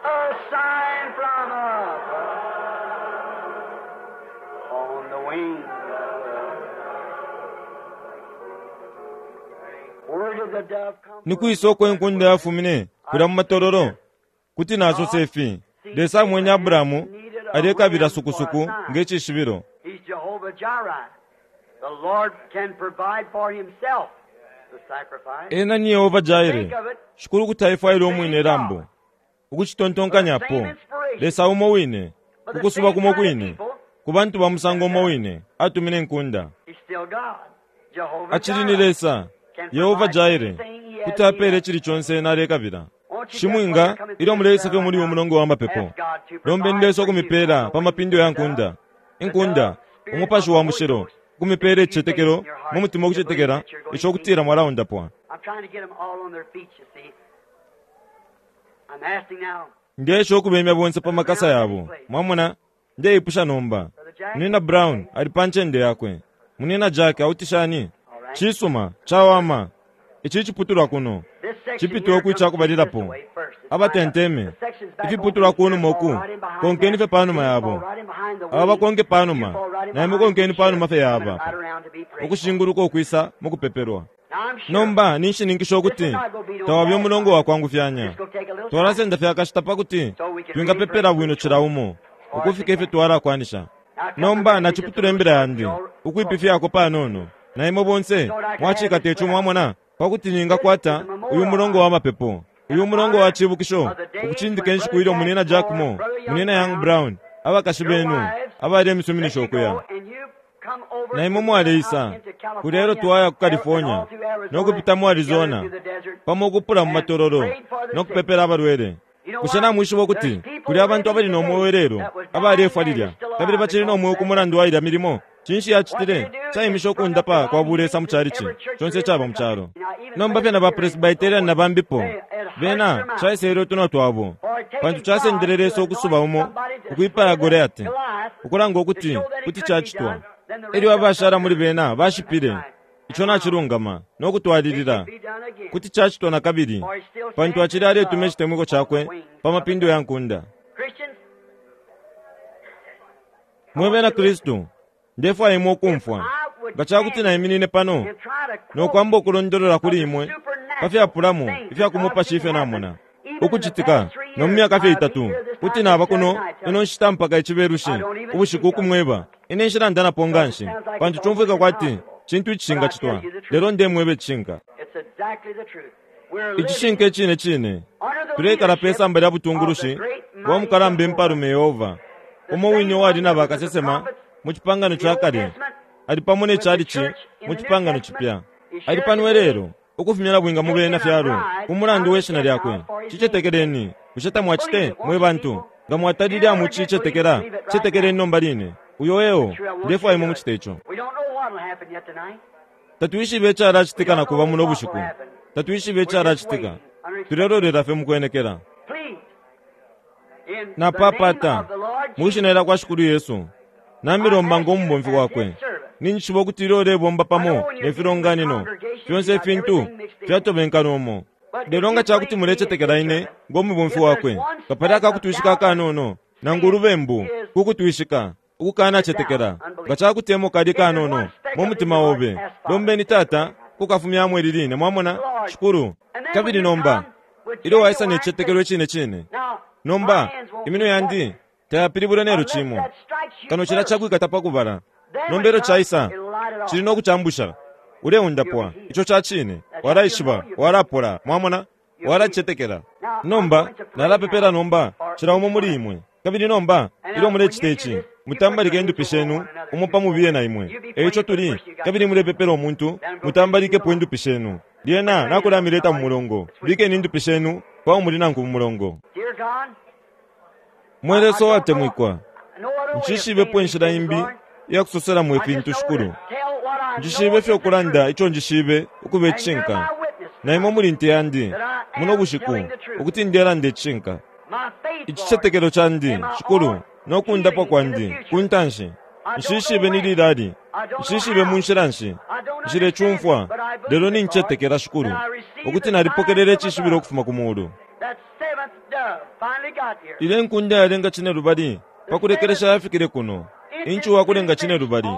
a sign from above, on the wings of love. Where did the dove come ni from? kwisa uko inkunda yafumine kulya mu matololo? Kuti nasosa ifi, Lesa amwene Abrahamu alekabila sukusuku nge cishibilo. He's Jehovah Jireh. The Lord can provide for himself the sacrifice. Ena ni Yehova Jaire. Think of it. Shikulu kuti aifwaile umwine ilambo. Ukucitontonkanyapo, Lesa umo wine, ukusuba kumo kwine, ku bantu ba musango umo wine, atumine inkunda. He's still God. Jehovah Acili ni Jireh. Lesa, Yehova Jaire, kuti apeele icili conse ena alekabila. Shimwinga, ilyo muleisa fye muli uyu mulongo wa mapepo, lombeni Lesa ukumipeela pa mapindo ya nkunda. Inkunda, umupashi wa mushilo, ukumipeela icicetekelo mu mutima ukucetekela, ico kutila mwalaundapwa. I'm trying to get them all on their feet, you see. I'm asking now, Ndesha ukubemya bonse pa makasa yabo. Mwamona, ndeipusha nomba. Brother Jack. Munina Brown ali pa ncende yakwe. Munina Jack autishani? Cisuma, cawama. Ici ciputulwa kuno. This section Cipitwe here ku comes ca kubalilapo. this way first. It's Abatenteme. lined up. The section's back Ifiputulwa over ku here, numa uku. fall right in behind Konkeni them. fye pa numa You yabo. fall right in behind the Aba wing. bakonke pa You numa. fall right in Na imwe behind konkeni the pa numa fye chair, yaba. coming right around to be prayed for. Ukushinguluka ukwisa mu kupepelwa. Now, I'm sure Nomba ninshininkisha ukuti tawabye umulongo wa kwangufyanya. it's gonna take a little time. Twalasenda fye akashita pa kuti twingapepela bwino cila umo ukufika ifyo twalakwanisha. Nomba naciputula imbila yandi ukwipifyako panono. Na imwe bonse mwacikata ico mwamona pa kuti ningakwata uyu mulongo wa mapepo. Uyu mulongo wa cibukisho ukucindika inshiku ilyo munina Jack Moore, munina Young Brown, abakashi benu abali emisuminisho Let you ukuya. go and you come over Na imwe to mwaleisa out into California, kulya elyo twaya ku California and all through Arizona, no kupita mu Arizona together through the desert, pamo ukupula mu matololo no kupepela abalwele. Bushe namwishiba ukuti kuli abantu abali no mweo ilelo abalefwa lilya kabili bacili no mweo ku mulandu wa ilya milimo? Cinshi yacitile? Caimishe ukundapa kwa bulesa mu calici conse icaba mu calo. Nomba fye na ba Presbyterian na bambipo bena caisele utunwa twabo pantu casendele Lesa ukusuba umo ukwipaya Goliati ukulanga ukuti kuti cacitwa. Elyo abashala muli bena bashipile. Ico nacilungama no kutwalilila kuti cacitwa na kabili pantu acili aletuma icitemwiko cakwe pa mapindo ya nkunda. Christians, Mwe bena Kristu, ndefwaya imwe ukumfwa. Nga ca kuti naiminine pano no kwamba ukulondolola kuli imwe pa fyapulamo ifya ku mupashi ifyo namona ukucitika no mu myaka fye itatu, kuti naba kuno ino nshita mpaka Icibelushi ubushiku ukumweba. Ine nshilanda nga nshi, pantu cumfwika kwati cintu icishingacitwa, lelo ndemweba icishinka. Icishinka icine cine, tuleikala pe samba lya butungulushi bwa mukalamba impalume Yehova, umo wine uwali na bakasesema mu Cipangano ca Kale, ali pamo ne chalichi mu Cipangano Cipya. Ali pano ilelo, ukufumya nabwinga mu bena fyalo ku mulandu we shina lyakwe. Cicetekeleni, bushe tamwacite, mwe bantu? Nga mwatalile amucicetekela, cetekeleni nomba line. Uyo eo, ndefwaya imwe mucite ico. Tatwishibe icalacitika na kuba muno bushiku. Tatwishibe icalacitika. Tulelolela fye mukwenekela. Napapata, mwi shina lya kwa Shikulu Yesu, namilomba ngo mubomfi wakwe. Ninjishiba ukuti ilyo ulebomba pamo ne filonganino, fyonse ifintu fyatobenkana umo. Lelo nga ca kuti mulecetekela ine ngo mubomfi wakwe, nga pali akakutwishika akanono, nangu ulubembu ku kutwishika, ukukanacetekela, nga ca kuti emo kali kanono mu mutima obe, lombeni Tata kukafumyamo ili line. Mwamona, Shikulu. Kabili nomba, ilyo waisa ne cicetekelo icine cine, nomba iminwe yandi tayapilibula nelyo cimo, kano cila cakwikata pa kubala. Nomba ilyo caisa, cili no kucambusha. Uleundapwa. Ico ca cine. Walaishiba, walapola. Mwamona? Walacetekela. Nomba, nalapepela nomba, cila umo muli imwe. Kabili nomba, ilyo mulecita ici, mutambalike indupi shenu umo pa mubiye na imwe. E ico tuli, kabili mulepepela umuntu, mutambalikepo indupi shenu. Lyena nakulamileta mu mulongo. Bikeni indupi shenu pa umuli nangu mu mulongo. Mwe Lesa uwatemwikwa, nshishibepo inshila imbi iya kusoselamo ifintu, Shikulu. Njishibe fye ukulanda ico njishibe ukuba icishinka. Na imwe muli nte yandi, muno bushiku, ukuti ndelanda icishinka. Icicetekelo candi, Shikulu, no kundapwa kwandi ku ntanshi. Nshishibe ni lilali, nshishibe mu nshila nshi, nshilecumfwa, lelo nincetekela, Shikulu, ukuti nalipokelela icishibilo ukufuma ku mulu. Ilyo inkunda yalenga cinelubali pa kulekelesha yafikile kuno, inci wakulenga cinelubali,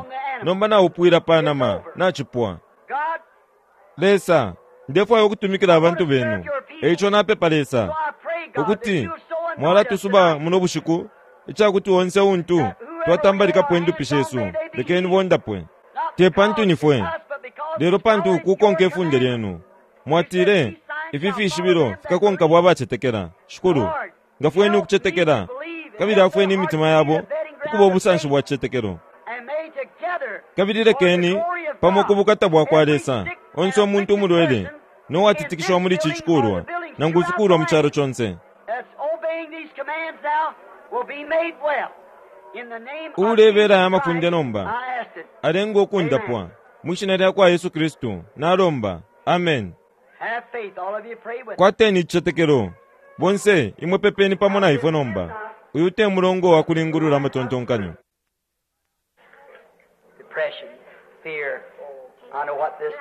nomba naupwila pa nama, nacipwa. Lesa, ndefwaya ukutumikila abantu benu. E ico napepa, Lesa, ukuti mwalatusuba muno bushiku, ica kuti onse untu twatambalikapo indupi shesu, lekeni bondapwe. Te pantu ni fwe, lelo pantu kukonka ifunde lyenu. Mwatile, ifi fishibilo fikakonka bwa bacetekela. Shikulu, ngafweni ukucetekela, kabili afweni imitima yabo ukuba ubusanshi bwa cicetekelo. Kabili lekeni, pamo ku bukata bwa kwa Lesa, onse umuntu umulwele no watitikishiwa muli ici cikulwa, nangu ifikulwa mu calo conse, uulebela aya mafunde nomba, alengwe ukundapwa. Mwi shina lya kwa Yesu Kristu, nalomba. Amen. Kwateni icicetekelo. Bonse imwe pepeni pamo na ifwe nomba. Uyu te mulongo wa kulingulula amatontonkanyo. Depression, fear. I know what this.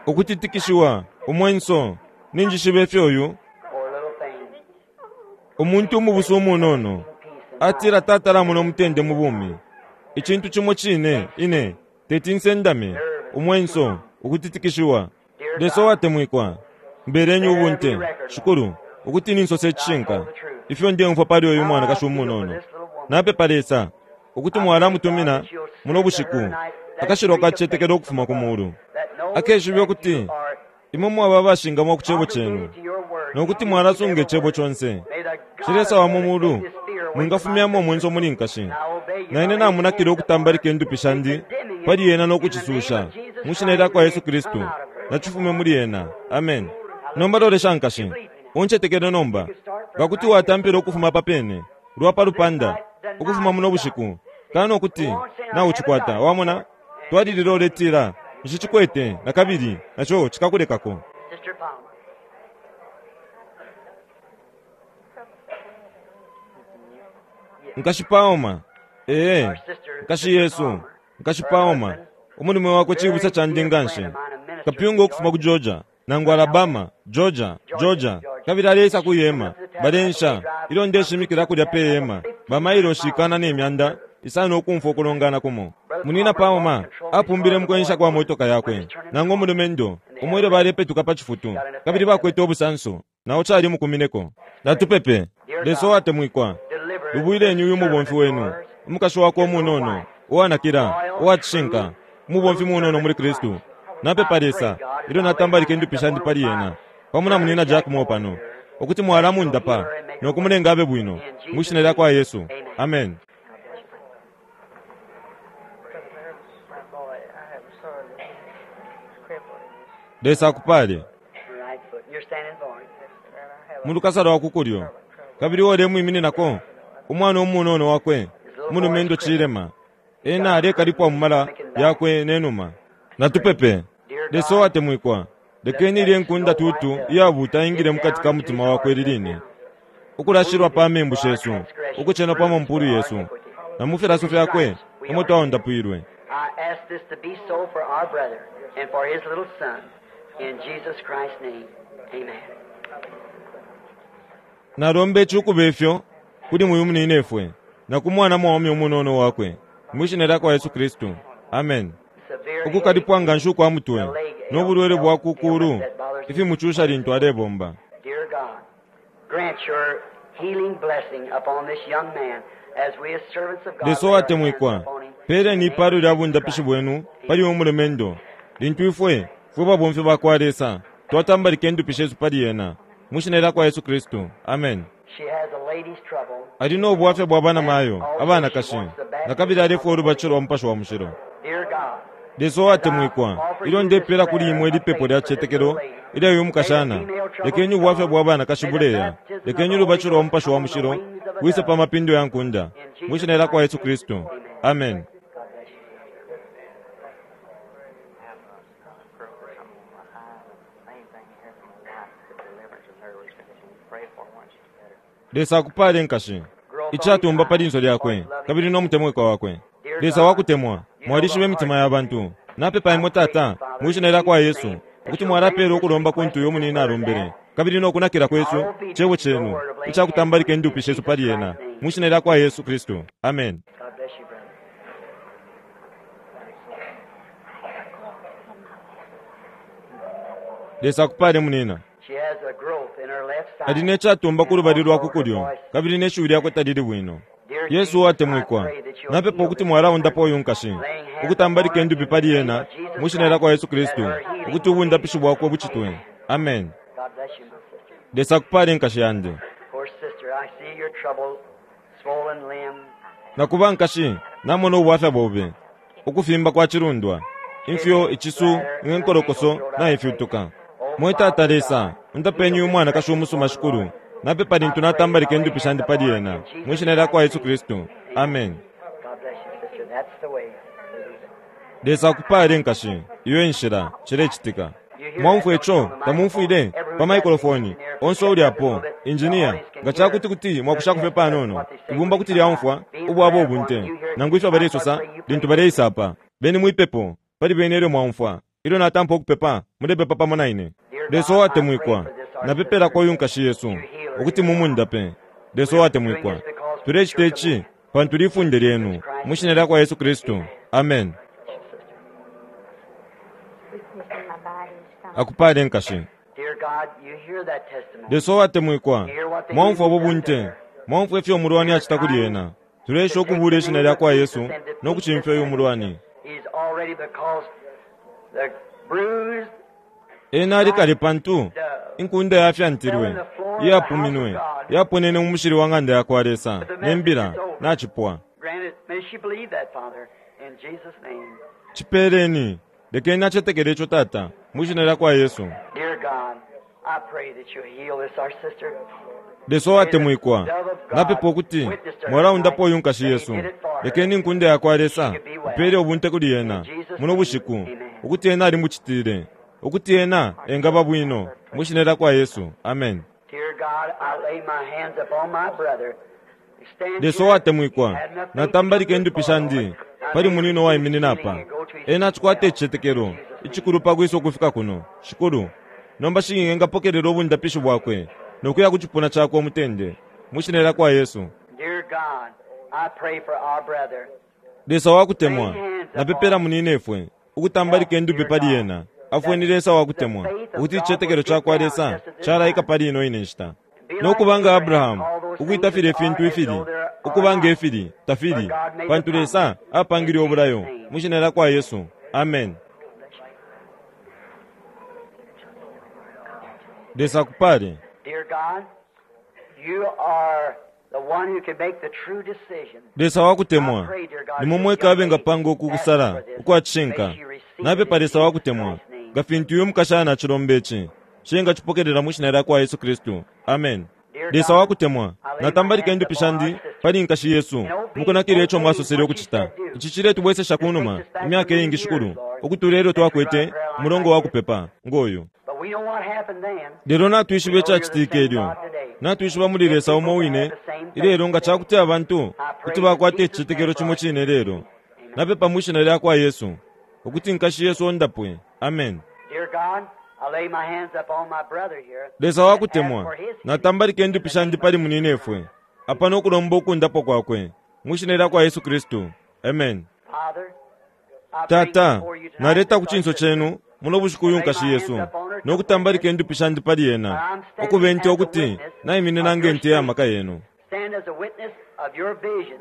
Ukutitikishiwa, umwenso, ninjishiba ifyo uyu Poor little thing. umuntu umubusu umunono atila tatalamona umutende mu bumi. Icintu cimo cine, ine teti nsendame, umwenso, ukutitikishiwa. Lesa uwatemwikwa, mbeleni ubunte, Shikulu, ukuti ninsose icishinka ifyo ndeumfwa pali uyu mwanakashi umunono. Napepa, Lesa, ukuti mwalamutumina muno bushiku akashilwa ka cicetekelo ukufuma ku mulu, akeshibe ukuti imwe mwaba abashingamwa ku cebo cenu, no kuti mwalasunga icebo conse. Shi Lesa wa mu mulu mwingafumyamo umwenso muli nkashi. Na ine namunakile ukutambalika indupi shandi pali ena no kucisusha mu shina lya kwa Yesu Kristu, nacifume muli ena. Amen. Nomba lolesha nkashi, uncetekele nomba. Nga kuti watampila ukufuma pa pene lwa pa lupanda ukufuma muno bushiku, kano kuti naucikwata. Wamona, twalilila uletila, nshicikwete na kabili, naco cikakulekako. Sister Palmer. Nkashi Palmer, ee, nkashi Yesu, nkashi Palmer, umulume wakwe cibusa candi nga nshi, kapyunga ukufuma ku Georgia. Nangu Alabama, Georgia, Georgia, kabili aleisa ku ihema. Balensha ilyo ndeshimikila kulya pe hema, bamailoshi 1,500 ukumfwa ukulongana kumo. Munina Palmer apumbile mukwensha kwa motoka yakwe, nangu umulumendo umo ilyo balepetuka pa cifutu, kabili bakwete ubusanso, nao calimukumineko. Natupepe. Lesa uwatemwikwa, lubwileni uyu mubomfi wenu, umukashi wakwe umunono, uwanakila, uwacishinka, umubomfi munono muli Kristu. Napepa Lesa, ilyo natambalika indupi shandi pali ena, pamo na munina Jack Moore pano, ukuti mwalamundapa no kumulenga abe bwino, mwi shina lya kwa Yesu. Amen. Lesa akupale. Mu lukasa lwa ku kulyo, kabili uo ulemwimininako, umwana umunono wakwe, umulumendo cilema, ena alekalipwa mu mala yakwe ne numa. Natupepe. Lesa uwatemwikwa, lekeni ilye nkunda tutu iyabuta ingile mukati ka mutima wakwe ili line, ukulashilwa pa membu shesu, ukucenwa pa mampulu yesu, na mu filaso fyakwe emo twaundapwilwe. I ask this to be so for our brother and for his little son. In Jesus Christ's name, amen. Nalomba ici ukuba ifyo kuli muyu muninefwe na ku mwana mwaume umunono wakwe, mwi shina lya kwa Yesu Kristu. Amen. Ukukalipwa nga nshi ukwa mutwe no bulwele bwa ku kulu ifimucusha lintu alebomba. Dear God, grant your healing blessing upon this young man as we as servants of God Lesa lay our hands uwatemwikwa, upon him. peeleni ipalo lya bundapishi bwenu pali uyu mulumendo, lintu ifwe, fwe babomfi ba kwa Lesa, twatambalika indupi shesu pali ena, mwi shina lya kwa Yesu Kristu. Amen. She has a lady's trouble. Ali no bwafya bwa banamayo abanakashi, na kabili alefwaya ulubatisho lwa Mupashi wa Mushilo. Dear God, Lesa uwatemwikwa, ilyo ndepeela kuli imwe ili pepo lya cicetekelo ilya uyu mukashana, lekeni ubwafya bwa banakashi buleya, lekeni ulubatisho lwa Mupashi wa Mushilo bwise pa mapindo ya nkunda, mwi shina lya kwa Yesu Kristu. Amen. God bless you. Lesa akupale nkashi, icatumba pa linso lyakwe, kabili no mutemwikwa wakwe. Lesa wakutemwa, mwalishiba imitima ya bantu. Napepa imwe Tata, mwi shina lya kwa Yesu, ukuti mwalapeela ukulomba kuntu uyo munina alombele, kabili no kunakila kwesu, cebo cenu, ica kutambalika indupi shesu pali ena, mwi shina lya kwa Yesu Kristu. Amen. God bless you, brother. Lesa akupale munina. She has a growth in her left side. Ali ne catumba ku lubali lwa ku kulyo, kabili ne shiwi lyakwe talili bwino. Yesu uwatemwikwa, napepa ukuti mwalaundapo uyu nkashi, ukutambalika indupi pali ena, mwi shina lya kwa Yesu Kristu, ukuti ubundapishi bwakwe bucitwe. Amen. God bless you, my sister. Lesa akupale nkashi yandi. Poor sister, I see your trouble, swollen limb. Nakuba nkashi, namona ubwafya bobe, ukufimba kwa cilundwa, imfyo, icisu, inkolokoso, na ifyutuka. Mwe Tata Lesa, undapeni uyu mwanakashi umusuma Shikulu, napepa lintu natambalika indupi shandi pali ena, mwi shina lya kwa Yesu Kristu. Amen. God bless you, sister. That's the way. Lesa akupale nkashi, iyo enshila, cilecitika. Mwaumfwa ico, tamumfwile, pa maikrofoni, onse uli apo, injiniya, nga cakuti kuti mwakushako fye panono, ibumba kuti lyaumfwa, ubwabo ubunte, nangu ifyo balesosa, lintu baleisa apa. Beni mwipepo, pali bene elyo mwaumfwa, ilyo natampa ukupepa, mulepepa pamo na ine. Lesa uwatemwikwa, napepelako uyu nkashi Yesu, ukuti mumundape. Lesa uwatemwikwa, tulecita ici, pantu lifunde lyenu, mwi shina lya kwa Yesu Kristu. Amen. Weakness in my body and stomach. Akupale nkashi. Dear God, you hear that testimony. Lesa uwatemwikwa, mwaumfwa ubu bunte, mwaumfwa ifyo umulwani acita kuli ena. Tuleesha ukubuula ishina lya kwa Yesu no kucimfya uyu mulwani. He's already because the bruised Ena ali kale pantu inkunda yafyantilwe, iyapuminwe, yaponene mu mushili wa ng'anda ya kwa Lesa, ne mbila nacipwa. granted. May she believe that, Father, in Jesus' name. Cipeeleni, lekeni acetekele ico Tata, mwi shina lya kwa Yesu. Dear God, I pray that you heal this, our sister. Lesa uwatemwikwa, napepa ukuti mwalaundapo uyu nkashi Yesu. Lekeni inkunda ya kwa Lesa ipeele ubunte kuli ena muno bushiku, ukuti ena alimucitile, ukuti ena engaba bwino, mwi shina lya kwa Yesu. Amen. Dear God, I lay my hands upon my brother. Stand Lesa here. uwatemwikwa, Had nothing natambalika to do indupi with shandi Lord. pali munino waiminina apa. Ena acikwata icicetekelo icikulu pa kwisa ukufika kuno. Shikulu, Nomba shi engapokelela ubundapishi bwakwe no kuya ku cipuna cakwe umutende. Mwi Shina lyakwa Yesu. Dear God, I pray for our brother. Lesa wakutemwa, napepela muninefwe, ukutambalika indupi pali ena. Afweni Lesa wakutemwa, ukuti icicetekelo cakwa Lesa calaika pali ino ine nshita. No kuba nga Abrahamu, ukwita filya ifintu ifili, ukuba nge fili, tafili, pantu Lesa apangile ubulayo, mwi Shina lyakwa Yesu. Amen. Lesa akupale. Dear God, you are the one who can make the true decision. Lesa wakutemwa, nimwe mweka abengapanga uku kusala ukwa cishinka. Napepa Lesa wakutemwa, nga fintu uyu mukashana acilomba ici, shi engacipokelela mwi Shina lyakwa Yesu Kristu. Amen. Lesa wakutemwa, natambalika indupi shandi pali nkashi yesu, mukunakila ico mwasosele ukucita. Ici ciletubwesesha kunuma imyaka iingi, Shikulu, ukutula ilyo twakwete umulongo wa kupepa ngo yu. But we know what happened then. Lelo natwishiba icacitike ilyo. Natwishiba muli Lesa umo wine ilelo nga ca kuti abantu kuti bakwata icicetekelo cimo cine lelo. Napepa mwi Shina lyakwa Yesu, ukuti nkashi yesu ondapwe. Amen. Dear God, I lay my hands upon my brother here. Lesa wakutemwa, natambalika indupi shandi pali muninefwe, apa no kulomba ukundapwa kwakwe, mwi Shina lyakwa Yesu Kristu. Amen. Father, I bring Tata, before you tonight naleta ku this cinso cenu muno bushiku uyu nkashi yesu, no kutambalika indupi shandi pali ena, ukube nte ukuti naiminina nge nte ya maka yenu. Stand as a witness of your vision,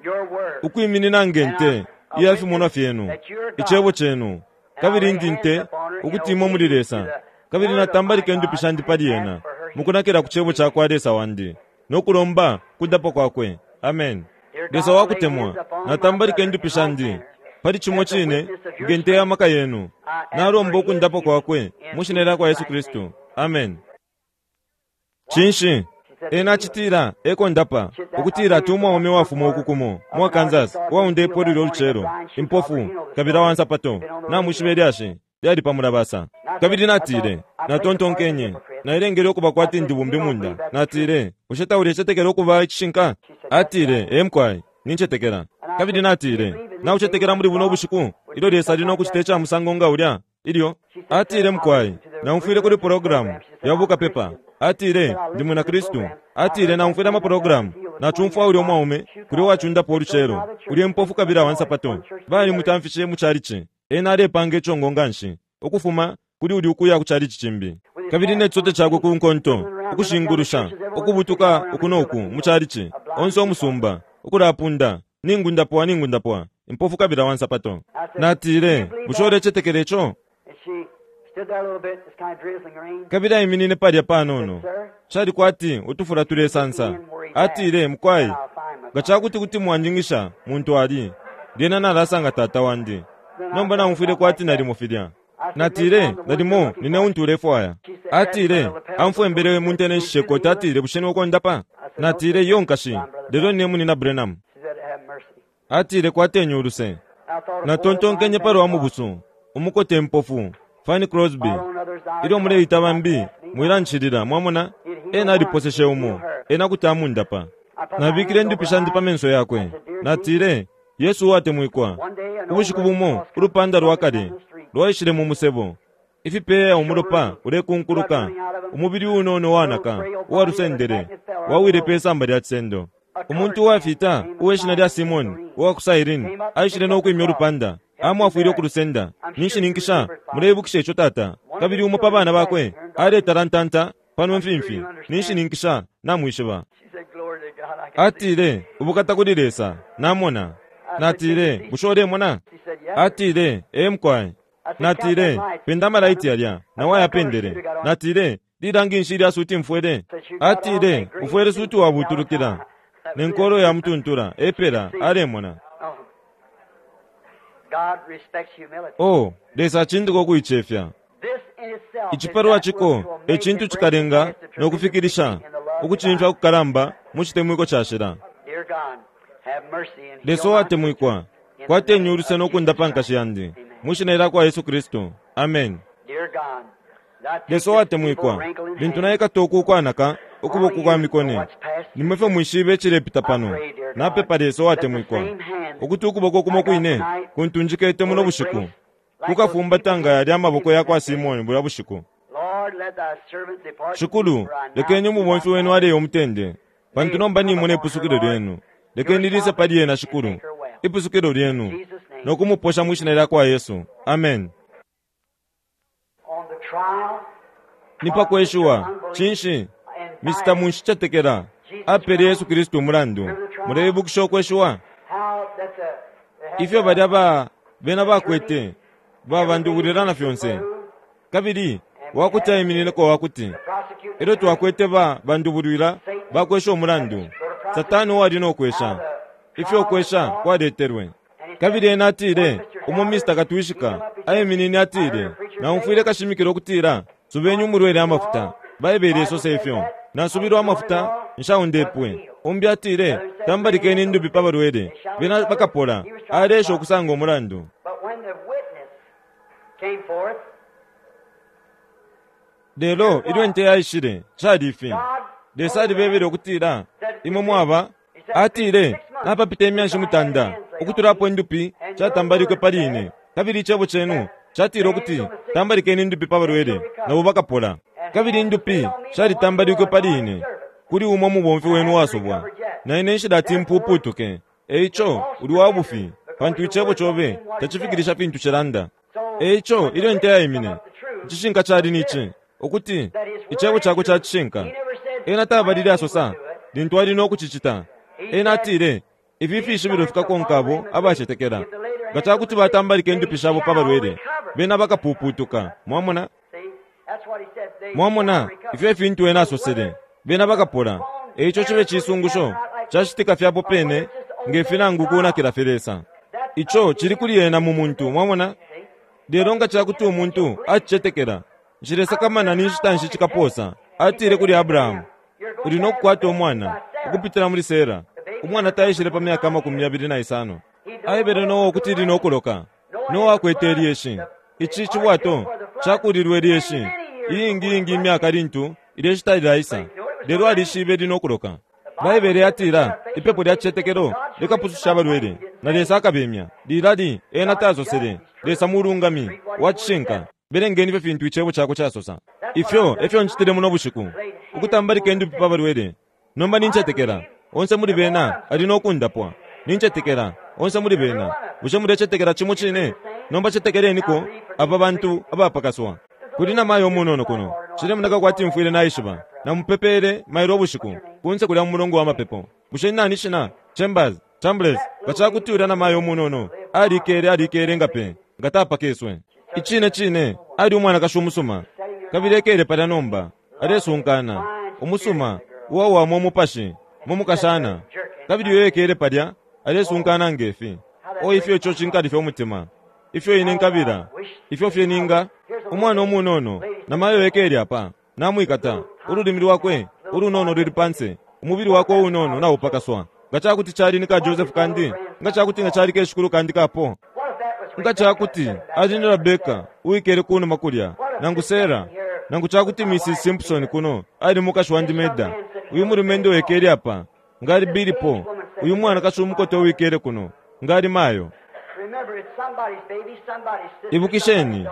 your word. Ukwiminina nge nte iya fimonwa fyenu, icebo cenu, kabili ndi nte ukuti imwe muli Lesa, kabili natambalika indupi shandi pali ena, mukunakila ku cebo cakwa Lesa wandi, no kulomba kundapwa kwakwe. Amen. Lesa wakutemwa, natambalika indupi shandi pali cimo cine nge nte ya maka yenu, nalomba ukundapwa kwakwe mu shina lyakwa Yesu Kristu. Amen. Cinshi? Ena acitila eko ndapa, ukutila ati umwaume wafuma uku kumo mu Kansas uwaundepo lulyo lucelo, impofu, kabili awansapato, namwishiba ilyashi lyali pa mulabasa. Kabili natile, natontonkenye, nailengele ukuba kwati ndi bumbi munda. Natile, bushe taulecetekela ukuba icishinka? Atile, ee mukwai, nincetekela. Kabili natile, naucetekela muli buno bushiku ilyo Lesa ali no kucita ica musango nga ulya? Ilyo atile, mukwai, naumfwile kuli programu ya bukapepa. Atile, ndi mwina Kristu. Atile, naumfwile amaprogramu, nacumfwa ulya umwaume kulya uwacundapo ulucelo, ulya impofu kabili awansapato, balimutamfishe mu chalichi. Ena alepanga icongo nganshi ukufuma kuli ulya ukuya ku chalichi cimbi, kabili ne cisote cakwe ku nkonto, ukushingulusha, ukubutuka uku no ku mu chalichi, onse umusumba, ukulapunda, Ningundapwa, ningundapwa, impofu kabili awansapato. Natile, bushe ulecetekela ico? And she stood there a little bit, it's kind of drizzling rain. Kabili aiminine palya panono, cali kwati utufula tulesansa. Atile, mukwai, nga ca kuti kuti mwanjingisha muntu ali, lyena nalasanga tata wandi. Nomba naumfwile kwati nalimo filya. Natile, nalimo nine untu ulefwaya. Atile, amfwembele mu ntenenshi shekota. Atile, bushe niwe ukondapa? Natile, iyo nkashi, lelo nine munina Branham. She said, have mercy. Atile, kwateni uluse. I thought of Natontonkenye poor palwa blind mubusu, umukote impofu, Fanny Crosby. Follow others out. Ilyo muleita bambi, mwilanshilila, mwamona? Ena aliposeshe umo, ena kuti amundapa. Nabikile indupi shandi pa menso yakwe. Natile, Yesu uwatemwikwa, ubushiku bumo ulupanda lwa kale lwaishile mu musebo, ifipeya umulopa ulekunkuluka, umubili unono wanaka uwalusendele wawile pe samba lya cisendo. Umuntu uwafita uwe shina lya Simoni uwa ku Cyrene aishile no kwimya ulupanda, amwafwile ukulusenda. Ninshininkisha muleibukisha ico tata. Kabili umo pa bana bakwe aletalantanta pano mfimfi. Ninshininkisha namwishiba. She said, glory to God, I can see. Atile, ubukata kuli Lesa, namona. Natile, bushe ulemona? She said, yes. sir. Atile, ee mukwai. Natile, penda amalaiti yalya, na wayapendele. Natile, lilangi nshi ilya suti mfwele? Atile, ufwele suti wabutulukila, ne nkolo ya mutuntula, epela, alemona. Oh. God respects humility. Oh, Lesa acindika ukuicefya. This in itself is Icipalwa that ciko which will e make cintu and break cikalenga the tremendous no kufikilisha in the love ukucimfya divine. kukalamba mu citemwiko cashila. Dear God, have mercy and heal Lesa my uwatemwikwa, sister. In the kwateni name uluse of no Jesus kundapa Christ. nkashi yandi, Amen. mu shina lya kwa Yesu Kristu. Amen. Dear God, thou take Lesa this uwatemwikwa, feeble wrinkle in lintu hand. naikata uku ukwanaka ukuboko Only kwa you know mikone, what's past nimwe fye mwishibe icilepita I pano. pray, dear God, Napepa Lesa that the uwatemwikwa, same hand ukuti ukuboko kumo I got kwine tonight kuntunjikete will muno bushiku, embrace like those kukafumbata people nga yalya amaboko in ya kwa that day. Simoni bulya bushiku. Lord, Shikulu, lekeni umubomfi wenu aleya umutende, pantu nomba nimona ipusukilo lyenu. Lekeni lise pali ena, Shikulu, ipusukilo lyenu, no kumuposha mwi shina lya kwa Yesu. Amen. Ni pa kweshiwa cinshi? Mr. Munshicetekela apele Yesu Kristu umulandu. Muleibukisha ukweshiwa? Ifyo balya ba bena bakwete babandubulila na fyonse. Kabili wakuti aiminineko wakuti elyo twakwete ba bandubulwila bakwesha umulandu, Satana uwali no kwesha ifyo ukwesha kwaletelwe. Kabili ena atile, umo Mr. Katwishika aiminine atile, Naumfwile kashimikila ukutila, Subeni umulwele amafuta. Baibele isosa ifyo. Nasubilwe amafuta, nshaundepwe. Umbi atile, Tambalikeni indupi pa balwele, bena bakapola. Aleesha ukusanga umulandu. Lelo ilyo inte yaishile, cali ifi. Lesa alibebele ukutila, Imwe mwaba, atile, napapita imyanshi mutanda ukutula apo indupi shatambalikwe pali ine, kabili icebo cenu catile ukuti, Tambalikeni indupi pa balwele, nabo bakapola. Kabili indupi shalitambalikwe pali ine kuli umo mubomfi wenu uwasubwa, na ine nshilati mpuupuutuke. E ico uli wa bufi, pantu icebo cobe tacifikilisha fintu cilanda. E ico ilyo inte yaimine, icishinka cali ni ci, ukuti icebo cakwe ca cishinka. Ena tabalile asosa lintu ali no kucicita. Ena atile, Ifi fishibilo fikakonka abo abacetekela. Nga ca kuti batambalika indupi shabo pa balwele, bena bakapuupuutuka. Mwamona? Mwamona, ifyo e fintu ena asosele. Bena bakapola. E ico cibe cisungusho cacitika fye apo pene nge fi nangu kunakila fye Lesa. Ico cili kuli ena mu muntu, mwamona. Lelo nga ca kuti umuntu acicetekela, Nshilesakamana ni nshita nshi cikapoosa, atile kuli Abrahamu, Uli no kukwata umwana, ukupitila muli Sera. Umwana taishile pa myaka 25. Aebele Noa ukuti ili no kuloka. Noa akwete ilyeshi. Ici cibwato cakuulilwe ilyeshi iingi iingi imyaka lintu ilyeshi talilaisa, lelo alishibe ili no kuloka. Baibele yatila, Ipepo lya cicetekelo likapususha abalwele, na Lesa akabemya. Lilali ena tasosele, Lesa mulungami, wa cishinka. Belengeni fye fintu Icebo cakwe casosa. Ifyo e fyo ncitile muno bushiku, ukutambalika indupi pa balwele. Nomba nincetekela onse muli bena ali no kundapwa. Nincetekela onse muli bena. Bushe mulecetekela cimo cine? Nomba cetekeleniko aba bantu abapakaswa. Kuli na mayo umunono kuno. Cilemoneka kwati mfwile naishiba. Namupepele mailo ubushiku, kunse kulya mu mulongo wa mapepo. Bushe ni nani ishina? Chambers, Chambles, nga ca kuti ulya namayo umunono alikele, alikele nga pe, nga tapakeswe. Icine cine, ali umwanakashi umusuma. Kabili ekele palya nomba, alesunkana, umusuma, uwawama umupashi, mu mukashana. Kabili uyo ekele palya, alesunkana nge fi. O ifyo ico cinkalifya umutima! Ifyo ine nkabila! Ifyo fye ninga! Umwana umunono, namayo ekele apa, namwikata, ululimi lwakwe ulunono luli panse, umubili wakwe uunono naupakaswa. Nga ca kuti cali ni ka Joseph kandi? Nga ca kuti nga cali keshikulu kandi ka Paul? Nga ca kuti ali ni Rebeka uwikele ku numa kulya, nangu Sarah, nangu ca kuti Mrs. Simpson kuno ali mukashi wandi Meda, uyu mulumendo uwikele apa, nga ali Billy Paul, uyu mwanakashi umukote uwikele kuno, nga ali mayo. Ibukisheni,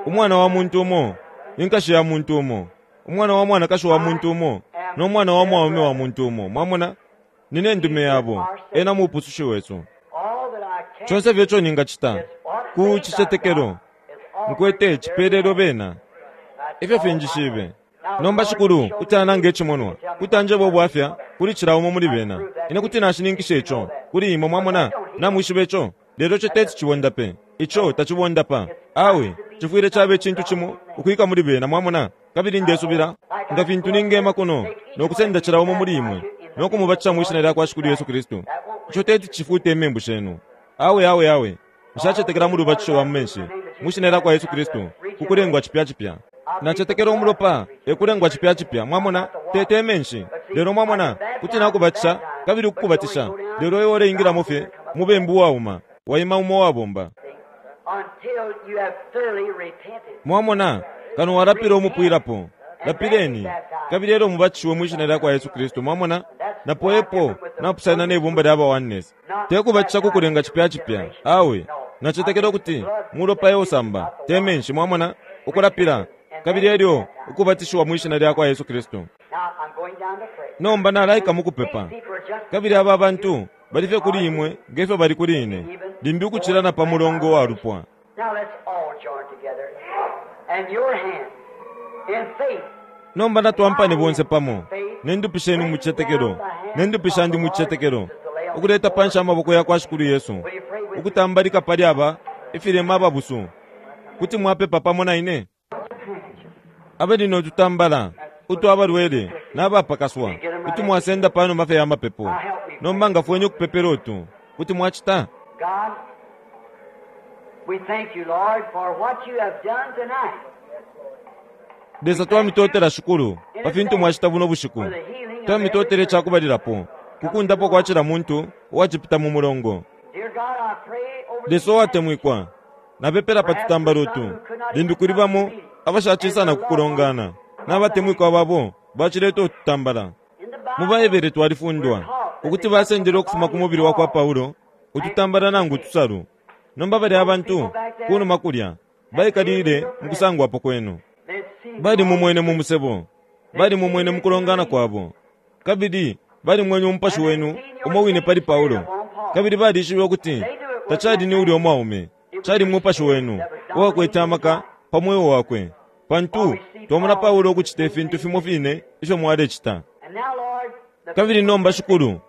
umwana wa muntu umo, inkashi ya muntu umo, umwana wa mwanakashi wa muntu umo, no mwana wa mwaume wa muntu umo. Mwamona? Nine ndume yabo. Ena Mupusushi wesu. Conse fye ico ningacita, ku cicetekelo nkwete, cipelelwe bena. Ifyo finjishibe. Nomba, Shikulu kuti ananga icimonwa, kuti anjeba ubwafya kuli cila umo muli bena. Ine kuti nashininkisha ico kuli imwe, mwamona. Namwishiba ico. Lelo ico teti cibondape. Ico tacibondapa. Awe, cifwile caba icintu cimo ukwika muli bena, mwamona. Kabili ndesubila, nga fintu ningema kuno no kusenda cila umo muli imwe no kumubatisha mwi Shina lyakwa Shikulu Yesu Kristu, ico teti cifute imembu shenu. Awe, awe, awe. Nshacetekela mu lubatisho lwa mu menshi mwi Shina lyakwa Yesu Kristu ku kulengwa cipya cipya. Nacetekela Umulopa e kulengwa cipya cipya, mwamona, te, te menshi. Lelo, mwamona, kuti nakubatisha kabili ukukubatisha, lelo iwe uleingilamo fye mubembu uwauma, waima umo uwabomba. Mwamona, kano walapila umupwilapo. Lapileni, kabili elyo mubatishiwe mwi Shina lyakwa Yesu Kristu. Mwamona? Napo epo napusana ne bumba lya ba Oneness. Te kubatisha ku kulenga cipya cipya. Awe. Nacetekela ukuti mulopa e usamba, te menshi, mwamona, ukulapila. kabili elyo ukubatishiwa mwi shina lyakwa Yesu Kristu. Nomba nalaika mukupepa. Kabili aba bantu bali fye kuli imwe nge fyo bali kuli ine, limbi ukucila na pa mulongo wa lupwa. Nomba natwampane bonse pamo, ne ndupi shenu mu cicetekelo, ne ndupi shandi mu cicetekelo, ukuleta panshi amaboko yakwa Shikulu Yesu, ukutambalika pali aba ifilema ababusu. Kuti mwapepa pamo na ine? Abali no tutambala utwa balwele na bapakaswa, kuti mwasenda panuma fye ya mapepo. Nomba ngafweni ukupepela utu. Kuti mwacita? God, we thank you, Lord, for what you have done tonight. Lesa twamitotela Shikulu pa fintu mwacita buno bushiku. Twamitotela icakubalilapo ku kundapwa kwa cila muntu uwacipita mu mulongo. Dear God, I pray over Lesa uwatemwikwa, napepela pa tutambala utu, limbi kuli bamo abashacisa na kukulongana, n'abatemwikwa babo bacileta ututambala. in the Mu Bible. Baebere twalifundwa ukuti basendele ukufuma ku mubili wa kwa Paulo ututambala nangu utusalu. Nomba balya abantu kunuma kulya baikalile mu kusangwapo kwenu. They'd seen Bali mumwene mu musebo, bali mumwene mu kulongana kwabo, kabili bali mwenye umupashi wenu umo wine pali Paulo, kabili balishibe ukuti tacali ni ulya umwaume, cali mupashi wenu uwakwete amaka pa mweo wakwe, pantu twamona Paulo ukucita ifintu fimo fine ifyo mwalecita. And now, Lord, the Kabili nomba Shikulu,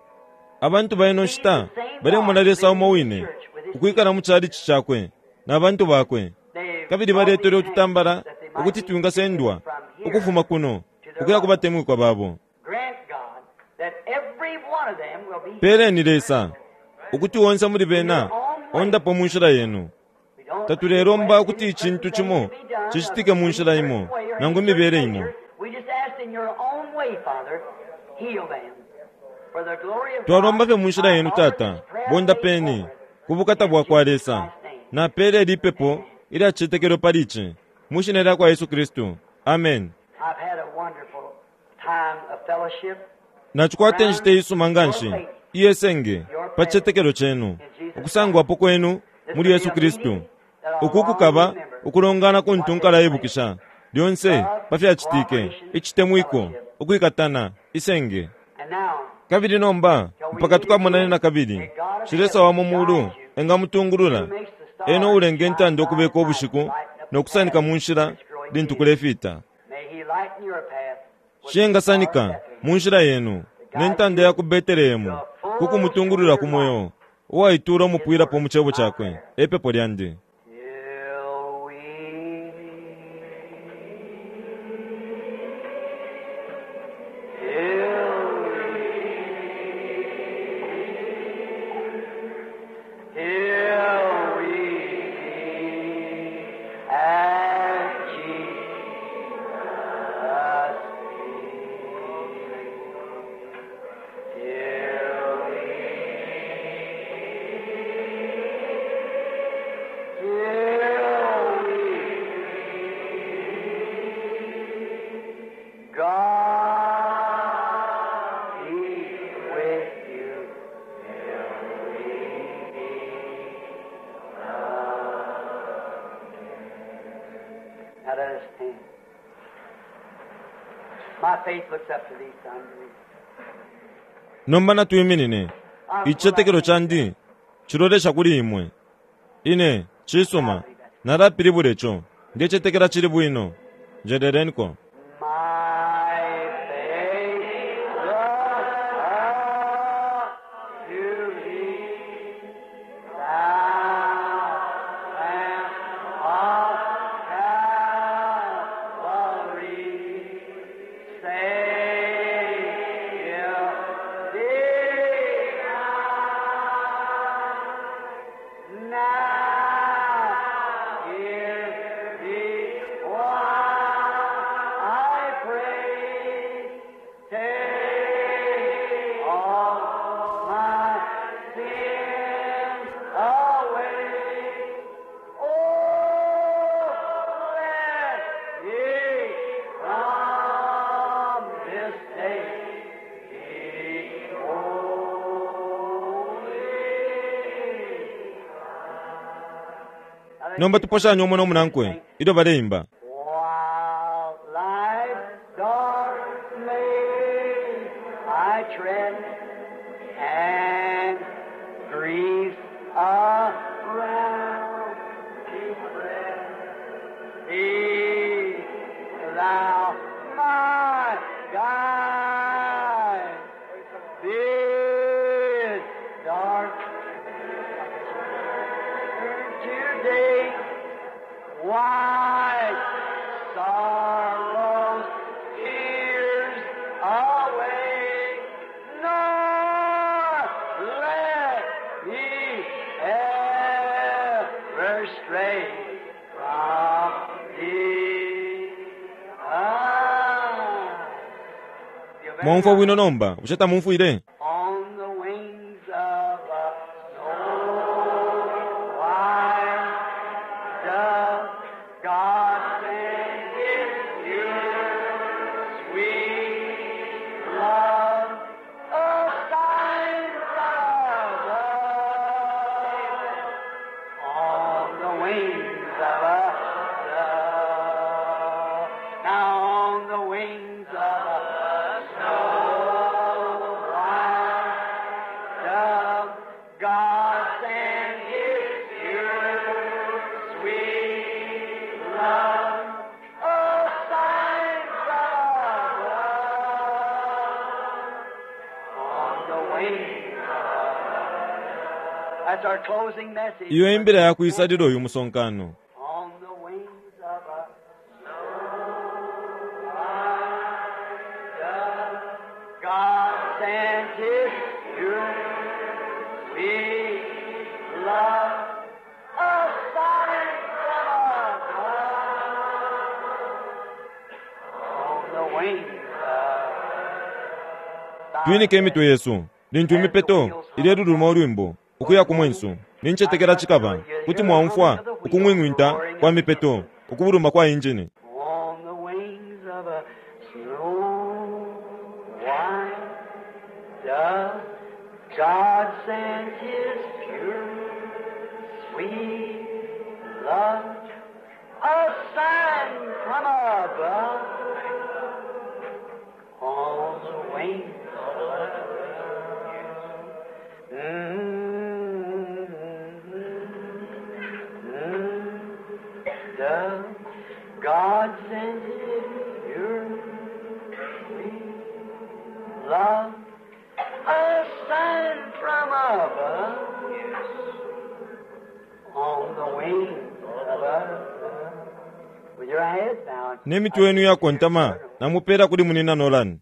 abantu ba ino nshita balemona Lesa umo wine ukwikala mu chalichi cakwe na bantu bakwe, they kabili baletele ututambala ukuti twingasendwa ukufuma kuno ukuya ku batemwikwa babo. grant God that every one of them will be Peleni Lesa ukuti onse muli bena ondapo mu nshila yenu. We don't Tatulelomba ukuti icintu cimo cicitike mu nshila imo nangu imibele imo. We just ask in your own way, Father, heal them. For the glory of Twalomba fye God, mu nshila yenu I offer Tata, this prayer bondapeni faith ku bukata bwa kwa Lesa. Napele lipepo ilya cicetekelo pali ici mu shina lya kwa Yesu Kristu. Amen. I've had a wonderful time of fellowship. Nacikwata inshita isuma nga nshi iyesenge pa cicetekelo cenu, ukusangwapo kwenu muli Yesu Kristu. Uku kukaba ukulongana kuntu nkalaibukisha lyonse pa fyacitike, icitemwiko, ukwikatana, isenge. And now, Kabili nomba mpaka tukamonane na kabili, shi Lesa wa mu mulu engamutungulula, ena ulenga intanda ukubeka ubushiku no kusanika mu nshila lintu kulefita. may He lighten your path with Shi engasanika mu nshila yenu ne ntanda ya ku Betelehemu ku kumutungulula ku mweo uwaitula umupwilapo mu cebo cakwe. Epepo lyandi. Till we till we meet at Jesus' feet. Till we God be with you till we meet again. Now let us stand. My faith looks up to thee, son. Nomba natwiminine. Icicetekelo candi cilolesha kuli imwe. Ine cisuma nalapilibula ico ndecetekela cili bwino. Njeleleniko. My faith looks up to thee, thou Lamb of Calvary, Savior divine. Now hear me while I pray. Take all my sins away. Oh, let me from this day be holy. Nomba tuposhanye umo no munankwe ilyo baleimba. While fret and griefs around me fret. Be thou my guide. This dark today, wipe sorrows, tears away, nor let me ever stray from thee. Ah. Mwaumfwa bwino nomba, bushe tamumfwile? On the wings of a snow white dove, God sent His pure, sweet love, a sign from above. On the wings of a dove, now on the wings of a snow white dove, God sent His pure, sweet love, a sign from above. On the wings of a That's our closing message. Iyo imbila yakwisalila uyu musonkano. On the wings of a snow white dove, God sent His pure, sweet love, a sign from above. On the wings of Twinike imitwe yesu lintu imipeto ileluluma ulwimbo ukuya ku mwensu nincetekela cikaba kuti mwaumfwa ukung'wing'winta kwa mipeto ukubuluma kwa injini. On the wings of a snow white dove, God sent His pure, sweet love, a sign from above. On the wings of a dove. Mm-hmm. Mm-hmm. Dove, God sent His pure, sweet love, a sign from above. On the wings of a dove. With your head bowed. Ne mitwe yenu yakontama namupela kuli munina Nolan.